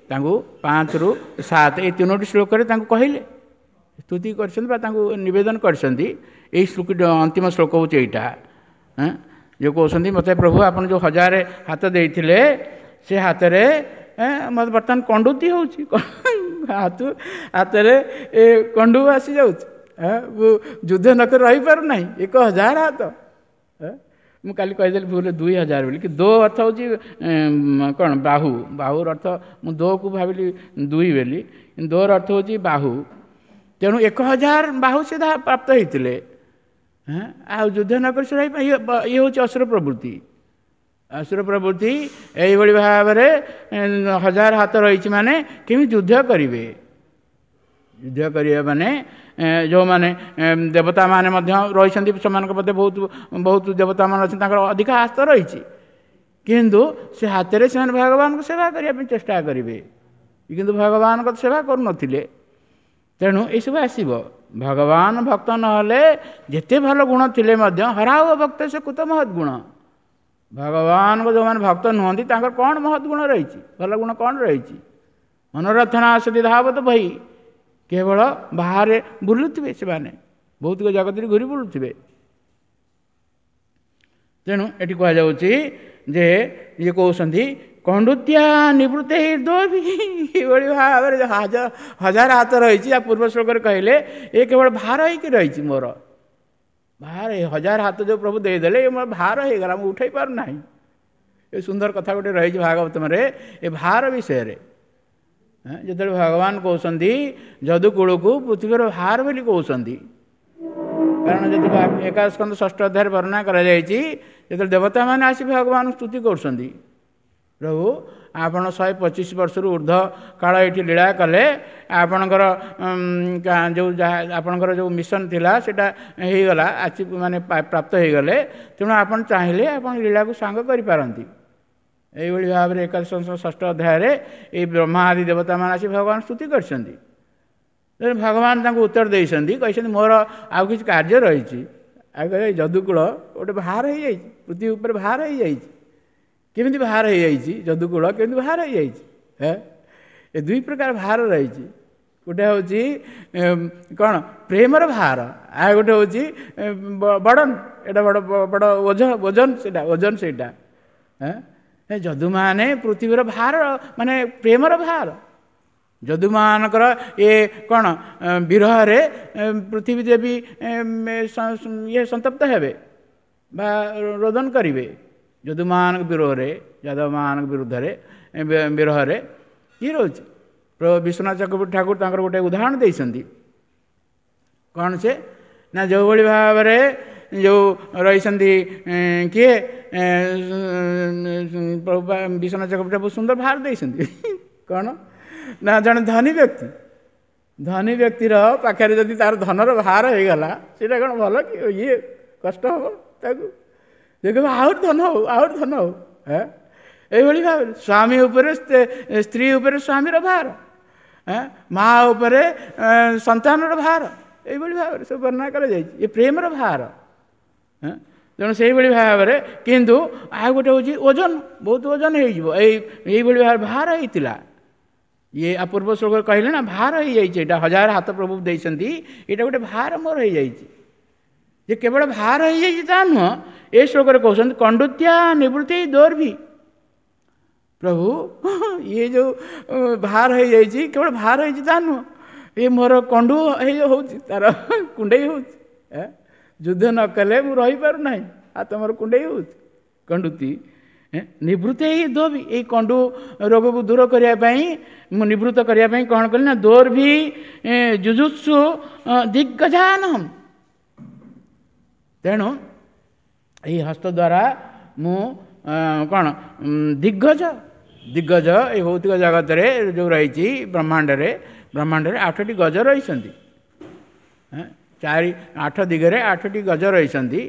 ତାଙ୍କୁ ପାଞ୍ଚରୁ ସାତ ଏଇ ତିନୋଟି ଶ୍ଲୋକରେ ତାଙ୍କୁ କହିଲେ, ସ୍ତୁତି କରିଛନ୍ତି ବା ତାଙ୍କୁ ନିବେଦନ କରିଛନ୍ତି। ଏଇ ଶ୍ଲୋକ ଅନ୍ତିମ ଶ୍ଲୋକ ହେଉଛି ଏଇଟା, ଯେଉଁ କହୁଛନ୍ତି ମୋତେ ପ୍ରଭୁ ଆପଣ ଯେଉଁ ହଜାରେ ହାତ ଦେଇଥିଲେ ସେ ହାତରେ ମୋତେ ବର୍ତ୍ତମାନ କଣ୍ଡୁତି ହେଉଛି, ହାତ ହାତରେ ଏ କଣ୍ଡୁ ଆସିଯାଉଛି, ମୁଁ ଯୁଦ୍ଧ ନକରି ରହିପାରୁନାହିଁ, ଏକ ହଜାର ହାତ। ମୁଁ କାଲି କହିଦେଲି ଭୁଲ ଦୁଇ ହଜାର ବୋଲି, କି ଦୋ ଅର୍ଥ ହେଉଛି କ'ଣ ବାହୁ, ବାହୁର ଅର୍ଥ ମୁଁ ଦୋକୁ ଭାବିଲି ଦୁଇ ବୋଲି, ଦୋର ଅର୍ଥ ହେଉଛି ବାହୁ। ତେଣୁ ଏକ ହଜାର ବାହୁ ସେ ପ୍ରାପ୍ତ ହେଇଥିଲେ, ଆଉ ଯୁଦ୍ଧ ନ କରି ସେ ଇଏ ହେଉଛି ଅସୁର ପ୍ରବୃତ୍ତି। ଅସୁର ପ୍ରବୃତ୍ତି ଏଇଭଳି ଭାବରେ ହଜାର ହାତ ରହିଛି ମାନେ କେମିତି ଯୁଦ୍ଧ କରିବେ? ଯୁଦ୍ଧ କରିବେ ମାନେ ଯେଉଁମାନେ ଦେବତାମାନେ ମଧ୍ୟ ରହିଛନ୍ତି, ସେମାନଙ୍କ ମଧ୍ୟ ବହୁତ ବହୁତ ଦେବତାମାନେ ଅଛନ୍ତି, ତାଙ୍କର ଅଧିକ ହାତ ରହିଛି, କିନ୍ତୁ ସେ ହାତରେ ସେମାନେ ଭଗବାନଙ୍କୁ ସେବା କରିବା ପାଇଁ ଚେଷ୍ଟା କରିବେ, କିନ୍ତୁ ଭଗବାନଙ୍କ ସେବା କରୁନଥିଲେ। ତେଣୁ ଏସବୁ ଆସିବ। ଭଗବାନ ଭକ୍ତ ନହେଲେ ଯେତେ ଭଲ ଗୁଣ ଥିଲେ ମଧ୍ୟ ହରାଓ ଭକ୍ତ ସେ କୁତ ମହତ୍ ଗୁଣ। ଭଗବାନଙ୍କ ଯେଉଁମାନେ ଭକ୍ତ ନୁହନ୍ତି ତାଙ୍କର କ'ଣ ମହତ୍ ଗୁଣ ରହିଛି, ଭଲ ଗୁଣ କ'ଣ ରହିଛି? ମନୋରଥନା ସତୀ ଧାବତ ବହି, କେବଳ ବାହାରେ ବୁଲୁଥିବେ ସେମାନେ, ଭୌତିକ ଜଗତରେ ଘୁରି ବୁଲୁଥିବେ। ତେଣୁ ଏଠି କୁହାଯାଉଛି ଯେ ଇଏ କହୁଛନ୍ତି କଣ୍ଡୁତ୍ୟା ନିବୃତ୍ତ ଦୋବି, ଏଭଳି ଭାବରେ ହଜାର ହଜାର ହାତ ରହିଛି। ଆ ପୂର୍ବ ଶ୍ଲୋକରେ କହିଲେ ଏ କେବଳ ଭାର ହେଇକି ରହିଛି ମୋର, ଭାର ହଜାର ହାତ ଯେଉଁ ପ୍ରଭୁ ଦେଇଦେଲେ ଏ ମୋର ଭାର ହେଇଗଲା, ମୁଁ ଉଠାଇ ପାରୁନାହିଁ। ଏ ସୁନ୍ଦର କଥା ଗୋଟେ ରହିଛି ଭାଗବତମରେ ଏ ଭାର ବିଷୟରେ। ଯେତେବେଳେ ଭଗବାନ କହୁଛନ୍ତି ଯଦୁକୂଳକୁ ପୃଥିବୀର ଭାର ବୋଲି କହୁଛନ୍ତି, କାରଣ ଯେତେବେଳେ ଏକାଦଶ ସ୍କନ୍ଧ ଷଷ୍ଠ ଅଧ୍ୟାୟରେ ବର୍ଣ୍ଣନା କରାଯାଇଛି, ଯେତେବେଳେ ଦେବତାମାନେ ଆସି ଭଗବାନଙ୍କୁ ସ୍ତୁତି କରୁଛନ୍ତି, ପ୍ରଭୁ ଆପଣ ଶହେ ପଚିଶ ବର୍ଷରୁ ଉର୍ଦ୍ଧ୍ୱ କାଳ ଏଇଠି ଲୀଳା କଲେ, ଆପଣଙ୍କର ଯେଉଁ ଯାହା ଆପଣଙ୍କର ଯେଉଁ ମିଶନ ଥିଲା ସେଇଟା ହେଇଗଲା, ଆଚିଭ୍ ମାନେ ପ୍ରାପ୍ତ ହେଇଗଲେ। ତେଣୁ ଆପଣ ଚାହିଁଲେ ଆପଣ ଲୀଳାକୁ ସାଙ୍ଗ କରିପାରନ୍ତି। ଏଇଭଳି ଭାବରେ ଏକାଦଶ ଷଷ୍ଠ ଅଧ୍ୟାୟରେ ଏଇ ବ୍ରହ୍ମା ଆଦି ଦେବତାମାନେ ଆସି ଭଗବାନ ସ୍ତୁତି କରିଛନ୍ତି। ତେଣୁ ଭଗବାନ ତାଙ୍କୁ ଉତ୍ତର ଦେଇଛନ୍ତି, କହିଛନ୍ତି ମୋର ଆଉ କିଛି କାର୍ଯ୍ୟ ରହିଛି। ଆଉ କହିଲେ ଯଦୁକୁଳ ଗୋଟେ ଭାର ହେଇଯାଇଛି, ପୃଥିବୀ ଉପରେ ଭାର ହେଇଯାଇଛି। କେମିତି ଭାର ହେଇଯାଇଛି ଯଦୁକୁଳ, କେମିତି ଭାର ହେଇଯାଇଛି? ଏ ଦୁଇ ପ୍ରକାର ଭାର ରହିଛି। ଗୋଟେ ହେଉଛି କ'ଣ ପ୍ରେମର ଭାର, ଆଉ ଗୋଟେ ହେଉଛି ବଡ଼ନ, ଏଇଟା ବଡ଼ ବଡ଼ ଓଜନ, ଓଜନ ସେଇଟା, ଓଜନ ସେଇଟା। ଯଦୁମାନେ ପୃଥିବୀର ଭାର, ମାନେ ପ୍ରେମର ଭାର। ଯଦୁମାନଙ୍କର ଏ କ'ଣ ବିରହରେ ପୃଥିବୀ ଦେବୀ ଇଏ ସନ୍ତପ୍ତ ହେବେ ବା ରୋଦନ କରିବେ। ଯଦୁମାନଙ୍କ ବିରୋଧରେ, ଯାଦବମାନଙ୍କ ବିରୁଦ୍ଧରେ ବିରହରେ ଇଏ ରହୁଛି। ବିଶ୍ୱନାଥ ଚକ୍ରବର୍ତ୍ତୀ ଠାକୁର ତାଙ୍କର ଗୋଟେ ଉଦାହରଣ ଦେଇଛନ୍ତି। କ'ଣ ସେ ନା ଯେଉଁଭଳି ଭାବରେ ଯେଉଁ ରହିଛନ୍ତି କିଏ ବିଶ୍ୱନାଥ ଚକ୍ରବର୍ତ୍ତୀ ବହୁତ ସୁନ୍ଦର ଭାର ଦେଇଛନ୍ତି। କ'ଣ ନା ଜଣେ ଧନୀ ବ୍ୟକ୍ତି, ଧନୀ ବ୍ୟକ୍ତିର ପାଖରେ ଯଦି ତାର ଧନର ଭାର ହେଇଗଲା, ସେଇଟା କ'ଣ ଭଲ କି? ଇଏ କଷ୍ଟ ହେବ ତାକୁ, ସେ କହିବ ଆହୁରି ଧନ ହଉ, ଆହୁରି ଧନ ହଉ। ଏଇଭଳି ଭାବରେ ସ୍ୱାମୀ ଉପରେ, ସ୍ତ୍ରୀ ଉପରେ ସ୍ୱାମୀର ଭାର, ମା ଉପରେ ସନ୍ତାନର ଭାର, ଏଇଭଳି ଭାବରେ ସବୁ ବର୍ଣ୍ଣନା କରାଯାଇଛି। ଏ ପ୍ରେମର ଭାର। ତେଣୁ ସେଇଭଳି ଭାବରେ, କିନ୍ତୁ ଆଉ ଗୋଟେ ହେଉଛି ଓଜନ, ବହୁତ ଓଜନ ହେଇଯିବ। ଏଇ ଏଇଭଳି ଭାବରେ ଭାର ହେଇଥିଲା। ଇଏ ଆ ପୂର୍ବ ଶ୍ଲୋକରେ କହିଲେ ନା ଭାର ହେଇଯାଇଛି, ଏଇଟା ହଜାର ହାତ ପ୍ରଭୁ ଦେଇଛନ୍ତି, ଏଇଟା ଗୋଟେ ଭାର ମୋର ହେଇଯାଇଛି। ଯେ କେବଳ ଭାର ହେଇଯାଇଛି ତା ନୁହଁ, ଏ ଶ୍ଲୋକରେ କହୁଛନ୍ତି କଣ୍ଡୁତ୍ୟା ନିବୃତ୍ତି ଦୋର୍ଭି। ପ୍ରଭୁ ଇଏ ଯେଉଁ ଭାର ହେଇଯାଇଛି, କେବଳ ଭାର ହେଇଛି ତା ନୁହଁ, ଇଏ ମୋର କଣ୍ଡୁ ହେଇ ହେଉଛି, ତାର କୁଣ୍ଡେଇ ହେଉଛି। ଯୁଦ୍ଧ ନ କଲେ ମୁଁ ରହିପାରୁନାହିଁ, ଆଉ ତମର କୁଣ୍ଡେଇ ହେଉଛି। କଣ୍ଡୁତି ନିବୃତ୍ତି ହେଇ ଦୋବି, ଏଇ କଣ୍ଡୁ ରୋଗକୁ ଦୂର କରିବା ପାଇଁ, ମୁଁ ନିବୃତ୍ତ କରିବା ପାଇଁ କ'ଣ କଲି ନା ଦୋର୍ଭି ଯୁଜୁତ୍ସୁ ଦିଗ୍ଗଜାନହମ୍। ତେଣୁ ଏହି ହସ୍ତ ଦ୍ୱାରା ମୁଁ କ'ଣ ଦିଗ୍ଗଜ, ଦିଗ୍ଗଜ ଏଇ ଭୌତିକ ଜଗତରେ ଯେଉଁ ରହିଛି ବ୍ରହ୍ମାଣ୍ଡରେ, ବ୍ରହ୍ମାଣ୍ଡରେ ଆଠଟି ଗଜ ରହିଛନ୍ତି। ଚାରି ଆଠ ଦିଗରେ ଆଠଟି ଗଜ ରହିଛନ୍ତି,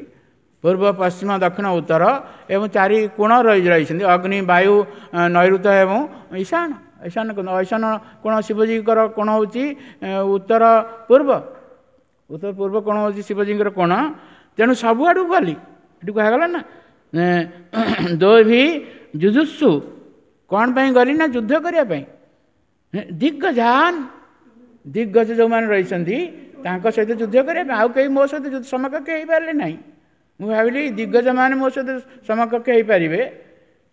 ପୂର୍ବ ପଶ୍ଚିମ ଦକ୍ଷିଣ ଉତ୍ତର, ଏବଂ ଚାରି କୋଣ ରହି ରହିଛନ୍ତି, ଅଗ୍ନି ବାୟୁ ନୈଋତ ଏବଂ ଈଶାନ। ଈଶାନ ଈଶାନ କୋଣ ଶିବଜୀଙ୍କର କୋଣ ହେଉଛି ଉତ୍ତର ପୂର୍ବ, ଉତ୍ତର ପୂର୍ବ କୋଣ ହେଉଛି ଶିବଜୀଙ୍କର କୋଣ। ତେଣୁ ସବୁଆଡ଼କୁ ଗଲି, ଏଠି କୁହାଗଲା ନା ଦୋଭି ଯୁଜୁତ୍ସୁ। କ'ଣ ପାଇଁ ଗଲି ନା ଯୁଦ୍ଧ କରିବା ପାଇଁ। ଦିଗ୍ଗଜାନ, ଦିଗ୍ଗଜ ଯେଉଁମାନେ ରହିଛନ୍ତି ତାଙ୍କ ସହିତ ଯୁଦ୍ଧ କରିବା ପାଇଁ, ଆଉ କେହି ମୋ ସହିତ ସମକକ୍ଷ ହେଇପାରିଲେ ନାହିଁ। ମୁଁ ଭାବିଲି ଦିଗ୍ଗଜମାନେ ମୋ ସହିତ ସମକକ୍ଷ ହେଇପାରିବେ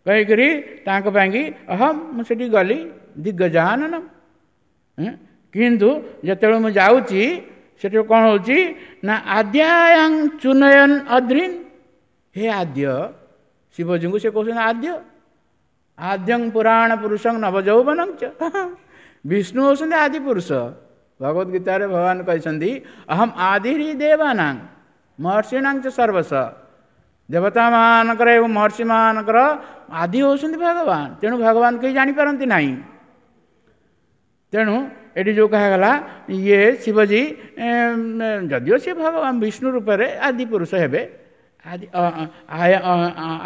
କହିକରି ତାଙ୍କ ପାଇଁକି ଅହମ୍ ମୁଁ ସେଠି ଗଲି ଦିଗ୍ଗଜାନନ। କିନ୍ତୁ ଯେତେବେଳେ ମୁଁ ଯାଉଛି ସେଠି କ'ଣ ହେଉଛି ନା ଆଦ୍ୟାୟାଂ ଚୁନୟନ ଅଦ୍ରିନ୍। ହେ ଆଦ୍ୟ, ଶିବଜୀଙ୍କୁ ସେ କହୁଛନ୍ତି ଆଦ୍ୟ, ଆଦ୍ୟଂ ପୁରାଣ ପୁରୁଷଂ ନବଯୌବନଂ ଚ। ବିଷ୍ଣୁ ହେଉଛନ୍ତି ଆଦି ପୁରୁଷ। ଭଗବତ ଗୀତାରେ ଭଗବାନ କହିଛନ୍ତି ଅହମ୍ ଆଦିରି ଦେବାନାଂ ମହର୍ଷିଣାଂ ଚ ସର୍ବସ। ଦେବତାମାନଙ୍କର ଏବଂ ମହର୍ଷିମାନଙ୍କର ଆଦି ହେଉଛନ୍ତି ଭଗବାନ। ତେଣୁ ଭଗବାନ କେହି ଜାଣିପାରନ୍ତି ନାହିଁ। ତେଣୁ ଏଠି ଯେଉଁ କୁହାଗଲା ଇଏ ଶିବଜୀ ଯଦିଓ ସେ ଭଗବାନ ବିଷ୍ଣୁ ରୂପରେ ଆଦି ପୁରୁଷ ହେବେ, ଆଦି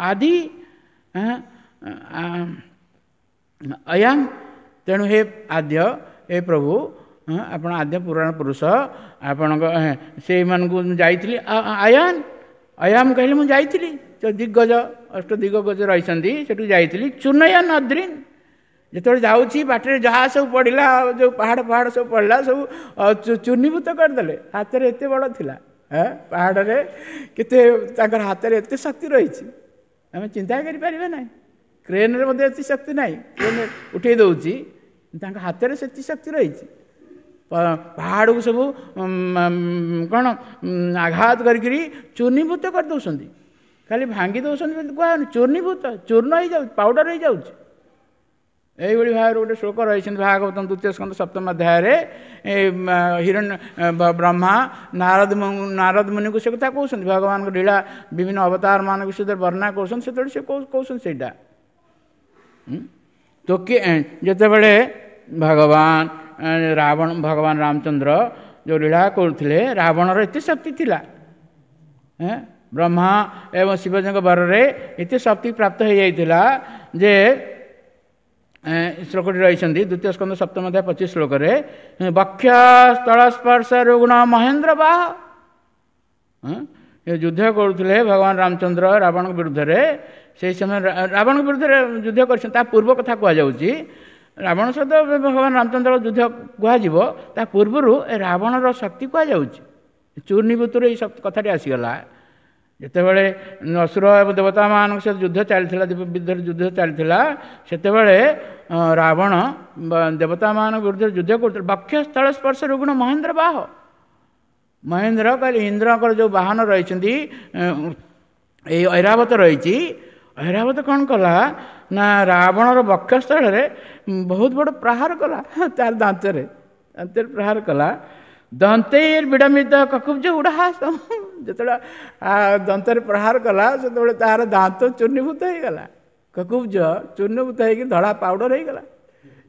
ଆଦି ଅୟାଂ। ତେଣୁ ହେ ଆଦ୍ୟ, ହେ ପ୍ରଭୁ, ଆପଣ ଆଦ୍ୟ ପୁରାଣ ପୁରୁଷ, ଆପଣଙ୍କ ସେଇମାନଙ୍କୁ ମୁଁ ଯାଇଥିଲି ଆୟାନ ଅୟାମ କହିଲେ ମୁଁ ଯାଇଥିଲି, ଦିଗ୍ଗଜ ଅଷ୍ଟ ଦିଗ୍ଗଜ ରହିଛନ୍ତି ସେଠୁ ଯାଇଥିଲି। ଚୁନୟନ ଅଦ୍ରିନ୍, ଯେତେବେଳେ ଯାଉଛି ବାଟରେ ଯାହା ସବୁ ପଡ଼ିଲା, ଯେଉଁ ପାହାଡ଼ ପାହାଡ଼ ସବୁ ପଡ଼ିଲା, ସବୁ ଚୂର୍ଣ୍ଣୀଭୂତ କରିଦେଲେ। ହାତରେ ଏତେ ବଡ଼ ଥିଲା, ପାହାଡ଼ରେ କେତେ ତାଙ୍କର ହାତରେ ଏତେ ଶକ୍ତି ରହିଛି, ଆମେ ଚିନ୍ତା କରିପାରିବା ନାହିଁ। କ୍ରେନ୍ରେ ମଧ୍ୟ ଏତେ ଶକ୍ତି ନାହିଁ, କ୍ରେନ୍ ଉଠେଇ ଦେଉଛି, ତାଙ୍କ ହାତରେ ସେତିକି ଶକ୍ତି ରହିଛି। ପାହାଡ଼କୁ ସବୁ କ'ଣ ଆଘାତ କରିକିରି ଚୂର୍ଣ୍ଣୀଭୂତ କରିଦେଉଛନ୍ତି, ଖାଲି ଭାଙ୍ଗି ଦେଉଛନ୍ତି ବୋଲି କୁହାହେଉନି, ଚୂର୍ଣ୍ଣୀଭୂତ, ଚୂର୍ଣ୍ଣ ହେଇଯାଉଛି, ପାଉଡ଼ର ହେଇଯାଉଛି। ଏଇଭଳି ଭାବରେ ଗୋଟେ ଶ୍ଲୋକ ରହିଛନ୍ତି ଭାଗବତ ଦ୍ୱିତୀୟ ସ୍କନ୍ଧ ସପ୍ତମ ଅଧ୍ୟାୟରେ। ହିରଣ୍ୟ ବ୍ରହ୍ମା ନାରଦ ନାରଦ ମୁନିଙ୍କୁ ସେ କଥା କହୁଛନ୍ତି, ଭଗବାନଙ୍କ ଲୀଳା ବିଭିନ୍ନ ଅବତାର ମାନଙ୍କ ବିଷୟରେ ବର୍ଣ୍ଣନା କରୁଛନ୍ତି, ସେତେବେଳେ ସେ କହୁଛନ୍ତି ସେଇଟା। ତ କିଏ ଯେତେବେଳେ ଭଗବାନ ରାବଣ, ଭଗବାନ ରାମଚନ୍ଦ୍ର ଯେଉଁ ଲୀଳା କରୁଥିଲେ, ରାବଣର ଏତେ ଶକ୍ତି ଥିଲା, ବ୍ରହ୍ମା ଏବଂ ଶିବଜୀଙ୍କ ବରରେ ଏତେ ଶକ୍ତି ପ୍ରାପ୍ତ ହୋଇଯାଇଥିଲା ଯେ ଶ୍ଲୋକଟି ରହିଛନ୍ତି ଦ୍ୱିତୀୟ ସ୍କନ୍ଧ ସପ୍ତମ ଅଧ୍ୟାୟ ପଚିଶ ଶ୍ଲୋକରେ, ବକ୍ଷ ସ୍ଥଳ ସ୍ପର୍ଶ ରୁଗ୍ଣ ମହେନ୍ଦ୍ର ବାହ। ଯୁଦ୍ଧ କରୁଥିଲେ ଭଗବାନ ରାମଚନ୍ଦ୍ର ରାବଣଙ୍କ ବିରୁଦ୍ଧରେ। ସେହି ସମୟରେ ରାବଣଙ୍କ ବିରୁଦ୍ଧରେ ଯୁଦ୍ଧ କରିଛନ୍ତି, ତା ପୂର୍ବ କଥା କୁହାଯାଉଛି। ରାବଣ ସହିତ ଭଗବାନ ରାମଚନ୍ଦ୍ର ଯୁଦ୍ଧ କୁହାଯିବ, ତା ପୂର୍ବରୁ ଏ ରାବଣର ଶକ୍ତି କୁହାଯାଉଛି। ଚୂର୍ଣ୍ଣୀଭୂତରୁ ଏଇ କଥାଟି ଆସିଗଲା। ଯେତେବେଳେ ଅସୁର ଏବଂ ଦେବତାମାନଙ୍କ ସହିତ ଯୁଦ୍ଧ ଚାଲିଥିଲା, ବିରୁଦ୍ଧରେ ଯୁଦ୍ଧ ଚାଲିଥିଲା, ସେତେବେଳେ ରାବଣ ଦେବତାମାନଙ୍କ ବିରୁଦ୍ଧରେ ଯୁଦ୍ଧ କରୁଥିଲେ। ବକ୍ଷ ସ୍ଥଳ ସ୍ପର୍ଶ ରୁଗ୍ଣ ମହେନ୍ଦ୍ର ବାହ। ମହେନ୍ଦ୍ର କହିଲେ ଇନ୍ଦ୍ରଙ୍କର ଯେଉଁ ବାହନ ରହିଛନ୍ତି, ଏଇ ଐରାବତ ରହିଛି। ଐରାବତ କ'ଣ କଲା ନା ରାବଣର ବକ୍ଷସ୍ଥଳରେ ବହୁତ ବଡ଼ ପ୍ରହାର କଲା, ତାର ଦାନ୍ତରେ ଦାନ୍ତରେ ପ୍ରହାର କଲା। ଦନ୍ତେର ବିଡ଼ମ୍ବିତ କକୁବ୍ଜ ଉଡ଼ାହାସ। ଯେତେବେଳେ ଦନ୍ତରେ ପ୍ରହାର କଲା, ସେତେବେଳେ ତାର ଦାନ୍ତ ଚୂର୍ଣ୍ଣୀଭୂତ ହେଇଗଲା। କକୁବ୍ଜ ଚୂର୍ଣ୍ଣୀଭୂତ ହେଇକି ଧଳା ପାଉଡ଼ର ହେଇଗଲା।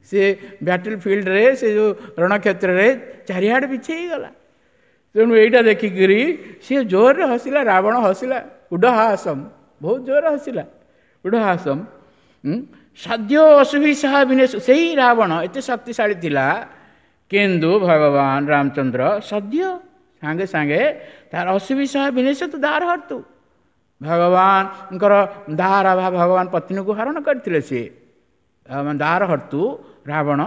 ସେ ବ୍ୟାଟଲ ଫିଲ୍ଡରେ, ସେ ଯେଉଁ ରଣକ୍ଷେତ୍ରରେ ଚାରିଆଡ଼େ ବିଛେଇ ହେଇଗଲା। ତେଣୁ ଏଇଟା ଦେଖିକିରି ସିଏ ଜୋରରେ ହସିଲା, ରାବଣ ହସିଲା, ଉଡ଼ହାସମ, ବହୁତ ଜୋରରେ ହସିଲା, ଉଡ଼ହାସମ। ସଦ୍ୟ ଅସୁବିସାହ ବିନେଶ। ସେଇ ରାବଣ ଏତେ ଶକ୍ତିଶାଳୀ ଥିଲା, କିନ୍ତୁ ଭଗବାନ ରାମଚନ୍ଦ୍ର ସଦ୍ୟ ସାଙ୍ଗେ ସାଙ୍ଗେ ତାର ଅସୁବିସାହ ବିନେଶ ତୁ ଦାର ହର୍ତୁ, ଭଗବାନଙ୍କର ଦାର ବା ଭଗବାନ ପତ୍ନୀକୁ ହରଣ କରିଥିଲେ ସିଏ, ଦାର ହର୍ତୁ ରାବଣ।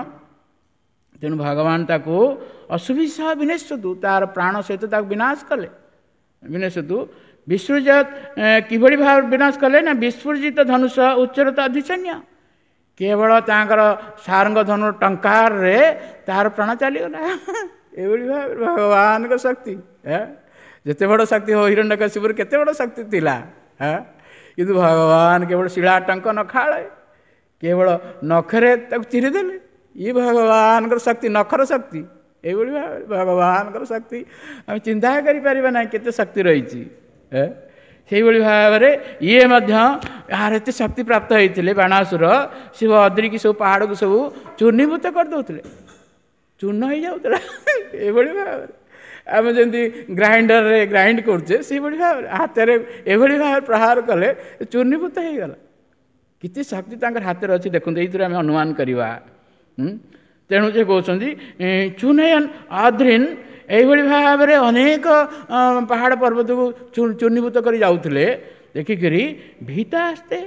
ତେଣୁ ଭଗବାନ ତାକୁ ଅସୁବିସାହ ବିନେଶତୁ, ତାର ପ୍ରାଣ ସହିତ ତାକୁ ବିନାଶ କଲେ। ବିନେଶତୁ ବିସୃଜ, କିଭଳି ଭାବେ ବିନାଶ କଲେ ନା ବିସ୍ଫୁଜିତ ଧନୁଷ ଉଚ୍ଚରତ ଅଧିସନ୍ୟ, କେବଳ ତାଙ୍କର ସାରଙ୍ଗ ଧନୁ ଟଙ୍କାରରେ ତାର ପ୍ରାଣ ଚାଲିଗଲା। ଏଭଳି ଭାବରେ ଭଗବାନଙ୍କ ଶକ୍ତି, ଯେତେ ବଡ଼ ଶକ୍ତି ହଉ, ହିରଣ୍ୟକଶିପୁର କେତେ ବଡ଼ ଶକ୍ତି ଥିଲା, କିନ୍ତୁ ଭଗବାନ କେବଳ ଶିଳା ଟଙ୍କ ନଖାଳେ, କେବଳ ନଖରେ ତାକୁ ଚିରିଦେଲେ। ଇଏ ଭଗବାନଙ୍କର ଶକ୍ତି, ନଖର ଶକ୍ତି। ଏଇଭଳି ଭାବରେ ଭଗବାନଙ୍କର ଶକ୍ତି ଆମେ ଚିନ୍ତା କରିପାରିବା ନାହିଁ କେତେ ଶକ୍ତି ରହିଛି। ସେଇଭଳି ଭାବରେ ଇଏ ମଧ୍ୟ ଏହାର ଏତେ ଶକ୍ତି ପ୍ରାପ୍ତ ହେଇଥିଲେ ବାଣାସୁର, ଶିବ ଅଦ୍ରିକି ସବୁ ପାହାଡ଼କୁ ସବୁ ଚୂର୍ଣ୍ଣୀଭୂତ କରିଦେଉଥିଲେ, ଚୂର୍ଣ୍ଣ ହେଇଯାଉଥିଲା। ଏଭଳି ଭାବରେ ଆମେ ଯେମିତି ଗ୍ରାଇଣ୍ଡରରେ ଗ୍ରାଇଣ୍ଡ କରୁଛେ, ସେଇଭଳି ଭାବରେ ହାତରେ ଏଭଳି ଭାବରେ ପ୍ରହାର କଲେ ଚୂର୍ଣ୍ଣୀଭୂତ ହେଇଗଲା। କେତେ ଶକ୍ତି ତାଙ୍କର ହାତରେ ଅଛି ଦେଖନ୍ତୁ, ଏଇଥିରୁ ଆମେ ଅନୁମାନ କରିବା। ତେଣୁ ସେ କହୁଛନ୍ତି ଚୂନୟନ ଆଦ୍ରିନ୍, ଏଇଭଳି ଭାବରେ ଅନେକ ପାହାଡ଼ ପର୍ବତକୁ ଚୂର୍ଣ୍ଣୀଭୂତ କରି ଯାଉଥିଲେ। ଦେଖିକିରି ଭୀତା ଆସ୍ତେ,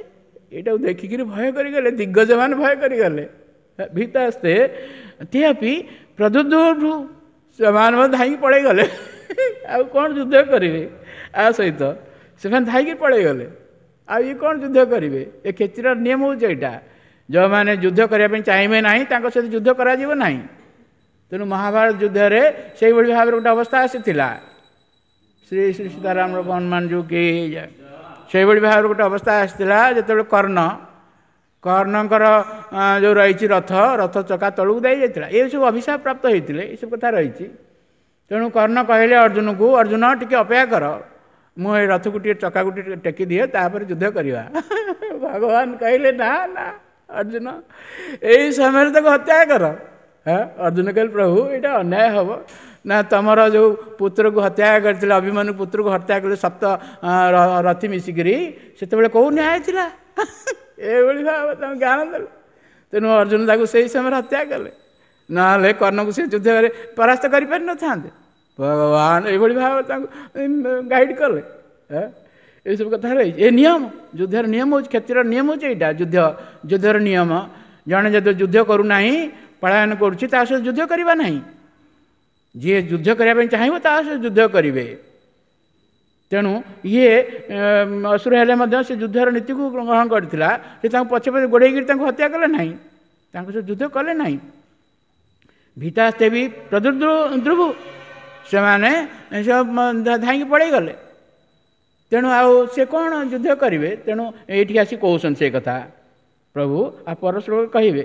ଏଇଟାକୁ ଦେଖିକିରି ଭୟ କରିଗଲେ ଦିଗ୍ଗଜମାନେ, ଭୟ କରିଗଲେ। ଭୀତା ଆସ୍ତେ ତିହାପି ପ୍ରଦୁର୍ଭୁ, ସେମାନେ ମଧ୍ୟ ଧାଇଁକି ପଳେଇଗଲେ। ଆଉ କ'ଣ ଯୁଦ୍ଧ କରିବେ ଆ ସହିତ, ସେମାନେ ଧାଇଁକି ପଳେଇଗଲେ। ଆଉ ଇଏ କ'ଣ ଯୁଦ୍ଧ କରିବେ? ଏ କ୍ଷେତ୍ରର ନିୟମ ହେଉଛି ଏଇଟା, ଯେଉଁମାନେ ଯୁଦ୍ଧ କରିବା ପାଇଁ ଚାହିଁବେ ନାହିଁ ତାଙ୍କ ସହିତ ଯୁଦ୍ଧ କରାଯିବ ନାହିଁ। ତେଣୁ ମହାଭାରତ ଯୁଦ୍ଧରେ ସେଇଭଳି ଭାବରେ ଗୋଟେ ଅବସ୍ଥା ଆସିଥିଲା। ଶ୍ରୀ ଶ୍ରୀ ସୀତାରାମ ହନୁମାନ ଯୋଉ କି ସେଇଭଳି ଭାବରେ ଗୋଟେ ଅବସ୍ଥା ଆସିଥିଲା, ଯେତେବେଳେ କର୍ଣ୍ଣ କର୍ଣ୍ଣଙ୍କର ଯେଉଁ ରହିଛି ରଥ, ରଥ ଚକା ତଳକୁ ଦେଇଯାଇଥିଲା। ଏସବୁ ଅଭିଶାପ ପ୍ରାପ୍ତ ହେଇଥିଲେ, ଏସବୁ କଥା ରହିଛି। ତେଣୁ କର୍ଣ୍ଣ କହିଲେ ଅର୍ଜୁନକୁ, ଅର୍ଜୁନ ଟିକେ ଅପେକ୍ଷା କର, ମୁଁ ଏଇ ରଥକୁ ଟିକେ ଚକାକୁ ଟିକେ ଟେକି ଦିଏ, ତାପରେ ଯୁଦ୍ଧ କରିବା। ଭଗବାନ କହିଲେ ନା ନା ଅର୍ଜୁନ, ଏଇ ସମୟରେ ତାକୁ ହତ୍ୟା କର। ହଁ, ଅର୍ଜୁନ କହିଲେ ପ୍ରଭୁ ଏଇଟା ଅନ୍ୟାୟ ହେବ ନା, ତମର ଯେଉଁ ପୁତ୍ରକୁ ହତ୍ୟା କରିଥିଲେ, ଅଭିମନ୍ୟୁ ପୁତ୍ରକୁ ହତ୍ୟା କଲେ ସପ୍ତ ରଥି ମିଶିକିରି, ସେତେବେଳେ କେଉଁ ନ୍ୟାୟ ଥିଲା? ଏଭଳି ଭାବେ ତାଙ୍କୁ ଜ୍ଞାନ ଦେଲେ। ତେଣୁ ଅର୍ଜୁନ ତାକୁ ସେଇ ସମୟରେ ହତ୍ୟା କଲେ, ନହେଲେ କର୍ଣ୍ଣକୁ ସେ ଯୁଦ୍ଧରେ ପରାସ୍ତ କରିପାରିନଥାନ୍ତେ। ଭଗବାନ ଏଇଭଳି ଭାବେ ତାଙ୍କୁ ଗାଇଡ଼ କଲେ। ଏସବୁ କଥା ରହିଛି। ଏ ନିୟମ, ଯୁଦ୍ଧର ନିୟମ ହେଉଛି, କ୍ଷତ୍ରିୟର ନିୟମ ହେଉଛି ଏଇଟା। ଯୁଦ୍ଧ ଯୁଦ୍ଧର ନିୟମ, ଜଣେ ଯଦି ଯୁଦ୍ଧ କରୁନାହିଁ, ପଳାୟନ କରୁଛି, ତା ସହିତ ଯୁଦ୍ଧ କରିବା ନାହିଁ। ଯିଏ ଯୁଦ୍ଧ କରିବା ପାଇଁ ଚାହିଁବ ତା ସହିତ ଯୁଦ୍ଧ କରିବେ। ତେଣୁ ଇଏ ଅସୁର ହେଲେ ମଧ୍ୟ ସେ ଯୁଦ୍ଧର ନୀତିକୁ ଗ୍ରହଣ କରିଥିଲା। ସେ ତାଙ୍କୁ ପଛେ ପଛେ ଗୋଡ଼େଇକିରି ତାଙ୍କୁ ହତ୍ୟା କଲେ ନାହିଁ, ତାଙ୍କ ସହିତ ଯୁଦ୍ଧ କଲେ ନାହିଁ। ଭୀତାସ୍ତେ ବି ପ୍ରଦୁର୍ଦ୍ରୁବୁ, ସେମାନେ ଧାଇଁକି ପଳେଇଗଲେ। ତେଣୁ ଆଉ ସେ କ'ଣ ଯୁଦ୍ଧ କରିବେ? ତେଣୁ ଏଇଠିକି ଆସି କହୁଛନ୍ତି ସେ କଥା ପ୍ରଭୁ, ଆଉ ପର ଶ୍ଲୋକ କହିବେ।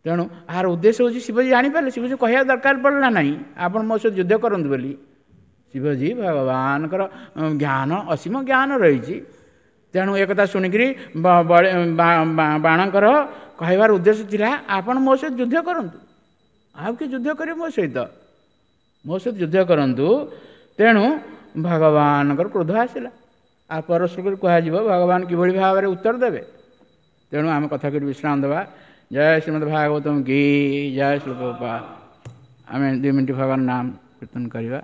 ତେଣୁ ଆର ଉଦ୍ଦେଶ୍ୟ ହେଉଛି ଶିବଜୀ ଜାଣିପାରିଲେ, ଶିବଜୀ କହିବା ଦରକାର ପଡ଼ିଲା ନାହିଁ ଆପଣ ମୋ ସହିତ ଯୁଦ୍ଧ କରନ୍ତୁ ବୋଲି। ଶିବଜୀ ଭଗବାନଙ୍କର ଜ୍ଞାନ, ଅସୀମ ଜ୍ଞାନ ରହିଛି। ତେଣୁ ଏକଥା ଶୁଣିକିରି ବାଣଙ୍କର କହିବାର ଉଦ୍ଦେଶ୍ୟ ଥିଲା, ଆପଣ ମୋ ସହିତ ଯୁଦ୍ଧ କରନ୍ତୁ, ଆଉ କିଏ ଯୁଦ୍ଧ କରିବେ ମୋ ସହିତ, ମୋ ସହିତ ଯୁଦ୍ଧ କରନ୍ତୁ। ତେଣୁ ଭଗବାନଙ୍କର କ୍ରୋଧ ଆସିଲା। ଆଉ ପର ଶ୍ଲୋକରେ କୁହାଯିବ ଭଗବାନ କିଭଳି ଭାବରେ ଉତ୍ତର ଦେବେ। ତେଣୁ ଆମେ କଥା କରି ବିଶ୍ରାମ ଦେବା। ଜୟ ଶ୍ରୀମଦ୍ ଭାଗବତମ କି ଜୟ। ଶ୍ଲୋକ ଆମେ ଦୁଇ ମିନିଟ୍ ଭଗବାନ ନାମ କୀର୍ତ୍ତନ କରିବା।